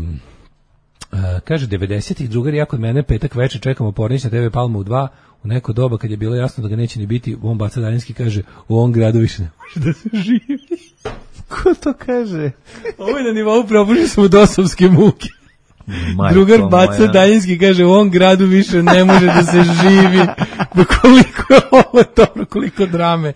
Kaže, 90-ih drugari, ja kod mene petak večer čekamo Pornić na TV Palma u 2, u neko doba kad je bilo jasno da ga neće ni biti, on baca daljinski, kaže, u ovom gradu više ne može da se živi. Ko to kaže? Ovo je na nivou probužili smo dosovske muke. Majko, drugar baca daljinski, kaže, u ovom gradu više ne može da se živi. Koliko je ovo dobro, koliko drame,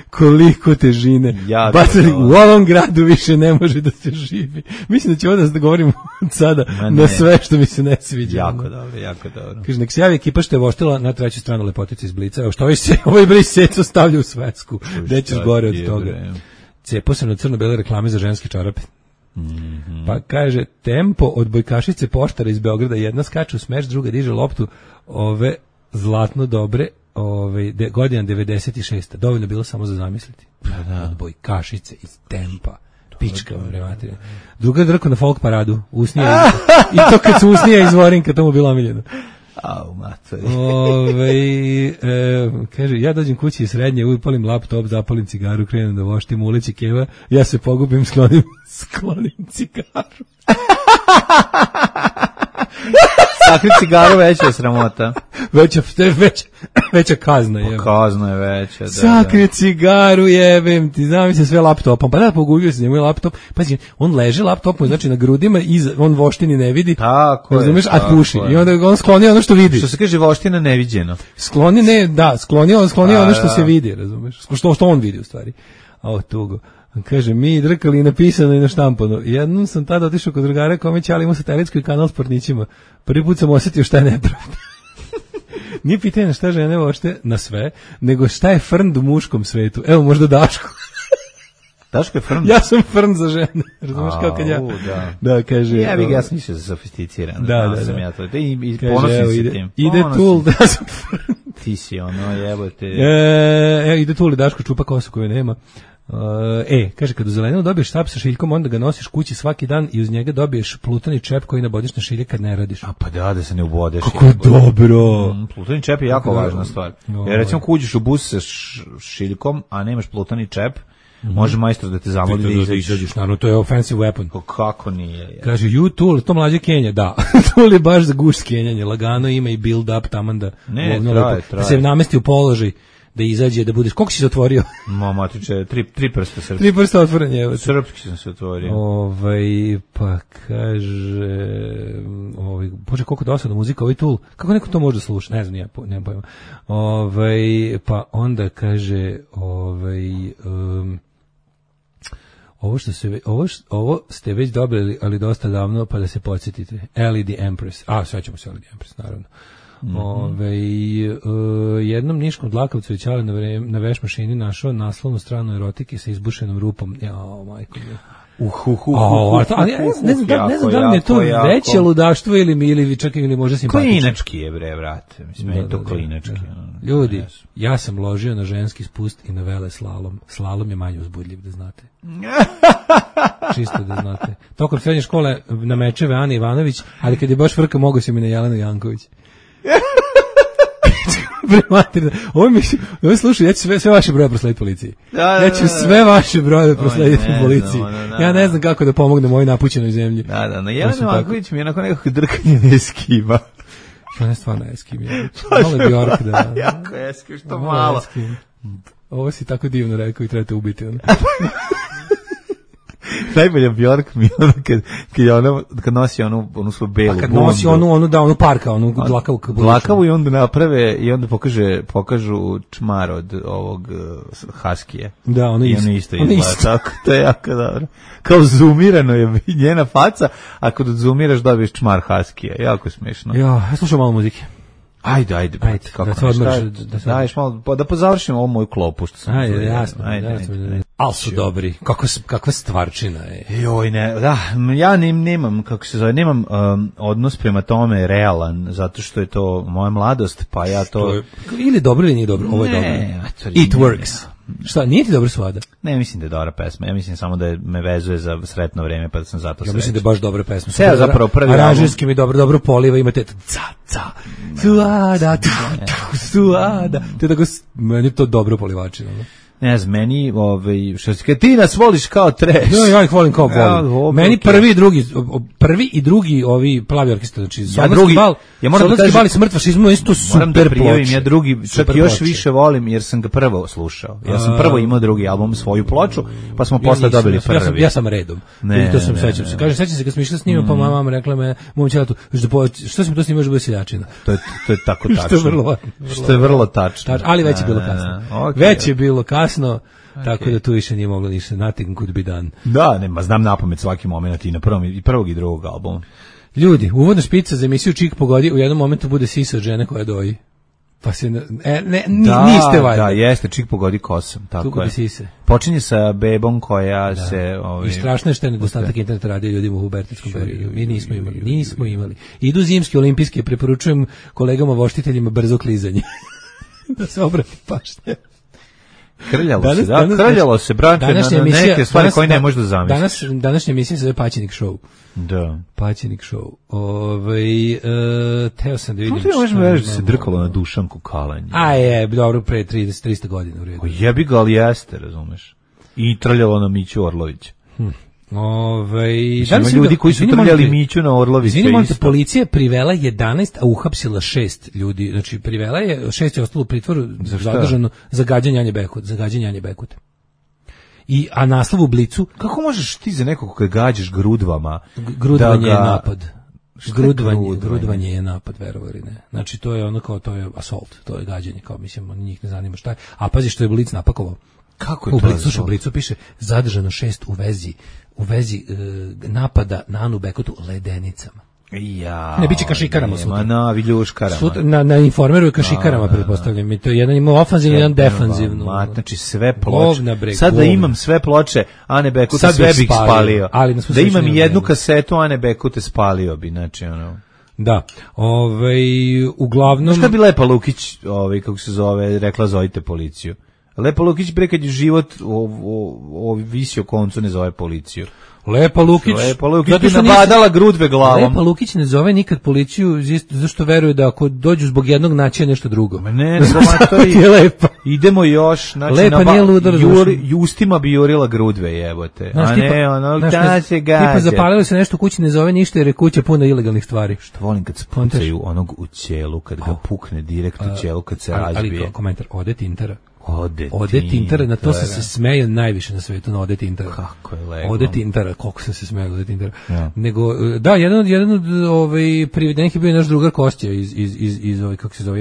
koliko težine. Bacali, u ovom gradu više ne može da se živi. Mislim da će ovo da govorim sada na sve što mi se ne sviđa. Jako dobro. Kaže, nek se javi ekipa što je voštila na treću stranu lepotice iz Blica. Evo što ovaj bre seco stavlja u svetsku. Gde ćeš gore od toga? Cepo se na crno-bele reklame za ženske čarape. Pa kaže, tempo od bojkašice poštara iz Beograda, jedna skače u smeš, druga diže loptu, ove zlatno dobre, godina 96. Dovoljno bilo samo za zamisliti. Od bojkašice iz tempa. Pička vam rematirja. Druga drko na folk paradu, usnije. I to kad su usnije iz Vorinka, to mu bilo omiljeno. Kaže, ja dođem kući iz srednje, upalim laptop, zapalim cigaru, krenem da voštim u ulici Keva, ja se pogubim, sklonim cigaru. Sakri cigaru veća je sramota. Veća kazna je. Kazna je veća, da. Sakri cigaru, jebem ti, znam se sve laptopom. Pa da, pogubio se njemu laptop. Pazi, on leže laptopom, znači na grudima, on voštini ne vidi. Tako je. A puši. I onda on skloni ono što vidi. Što se kaže voština neviđeno. Skloni ono što se vidi, razumeš? Što on vidi u stvari. A tugo. Kaže, mi drkali i napisano i na štampano. Jednom sam tada otišao kod drugara kome će, ali imao satelitski kanal s pornićima. Prvi put sam osjetio šta je nepravda. Nije pitanje šta žene vošte na sve, nego šta je frnd u muškom svetu. Evo, možda Daško. Daško je frnd? Ja sam frnd za žene. Razumeš kao kad ja... Da, kaže... Ja sam više sofisticiran. Da. I ponosim se tim. Ide Tul, da sam frnd. Ti si ono, jebote. Ide Tul i Daško čupa kosu koju nema. Kaže, kad u zelenilo dobiješ štap sa šiljkom, onda ga nosiš kući svaki dan i uz njega dobiješ plutani čep koji nabodiš na šilje kad ne radiš. A pa da se ne ubodeš. Kako dobro! Plutani čep je jako važna stvar. Jer recimo kuđiš u bus sa šiljkom, a nemaš plutani čep, može majstor da te zamoli da izađeš. Naravno, to je offensive weapon. Kako nije? Kaže, Tool, to mlađe Kenja, da. Tool je baš za guš skenjanje. Lagano ima i build up taman da se namesti u položaj. Da izađe, da budeš... Koliko si se otvorio? Matiče, tri prsta srpski. 3 prsta otvorenje. Srpski sam se otvorio. Pa kaže... Bože, koliko dosadna muzika, ovaj Tool. Kako neko to može da sluša? Ne znam, nemam pojma. Pa onda kaže... Ovo ste već dobili, ali dosta davno, pa da se podsjetite. LED Empress. Svećamo se LED Empress, naravno. Jednom niškom dlakavcu je Ćale na veš mašini našao naslovnu stranu erotike sa izbušenom rupom. Majko mi. Ne znam da li je to veće ludaštvo ili čak ili možda simpatično. Klinački je, bre, vrate. Mislim, je to klinački. Ljudi, ja sam ložio na ženski spust i na vele slalom. Slalom je manje uzbudljiv, da znate. Čisto da znate. Tokom srednje škole na mečeve Ana Ivanović, ali kad je baš frka, mogo se mi na Jelenu Janković. Ovo slušaj, ja ću sve vaše broje proslediti policiji. Ja ću sve vaše broje proslediti policiji. Ja ne znam kako da pomognem ovoj napućenoj zemlji. Na Jelena Janković mi je onako nekako drkanje ne eskima. Što ne stvarno eskim je. Malo je Bjork, da. Jako eskim, što malo. Ovo si tako divno rekao i trebate ubiti. Najbolja Bjork mi ono kad nosi onu svoju belu bundu. Kad nosi onu parka, onu dlakavu i onda naprave i onda pokažu čmar od ovog haskije. Da, ono isto izgleda. Tako, to je jako dobro. Kao zoomirano je njena faca, a kad zoomiraš dobiješ čmar haskije. Jako smiješno. Ja slušam malo muzike. Ajde, kako da se odmoriš, daješ malo, da pozavršimo ovu moju klopu što sam. Ajde, jasno. Al su dobri. Kakva stvarčina je. Joj, ne, da, ja nemam, kako se zove, nemam odnos prema tome realan, zato što je to moja mladost, pa ja to... Ili dobro ili nije dobro, ovo je dobro. It works. Šta, nije ti dobro Svada? Ne, mislim da je dobra pesma. Ja mislim samo da me vezuje za sretno vreme, pa da sam zato srećan. Ja mislim da je baš dobra pesma. Sve zapravo prvi aranžerski mi dobro poliva, imate Suada, Suada. To je tako, meni to dobro polivačino. Ne znam, meni, što si, ti nas voliš kao trash. Ja ih volim kao volim. Meni prvi i drugi ovi plavi orkestar, znači Solarski bal i Smrt fašizmu, isto super ploče. Ja drugi, čak još više volim, jer sam ga prvo slušao. Ja sam prvo imao drugi album, svoju ploču, pa smo posle dobili prvi. Ja sam redom. To sam sećam se. Kaže, sećam se kad smo išli s njima, pa mama rekla me, mom ćelatu, što si mi to snimaš bez seljačina? To je tako tačno. Što je vrlo tačno. Ali već je bilo kasno. Već je bilo kasno, tako da tu više nije moglo ništa. Nothing could be done. Da, nema, znam napamet svaki moment i na prvog i drugog albuma. Ljudi, uvodna špica za emisiju Čik pogodi, u jednom momentu bude sisa od žene koja doji. Pa se niste valjda. Da, jeste, Čik pogodi kosam, tako je. Sise. Počinje sa bebom koja se... I strašno je što je nedostatak interneta radio ljudima u hubertetskom periodu. Mi nismo imali. Idu zimski olimpijski, preporučujem kolegama voštiteljima brzo klizanje. Da se obrati pašnje. Krljalo se, brate, na neke stvari koje ne možeš da zamisliš. Današnja emisija se zove Paćenik show. Da. Paćenik show. Teo sam da vidim. Što ti možemo reći da se drkalo na Dušanku Kalanje? Dobro, pre 300 godina u redu. Jebi ga, ali jeste, razumeš. I trljalo na Miću Orlovića. Ima ljudi koji su trljali Miću na Orlovića. Izvinite, policija privela 11, a uhapsila 6 ljudi. Znači, privela je, 6 je ostalo u pritvoru zadržano za gađanje Anje Bekute. A naslov u Blicu... Kako možeš ti za nekog koji gađaš grudvama? Grudvanje je napad. Grudvanje je napad, verovali ne. Znači, to je ono kao, to je assault, to je gađanje, kao mislim, njih ne zanima šta je. A pazi što je Blic napakovao. Kako je to? U Blicu piše zadržano 6 u vezi napada na Anu Bekutu ledenicama. Ne biće kašikarama sutra. Na viljuškarama. Na Informeru je kašikarama, pretpostavljam. I to je jedan ima ofanzivno, jedan defanzivno. Znači sve ploče. Sad da imam sve ploče Ane Bekute, sve bih spalio. Da imam i jednu kasetu Ane Bekute, spalio bi. Znači, ono... Da, uglavnom... Znaš kad bi Lepa Lukić, kako se zove, rekla zovite policiju? Lepa Lukić bre kad je život visio koncu ne zove policiju. Lepa Lukić bi nabadala grudve glavom. Lepa Lukić ne zove nikad policiju zašto veruje da ako dođu zbog jednog naći nešto drugo. Ne, je lepa. Idemo još, znači Lepa nije ludo Justima bi jurila grudve, jebote. A ne, ono da se gađa. Tipa zapalilo se nešto u kući, ne zove ništa jer je kuća puna ilegalnih stvari. Što volim kad spuncaju onog u ćelu, kad ga pukne direkt u ćelu, kad se razbije. Ali komentar, Ode Tintara, na to sam se smejao najviše na svetu, na Ode Tintara. Kako je lepo. Ode Tintara, koliko sam se smejao Ode Tintara. Ja. Nego, da, jedan od privedenih je bio naš drugar Kostja iz kako se zove,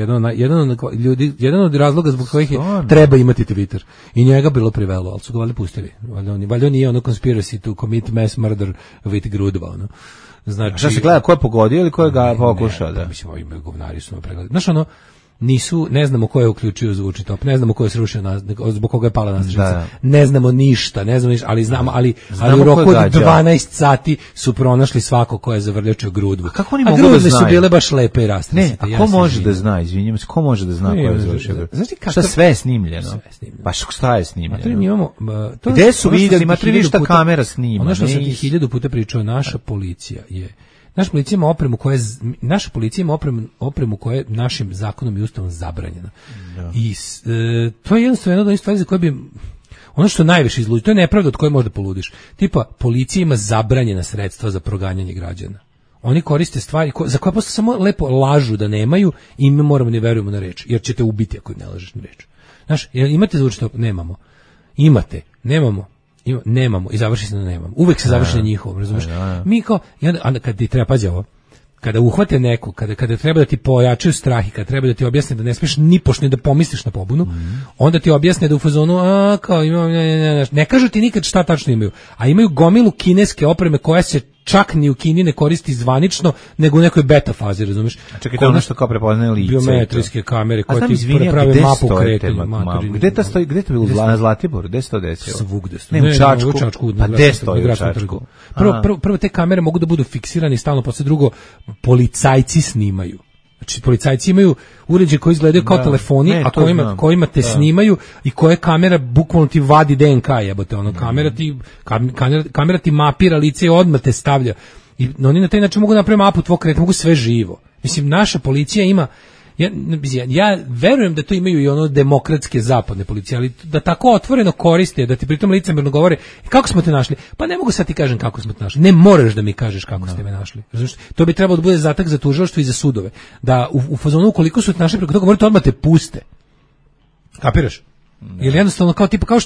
jedan od razloga zbog kojih treba imati Twitter. I njega bilo privelo, ali su ga valjda pustili. Valjda nije ono conspiracy to commit mass murder with grudva, ono. Znači, šta se gleda, ko je pogodio ili ko je ga pokušao? Da, mislim, ovi govnari su pregledali. Znaš, ono, ne znamo ko je uključio zvučni top, ne znamo ko je srušio zbog koga je pala nastražnica, ne znamo ništa, ali znamo, ali u roku od 12 sati su pronašli svako ko je zavrlječio grudvu. A kako oni mogu da znaju? Su bile baš lepe i rastrasite. Ne, a ko može da zna, izvinjam se, ko može da zna ko je zavrlječio grudvu? Šta sve je snimljeno? Baš šta je snimljeno? Gde su vidjeli, imate li šta kamera snima? Ono što sam ti 1000 puta pričao, naša policija ima opremu koja je našim zakonom i ustavom zabranjena. Da. I to je jednostavno jedna od stvari za koje bi ono što najviše izluđuje, to je nepravda od koje možda poludiš. Tipa, policija ima zabranjena sredstva za proganjanje građana. Oni koriste stvari za koje posle samo lepo lažu da nemaju i mi moramo ne verujemo na reč, jer ćete ubiti ako ne lažeš na reč. Znaš, imate zvučni top? Nemamo. Imate? Nemamo i završi se na nemamo. Uvek se završi na njihovom, razumiješ? Mi kao, kad ti treba, pazi ovo, kada uhvate neko, kada treba da ti pojačaju strah i kada treba da ti objasne da ne smiješ ni pošni da pomisliš na pobunu, onda ti objasne da u fazonu, kao imam, ne kažu ti nikad šta tačno imaju, a imaju gomilu kineske opreme koja se čak ni u Kini ne koristi zvanično, nego u nekoj beta fazi, razumeš? A čekaj, to je ono što kao prepoznaje lice. Biometrijske kamere koje ti prave mapu kretanja. Gde to stoji? Gde to bilo? Na Zlatiboru? Gde se to desilo? Svugde stoji. Ne, u Čačku. Pa gde stoji u Čačku? Prvo te kamere mogu da budu fiksirane stalno, posle drugo policajci snimaju. Znači, policajci imaju uređaje koji izgledaju kao telefoni, a kojima te snimaju i koje kamera bukvalno ti vadi DNK, jebote, ono, kamera ti mapira lice i odmah te stavlja. I oni na taj način mogu napraviti mapu tvog kretanja, mogu sve živo. Mislim, naša policija ima, ja verujem da to imaju i ono demokratske zapadne policije, ali da tako otvoreno koriste, da ti pritom licemerno govore, kako smo te našli? Pa ne mogu sad ti kažem kako smo te našli. Ne moraš da mi kažeš kako ste me našli. Znači, to bi trebalo da bude zadatak za tužilaštvo i za sudove. Da u fazonu ukoliko su te našli preko toga, morate odmah te puste. Kapiraš? Jer jednostavno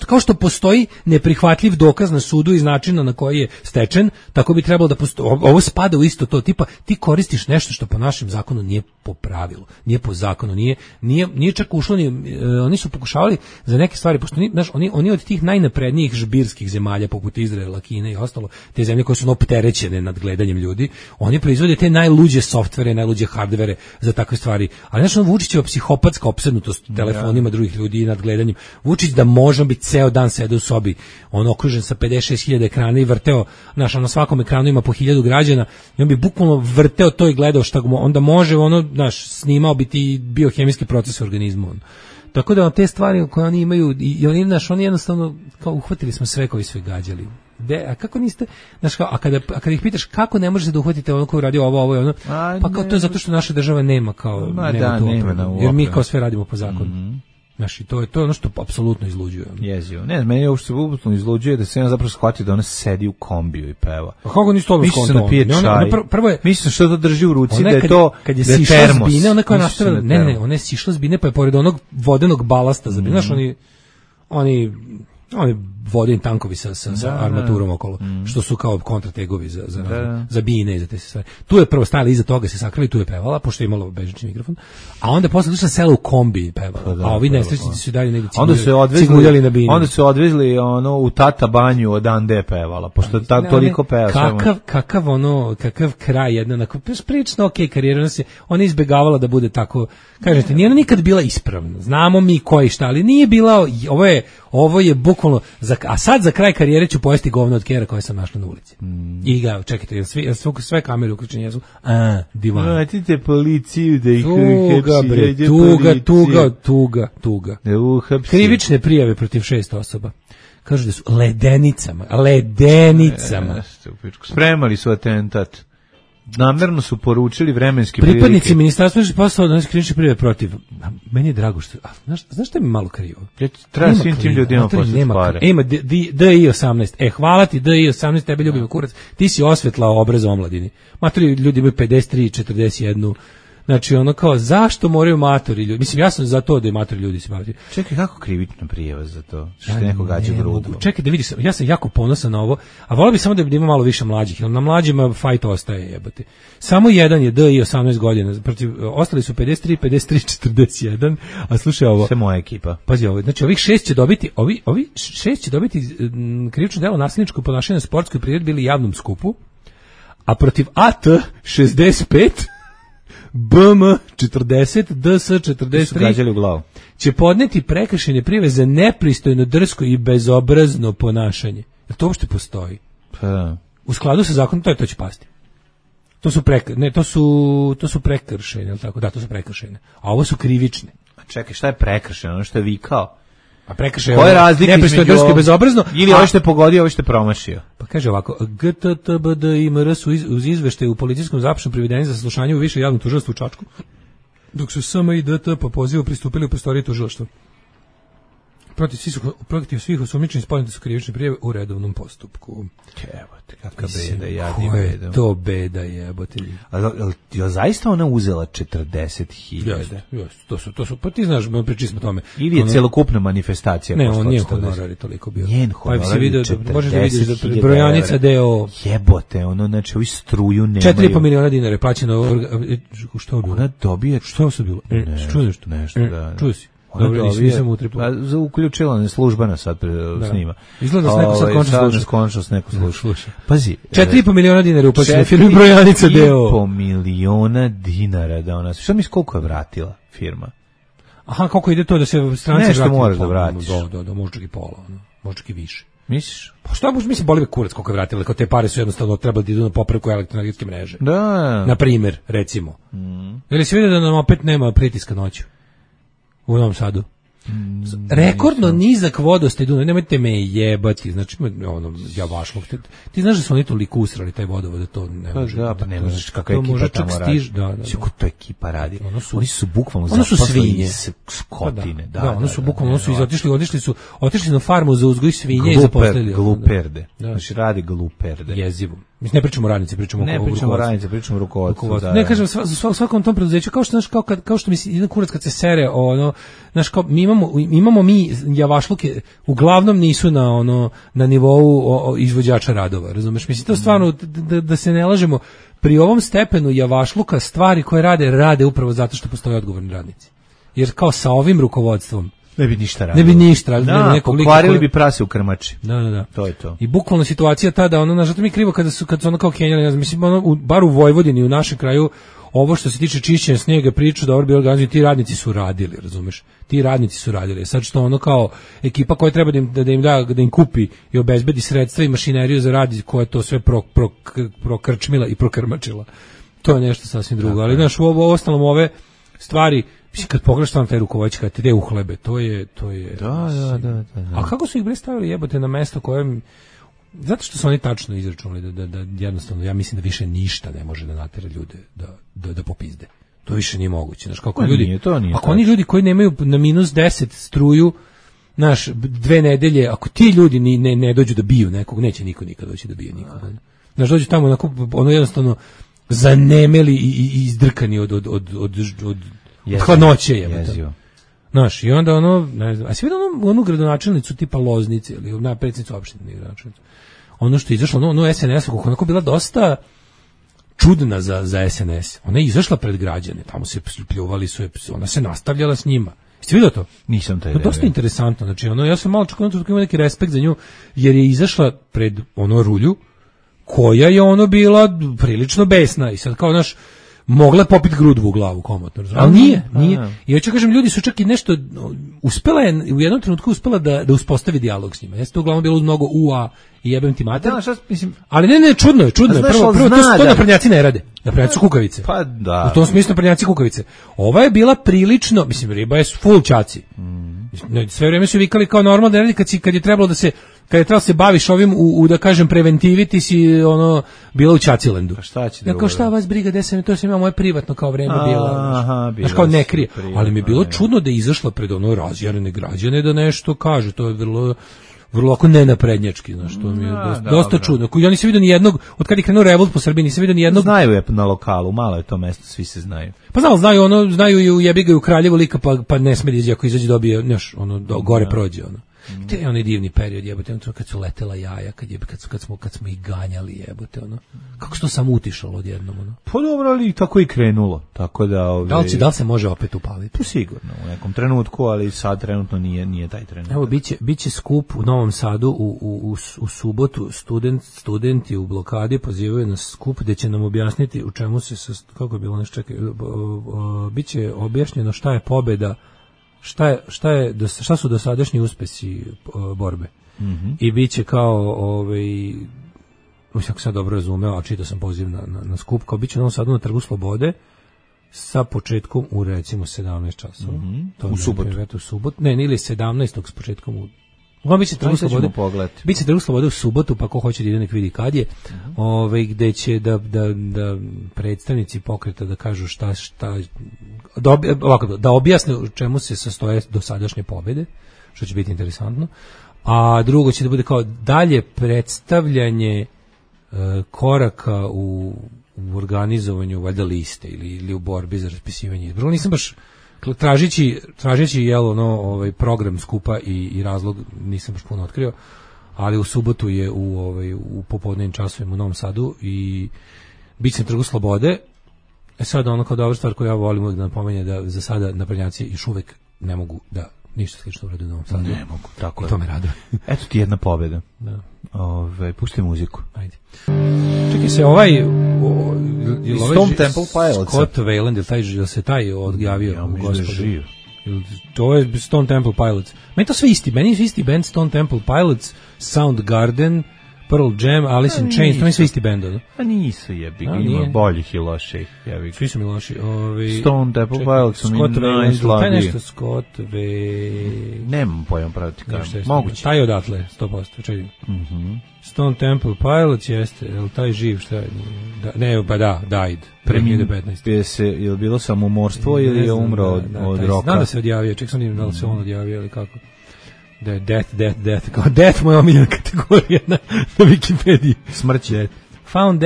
kao što postoji neprihvatljiv dokaz na sudu iz načina na koji je stečen, tako bi trebalo da postoji. Ovo spada u isto to, tipa ti koristiš nešto što po našem zakonu nije po pravilu, nije po zakonu, nije čak ušlo ni, oni su pokušavali za neke stvari, pošto oni od tih najnaprednijih žbirskih zemalja poput Izraela, Kine i ostalo, te zemlje koje su opterećene nad gledanjem ljudi, oni proizvode te najluđe softvere, najluđe hardvere za takve stvari. Ali znači Vučićeva psihopatska opsednutost telefonima drugih ljudi i nad gledanjem. Vučić da može biti ceo dan sede u sobi, on okružen sa 56.000 ekrana i vrteo, na svakom ekranu ima po 1000 građana i on bi bukvalno vrteo to i gledao šta onda može, snimao bi ti biohemijski proces u organizmu. Tako da te stvari koje oni imaju i oni jednostavno kao uhvatili smo sve koji su ih gađali. A kako niste, a kada ih pitaš kako ne možete da uhvatite ono koji radi ovo i ono, pa kao to je zato što naša država nema jer mi kao sve radimo po zakonu. Znaš, to je ono što apsolutno izluđuje. Jezivo. Ne, meni je ovo što apsolutno izluđuje da se ja zapravo shvatio da ona sedi u kombiju i peva. A kako nisi to mislim da pije čaj. Prvo je, mislim što to drži u ruci, da je to kad je sišla s bine, ona koja nastavila, ne, ona je sišla s bine pa je pored onog vodenog balasta za bine. Znaš, oni vodeni tankovi sa armaturom okolo, što su kao kontrategovi za bine i za te stvari. Tu je prvo stajala iza toga, se sakrili, tu je pevala, pošto je imalo bežični mikrofon, a onda posle došla sela u kombi i pevala, a ovi nesrećnici su dalje negdje ciguljali na bine. Onda su odvezli u Tata banju od Ande pevala, pošto toliko peva. Kakav kraj jedna, prilično okej karijera, ona je izbegavala da bude tako, kažete, nije ona nikad bila ispravna, znamo mi koji šta, ali nije bila, ovo je bukvalno, a sad za kraj karijere ću pojesti govno od kera koje sam našla na ulici. I ga, čekajte, sve kamere uključene jesu, divan. Vratite policiju da ih tuga. Krivične prijave protiv 6 osoba. Kažu da su ledenicama. Spremali su atentat. Namerno su poručili vremenski prilike. Pripadnici ministarstva su poslali da krivične prijave protiv. Meni je drago što... Znaš što mi malo krivo? Treba svim tim ljudima poslati pare. Ima DI18. Hvala ti DI18, tebe ljubimo kurac. Ti si osvetlao obraz omladini. Matori ljudi imaju 53, 41. Znači ono kao, zašto moraju matori ljudi? Mislim, ja sam za to da i matori ljudi se baviti. Čekaj, kako krivična prijava za to? Što neko gađa grudu? Čekaj da vidiš, ja sam jako ponosan na ovo, a volio bih samo da ima malo više mlađih, jer na mlađima fajt ostaje, jebate. Samo jedan je DI 18 godina, ostali su 53, 41, a slušaj ovo. Sve moja ekipa. Pazi ovo, znači ovih 6 će dobiti, ovi 6 će dobiti krivično delo nasilničko ponašanje na sportskoj priredbi ili javnom skupu, a protiv AT 65 BM 40, DS 43 će podneti prekršajne prijave za nepristojno, drsko i bezobrazno ponašanje. Jer to uopšte postoji? U skladu sa zakonom to će pasti. To su prekršajne, je tako? Da, to su prekršajne. A ovo su krivične. A čekaj, šta je prekršajno? Ono što je vikao? A prekršaj je razlika između drsko i bezobrazno ili ovo što je pogodio, ovo što je promašio. Pa kaže ovako, GTTBD i MR su uz izveštaju u policijskom zapisu privedeni za saslušanje u više javnom tužilaštvu u Čačku, dok su SM i DT po pozivu pristupili u prostoriji tužilaštva. Protiv svih osumnjičenih podnete su krivične prijave u redovnom postupku. Jebote, kakva beda, ko je to beda, jebote. A zaista ona uzela 40.000? To su, pa ti znaš, pričali smo o tome. Ili je celokupna manifestacija? Ne, on nije honorar toliko bio. Njen honorar je 40.000 da brojanica DO. Jebote, znači ovi struju nemaju. 4,5 miliona dinara je plaćeno. Što je bilo? Ona dobije... Što je bilo? Nešto, da. Čuo si? Dobro, nisam utripao. Uključila ne službena sad snima. Izgleda da se neko sad končno sluša. Pazi. 4,5 miliona dinara uplaćeno firmi Brojanica deo. 4,5 miliona dinara da ona. Šta misliš koliko je vratila firma? Aha, kako ide to da se stranci nešto moraš da vratiš. Da, možda i pola, možda i više. Misliš? Pa šta mislim, boli me kurac koliko je vratila, kao te pare su jednostavno trebali da idu na popravku elektroenergetske mreže. Da. Na primjer, recimo. Ili se vidi da nam opet nema pritiska noću u Novom Sadu? Rekordno nizak vodostaj Dunava, nemojte me jebati, znači ono javašlog. Ti znaš da su oni toliko usrali taj vodovod da to ne može. Da, pa ne možeš kakva ekipa tamo radi. Da. Kako to ekipa radi? Oni su bukvalno zaposleni skotine. Da, oni su bukvalno otišli na farmu za uzgoj svinje i zaposlili. Gluperde. Znači radi gluperde. Jezivo. Mi ne pričamo o radnici, pričamo o radnici, pričamo o rukovodstvu. Ne kažem svakom tom preduzeću kao što mi jedan kurac kad se sere ono, znaš, kao imamo mi javašluke, uglavnom nisu na nivou izvođača radova, razumeš? Mislim to stvarno da se ne lažemo, pri ovom stepenu javašluka stvari koje rade upravo zato što postoje odgovorni radnici. Jer kao sa ovim rukovodstvom ne bi ništa radili. Pokvarili bi prase u krmači. Da. To je to. I bukvalno situacija tada, zato mi je krivo kad su ono kao Kenjali, mislim, bar u Vojvodini, u našem kraju, ovo što se tiče čišćenja snijega, priču da bi organizovali, ti radnici su radili, razumeš? Ti radnici su radili. Sad što ono kao ekipa koja treba da im kupi i obezbedi sredstva i mašineriju za rad, koja to sve prokrčmila i prokrmačila. To je nešto sasvim drugo. Ali znaš, u ostalom ove stvari, kad pogledaš tamo taj rukovođač kad te ide u hlebe, to je. Da. A kako su ih bre stavili jebote na mesto koje, zato što su oni tačno izračunali da jednostavno, ja mislim da više ništa ne može da natera ljude da popizde. To više nije moguće, znaš, kako ljudi. Ako oni ljudi koji nemaju na -10 struju, znaš, 2 nedelje, ako ti ljudi ne dođu da biju nekog, neće niko nikad doći da bije nikog. Znaš, dođu tamo ono jednostavno zanemeli i izdrkani od hladnoće jebote. Znaš, i onda ne znam, a si vidio onu gradonačelnicu tipa Loznice ili na predsjednicu opštine gradonačelnicu. Ono što je izašlo, ono SNS, kako onako bila dosta čudna za SNS. Ona je izašla pred građane, tamo se pljuvali su, ona se nastavljala s njima. Jeste vidio to? Nisam taj. To je dosta interesantno, znači ja sam malo čak imao neki respekt za nju, jer je izašla pred rulju, koja je bila prilično besna i sad kao naš mogla popiti grudvu u glavu komotno, ali nije. I hoću kažem, ljudi su čak i nešto uspela je, u jednom trenutku uspela da uspostavi dijalog s njima. Jeste to uglavnom bilo uz mnogo ua i jebem ti mater. Ali ne, čudno je. Prvo to naprednjaci ne rade. Naprednjaci su kukavice. Pa da. U tom smislu naprednjaci kukavice. Ova je bila prilično, mislim, riba je full čaci. Sve vrijeme su vikali kao normalno da radi kad je trebalo da se baviš ovim da kažem preventivi, ti si bila u Čacilendu. Pa šta će kao šta vas briga, to sam imao moje privatno kao vreme bilo. Znaš, kao ne krije. Ali mi je bilo čudno da je izašla pred razjarene građane da nešto kaže. To je vrlo ako nenaprednjački, znaš, to mi je dosta čudno. Ja nisam vidio ni jednog, od kad je krenuo revolt po Srbiji, nisam vidio ni jednog. Znaju je na lokalu, malo je to mesto, svi se znaju. Pa znaju i u jebiga i u Kraljevu lika, pa ne sme da izađe, ako izađe dobije, znaš, gore prođe, To je onaj divni period, jebote, kad su letela jaja, kad smo ih ganjali, jebote, Kako se to samo utišalo odjednom, Pa dobro, ali tako i krenulo, tako da... Da li se može opet upaliti? Pa sigurno, u nekom trenutku, ali sad trenutno nije taj trenutak. Evo, biće skup u Novom Sadu u subotu, studenti u blokadi pozivaju na skup gde će nam objasniti u čemu se, kako je bilo nešto, čekaj, biće objašnjeno šta je pobeda, šta su dosadašnji uspesi borbe. I biće kao ako sam dobro razumeo, a čitao sam poziv na skup, kao biće na Novom Sadu na Trgu Slobode sa početkom u recimo 17 časova. U subotu. Ne, ili 17. s početkom u biće Trgu Slobode. Biće Trgu Slobode u subotu, pa ko hoće da ide nek vidi kad je. Gde će da predstavnici pokreta da kažu da objasne u čemu se sastoje dosadašnje pobjede, što će biti interesantno. A drugo će da bude kao dalje predstavljanje koraka u organizovanju valjda liste ili u borbi za raspisivanje izbora. Nisam baš tražeći program skupa i razlog nisam baš puno otkrio, ali u subotu je u popodnevnim časovima u Novom Sadu i bit će na Trgu Slobode. Sad kao dobra stvar koju ja volim uvijek da napomenje da za sada naprednjaci još uvek ne mogu da ništa slično urade u Novom Sadu. Ne mogu, tako je. To me raduje. Eto ti jedna pobjeda. Da. Pusti muziku. Ajde. Čekaj se, ovaj Stone Temple Pilots. Scott Weiland, jel se taj odjavio? Ja mislim da je živ. To je Stone Temple Pilots. Meni to sve isti, meni je isti band Stone Temple Pilots, Soundgarden, Pearl Jam, Alice in Chains, to je sve isti band, da? A nisu ima boljih i loših. Svi su mi loši. Stone Temple Pilots su mi najslabiji. Taj nešto Scott Weiland. Nemam pojam praviti kažem. Moguće. Taj odatle, 100%, čekaj. Stone Temple Pilots jeste, je li taj živ, šta je? Ne, pa da, died. 2015. Je li bilo samomorstvo ili je umro od roka? Znam da se odjavio, ček sam da li se on odjavio ili kako. Da je death, kao death moja omiljena kategorija na Wikipediji. Smrć. Found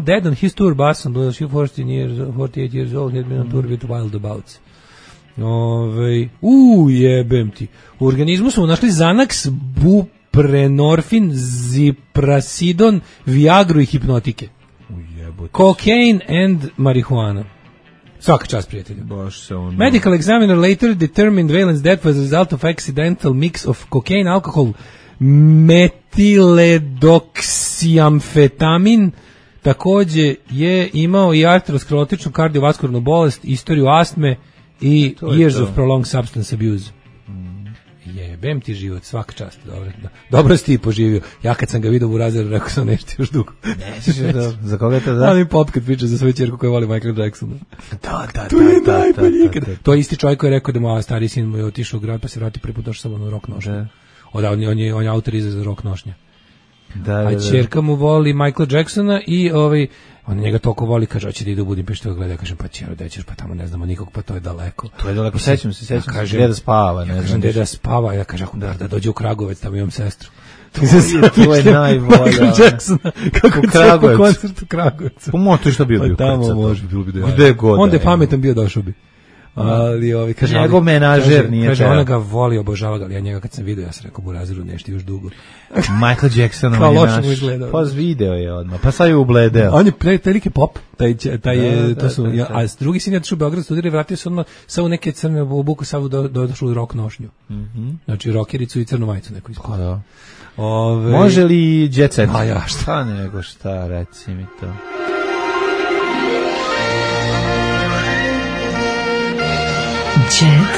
dead on his tour bus on 48 years old, had been on tour with Wildabouts. Jebem ti. U organizmu smo našli Xanax, buprenorfin, ziprasidon, viagru i hipnotike. Cocaine and marihuana. Svaka čast, prijatelju. Medical examiner later determined Weiland's death was a result of accidental mix of cocaine, alcohol, metiledoksiamfetamin. Takođe je imao i arterosklerotičnu kardiovaskularnu bolest, istoriju astme i years of prolonged substance abuse. Jebem ti život, svaka čast. Dobro si ti poživio. Ja kad sam ga vidio u razredu, rekao sam nešto još dugo. Nećeš da, za koga te da? Ali pop kad priča za svoju ćerku koja voli Michael Jacksona. Da. To je isti čovjek koji je rekao da mu stari sin mu je otišao u grad pa se vrati prvi put došao samo na rock nošnje. On je autor za rock nošnje. A ćerka mu voli Michael Jacksona i on njega toliko voli, kaže, hoće da ide u Budimpeštu, gleda, kažem, pa ćero, da ćeš, pa tamo ne znamo nikog, pa to je daleko. To je daleko, sećam se, gdje da spava, ne znam. Kažem, gdje da spava, ja kažem, da dođe u Kragovec, tamo imam sestru. To je najbolja. Michael Jacksona, kako je po koncertu Kragovec. Pomoći što bio tamo može bilo bi da gde god. Onda je pametan bio, došao bi. Ali kaže, njegov menažer nije kaže, ona ga voli, obožava ga, ali ja njega kad sam vidio, ja sam rekao, Burazeru, nešto još dugo. Michael Jackson, on je naš, pa video je odmah, pa sad je ubledeo. On je telike pop, a drugi sin je došao u Beograd, studirao i vratio se odmah sa u neke crne obuku, sad došao u rock nošnju. Znači, rockericu i crnu majicu neku ispod. Može li Jet Set? A ja, šta nego šta, reci mi to. Jet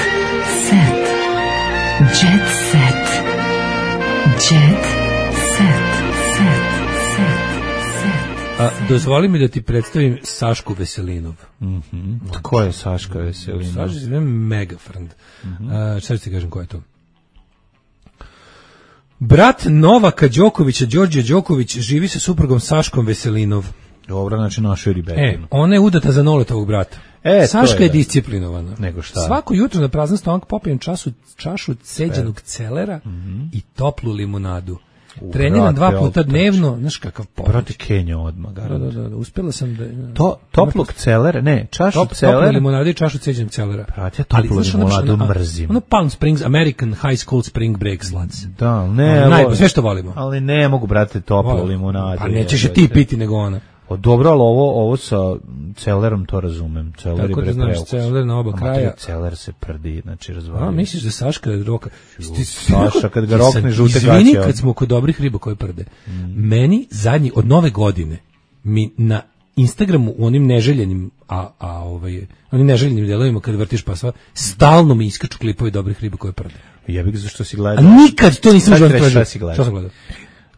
set. Jet set. Jet set. Dozvoli mi da ti predstavim Sašku Veselinov. Ko je Saška Veselinov? Saška je mega friend. Šta ti kažem ko je to? Brat Novaka Đokovića, Đorđe Đoković, živi sa suprugom Saškom Veselinov. Dobro, znači našoj ribetinu. Ona je udata za Noletovog brata. Saška je disciplinovana. Nego šta? Svako jutro na prazan stomak popijem čašu ceđenog celera i toplu limunadu. Treniram 2 puta dnevno, znaš kakav pomoć. Brate Kenja odmah. Da, uspjela sam da... Toplog celera, ne, čašu celera. Toplu limunadu i čašu ceđenog celera. Brate, toplu limunadu mrzim. Ono Palm Springs, American High School Spring Break slads. Da, ne. Sve što volimo. Ali ne mogu, brate, toplu limunadu. Pa nećeš je ti piti nego ona. Dobro, ali ovo sa celerom to razumem. Celer tako da znaš, celer na oba kraja. Celer se prdi, znači razvalio. A, misliš da Saška roka? Saša, kad ga rokne žute gaće. Izvini kad smo kod dobrih riba koje prde. Meni zadnji, od nove godine, mi na Instagramu u onim neželjenim, onim neželjenim delovima kad vrtiš pa sva, stalno mi iskaču klipovi dobrih riba koje prde. Jebik, zašto si gledao? A nikad to nisam gledao. Šta si gledao?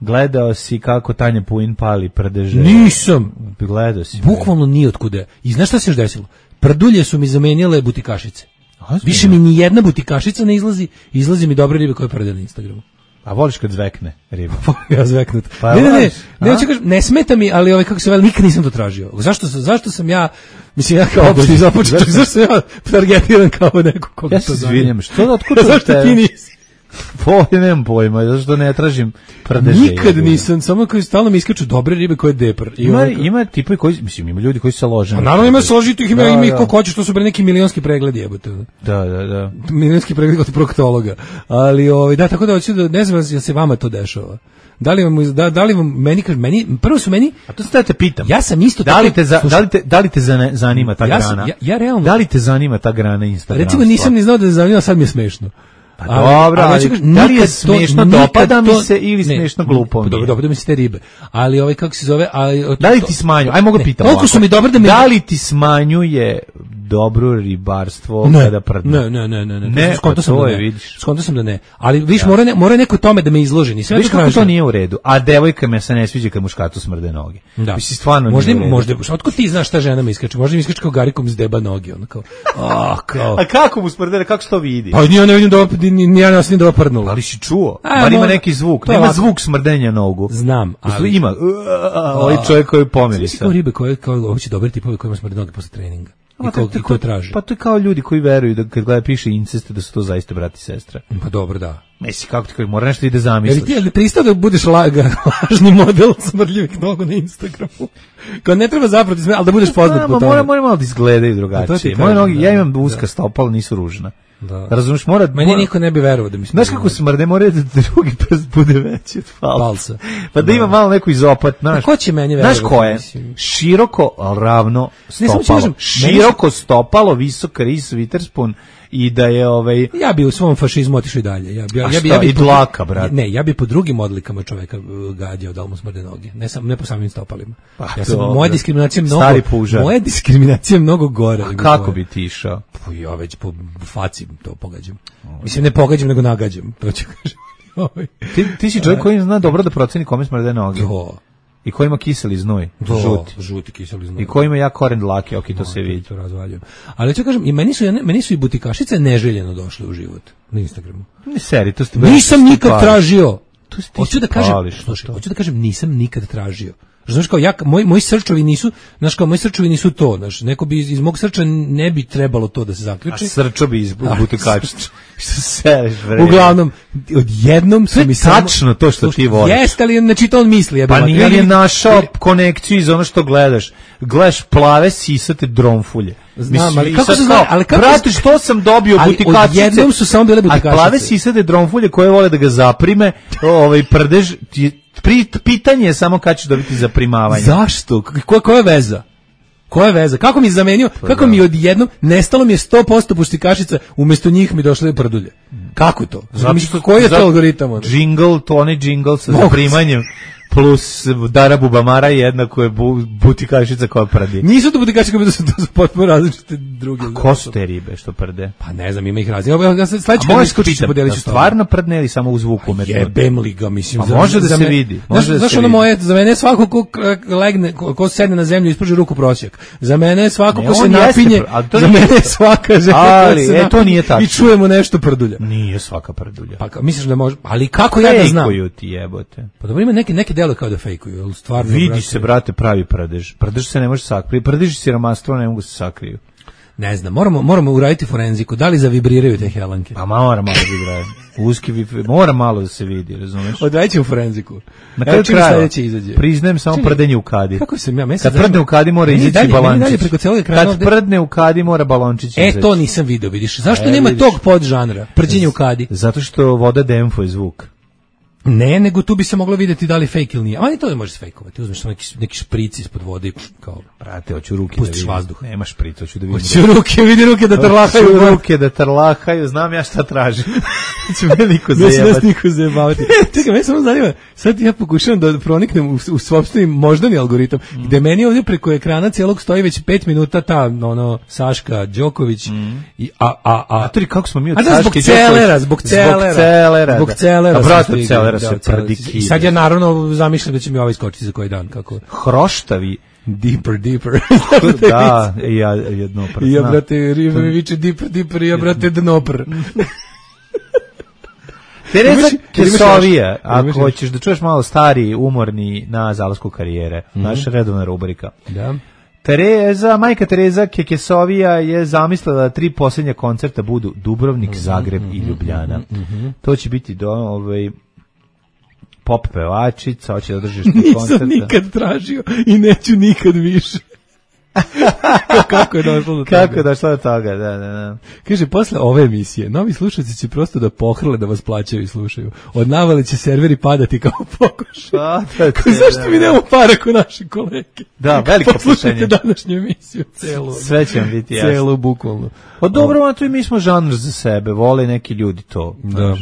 Gledao si kako Tanja Puin pali prdeže? Nisam. Gledao si. Bukvalno nije otkuda. I znaš šta se još desilo? Prdulje su mi zamenile butikašice. Više mi ni jedna butikašica ne izlazi mi dobre ribe koje prde na Instagramu. A voliš kad zvekne riba? Ja zveknut. Pa ne smeta mi, ali kako se veli, nikad nisam to tražio. Zašto sam ja, mislim ja kao opšti započeo, zašto sam ja targetiran kao neko koga to zanima? Ja se izvinjam, što da otkuda zašto ti nisi? Nemam pojma, zato što ne tražim prdeže. Nikad nisam, samo koji stalno mi iskaču dobre ribe koje je depar. Ima tipovi koji, mislim, ima ljudi koji se lože. Naravno ima složitih, ima ih koliko hoćeš, to su bre neki milionski pregledi, jebote. Da. Milionski pregled kod proktologa. Ali da, tako da hoću da ne znam da se vama to dešava. Da li vam meni prvo su meni, a to sad te pitam. Ja sam isto da li te zanima ta grana? Ja realno. Da li te zanima ta grana Instagrama? Recimo nisam ni znao da me zanima, sad mi je smešno. Pa dobro, ali da li je smešno, dopada mi se ili smešno glupo? Dopada mi se te ribe. Ali kako se zove, da li ti smanjuje? Aj mogu pitam. Koliko su mi dobre da li ti smanjuje dobro ribarstvo kada prdne? Ne, skonto sam da ne. Ali viš mora neko tome da me izloži, nisam viš kako to nije u redu. A devojka me se ne sviđa kad muškatu smrde noge. Mislim stvarno možda otkud ti znaš šta žena mi iskače? Možda mi iskače kao Garikom iz deba noge, on kao. A kako mu smrde, kako se to vidi? Pa ja ne vidim da ja nas nije da prdnula. Ali si čuo? Bar ima neki zvuk. Nema zvuk smrdenja nogu. Znam, ali ima ovaj čovjek koji pomirisa. Kao ribe koje hoće dobri tipovi kojima smrde noge posle treninga. I ko traži. Pa to je kao ljudi koji veruju da kad gleda piše incest da su to zaista brat i sestra. Pa dobro, da. Mislim, kako ti koji mora nešto ide zamisliš. Jel ti pristao da budeš lažni model smrdljivih nogu na Instagramu? Kao ne treba zapravo, ali da budeš poznat po tome. Mora malo da izgledaju drugačije. Moje noge, ja imam uska stopala, nisu ružna. Da. Razumiješ, meni niko ne bi verovao da mi smrde. Znaš kako smrde, mora da drugi prst bude veći od palca. Pa da ima malo neku izopat, znaš. Ko će meni verovati? Znaš ko je? Široko, ravno stopalo. Široko stopalo, visok ris, Witherspoon i da je Ja bi u svom fašizmu otišao i dalje. Ja bi i dlaka, brate. Ne, ja bi po drugim odlikama čoveka gađao da mu smrde noge. Ne po samim stopalima. Moja diskriminacija mnogo gore. A kako bi ti išao? Ja već po faci to pogađam. Mislim, ne pogađam, nego nagađam. To ću kažem. Ti si čovjek koji zna dobro da proceni kome smrde noge. I koji ima kiseli znoj, žuti kiseli znoj. I koji ima jak koren dlake, to se vidi. To razvaljujem. Ali ću kažem, i meni su i butikašice neželjeno došle u život na Instagramu. Ne seri, to ste nisam nikad tražio. Hoću da kažem, nisam nikad tražio. Znaš kao moji srčevi nisu to, znaš, neko bi iz mog srča ne bi trebalo to da se zaključi. A srčo bi iz butikačića. Što seriš, bre. Uglavnom, odjednom su mi samo tačno to što ti voliš. Jeste, ali znači to on misli. Pa nije našao konekciju iz ono što gledaš. Gledaš plave sisate dronfulje. Znam, ali kako se zna, brate, što sam dobio butikačice? Odjednom su samo bile butikačice. A plave sisate dronfulje koje vole da ga zaprime, prdež, pitanje je samo kad ćeš dobiti zaprimavanje. Zašto? Koja je veza? Koja je veza? Kako mi je zamenio? Kako mi odjednom nestalo mi je 100% butikašica, umjesto njih mi došle prdulje? Kako to? Koji je to algoritam? Onaj džingl sa zaprimanjem plus Dara Bubamara jednako je butikašica koja prdi. Nisu to butikašice koje su potpuno različite druge. A ko su te ribe što prde? Pa ne znam, ima ih različite. Ja se sledeće kad iskočiš podelit ću stvarno prdne ili samo u zvuku umetno? Jebem li ga, mislim. Pa može da se vidi. Znaš ono moje, za mene je svako ko legne, ko sedne na zemlju i ispruži ruku prosjek. Za mene je svako ko se napinje, za mene je svaka žena koja se napinje i čujemo nešto prdulja. Nije svaka prdulja. Pa misliš da može, ali kako ja da znam? Fejkuju ti jebote. Pa dobro, ima neke delo kao da fejkuju, al stvarno vidi se, brate, pravi prdež. Prdež se ne može sakriti. Prdež i siromaštvo ne mogu se sakriju. Ne znam, moramo uraditi forenziku. Da li zavibriraju te helanke? Pa mora malo vibraju. Mora malo da se vidi, razumeš? Odradit ćemo forenziku. Na kraju kraja priznajem samo prdenje u kadi. Kako sam ja kad prdne u kadi mora izaći balončić. Kad prdne u kadi mora balončić izaći. To nisam video, vidiš. Zašto nema tog podžanra? Prđenje u kadi. Zato što voda demfuje zvuk. Ne, nego tu bi se moglo vidjeti da li fake ili nije. Ali to ne možeš fejkovati. Uzmeš neki špric ispod vode i kao, brate, hoću ruke da vidim. Vazduh. Nema špric, hoću da vidim. Vidi ruke da trlahaju. Hoću ruke da trlahaju, znam ja šta tražim. Će me niko zajebati. Čekaj, me samo zanima, sad ja pokušavam da proniknem u sopstveni moždani algoritam, gde meni ovdje preko ekrana cijelog stoji već 5 minuta ta, Saška Đoković i Matori, kako smo mi od Saške Đoković? Zbog celera. I sad ja naravno zamišljam da će mi ovaj skočiti za koji dan. Kako? Hroštavi. Deeper. Da, ja jednopr. Ja, brate, riba mi viče deeper, ja, brate, dnopr. Tereza Kesovija, ako hoćeš da čuješ malo stari, umorni na zalasku karijere, naša redovna rubrika. Da. Majka Tereza Kekesovija je zamislila da 3 posljednja koncerta budu Dubrovnik, Zagreb i Ljubljana. To će biti pop pevačica, hoće da držiš koncerta. Nisam nikad tražio i neću nikad više. Kako je došlo do toga? Kako je došlo do toga, da. Kaže, posle ove emisije, novi slušalci će prosto da pohrle da vas plaćaju i slušaju. Od navale će serveri padati kao pokoš. Zašto mi nemamo para ko naši kolege? Da, veliko poslušajte današnju emisiju, celu. Sve će vam biti jasno. Celu, bukvalno. Dobro, a to i mi smo žanr za sebe, vole neki ljudi to. Da.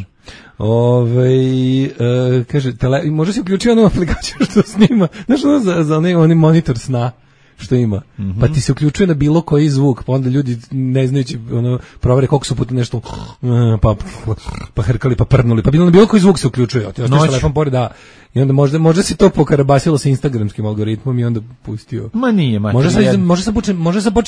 Kaže, može se uključiti onu aplikaciju što snima, znaš ono za onaj monitor sna što ima, pa ti se uključuje na bilo koji zvuk, pa onda ljudi ne znajući provere koliko su puta nešto pa hrkali, pa prnuli, pa bilo koji zvuk se uključuje, ti ostaš telefon pored, da, i onda možda se to pokarabasilo sa instagramskim algoritmom i onda pustio. Ma nije, može se početi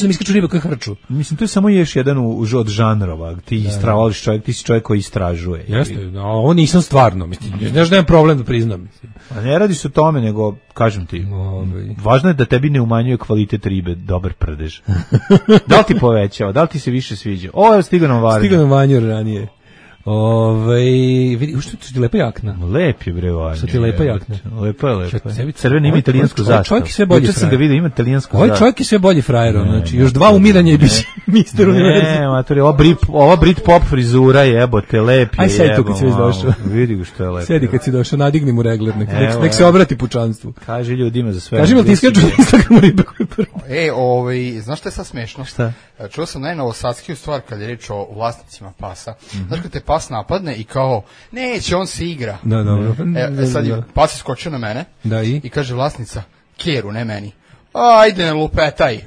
da mi iskaču ribe koje hrču. Mislim, to je samo još jedan od žanrova, ti istražuješ čovjek, ti si čovjek koji istražuje. Jeste, ovo nisam stvarno, mislim, znaš da imam problem da priznam. A ne radi se o tome, nego, kažem ti, važno je da tebi ne umanjuje kvalitet ribe, dobar prdež. Da li ti povećava, da li ti se više sviđa? Ovo je stigao nam Varnju. Stigao nam Vanju ranije. Vidi, što ti lepa jakna? Lep je bre Varnju. Što ti lepa jakna? Lepa je. Crveni ima italijansku zastavu. Čovjek je sve bolji frajer. Sam ga vidio, ima italijansku zastavu. Ovaj čovjek je sve bolji frajer, znači još 2 umiranja i biće mister univerzum. Ne, matori, ova Britpop frizura jebote, lep je. Aj sedi tu kad si već došao. Vidi ga što je lepo. Sedi kad si došao, nadigni mu regler, nek se obrati pučanstvu. Kaže ljudima za sve. Kaži mi, ti iskaču na Instagramu ribe koje prvo. Znaš što je sad smešno? Šta? Čuo sam najnovosadskiju stvar kad je reč o vlasnicima pasa. Znaš kad te pas napadne i kao, neće, on se igra. Da, dobro. Sad je pas iskočio na mene i kaže vlasnica, Keru, ne meni. Ajde, ne lupetaj.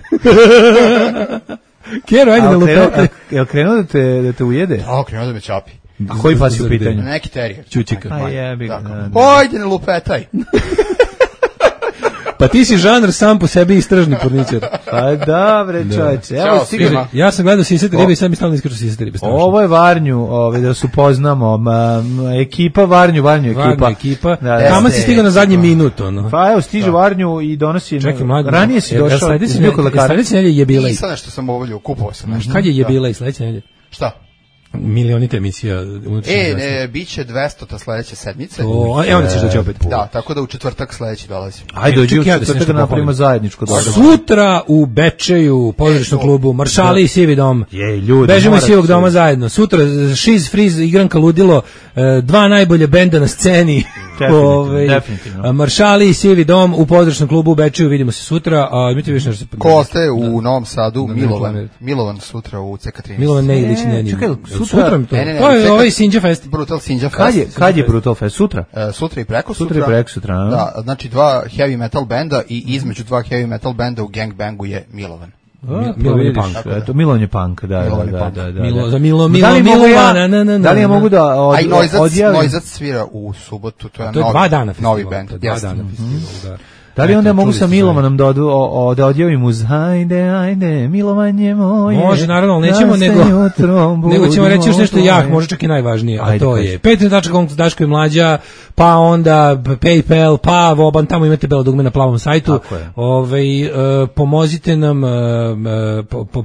Keru, ajde, ne lupetaj. Je li krenuo da te ujede? Da, krenuo da me čapi. A koji pas je u pitanju? Neki terijer. Čučika. Ajde, ne lupetaj. Pa ti si žanr sam po sebi istražni porničar. Pa dobre čovječe. Evo svima. Ja sam gledao Sisate ribe i sad mi stalno iskaču Sisate ribe. Ovo je Varnju, da se upoznamo. Ekipa Varnju ekipa. Tamo si stigao na zadnji minut. Pa evo, stiže Varnju i donosi... Čekaj, mlađe. Ranije si došao. Sledeće nedelje je bila. Nisam nešto sam ovolio, kupovao sam nešto. Kad je bila i sledeće nedelje? Šta? Milionita emisija. Biće 200 sledeće sedmice. Evo da ćeš doći opet. Da, tako da u četvrtak sledeći dolazi. Ajde, dođi u četvrtak da napravimo zajedničko događaj. Sutra u Bečeju, pozorišnom klubu, Maršali i Sivi dom. Bežimo iz Sivog doma zajedno. Sutra Šiz Friz, igranka Ludilo, 2 najbolje benda na sceni. Definitivno. Maršali i Sivi dom u pozorišnom klubu u Bečeju, vidimo se sutra. Imate više nešto? Ko ostaje u Novom Sadu? Milovan sutra u CK13. Milovan Nejlić, Sutra to je ovaj Sinđa Fest. Brutal Sinđa Fest. Kad je Brutal Fest? Sutra? Sutra i preko sutra. Sutra i preko sutra. Da, znači 2 heavy metal benda i između 2 heavy metal benda u gangbangu je Milovan. Milovan je punk, da. Za Milovana. Da li ja mogu da odjavim? Noizac svira u subotu, to je novi band. 2 dana festival. Da li onda mogu sa Milovanom da odjavim uz hajde, milovanje moje. Može, naravno, nećemo nego ćemo reći još nešto može čak i najvažnije, a to je Patreon.com, Daško i Mlađa, pa onda PayPal, pa Voban, tamo imate belo dugme na plavom sajtu.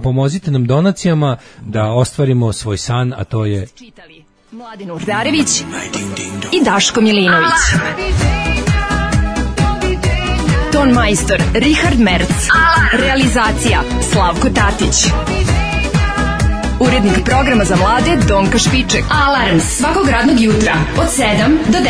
Pomozite nam donacijama da ostvarimo svoj san, a to je Mladen Urdarević i Daško Milinović. Ton majstor Richard Merc. Realizacija Slavko Tatić. Urednik programa za mlade Donka Špiček. Alarms svakog radnog jutra od 7 do 10.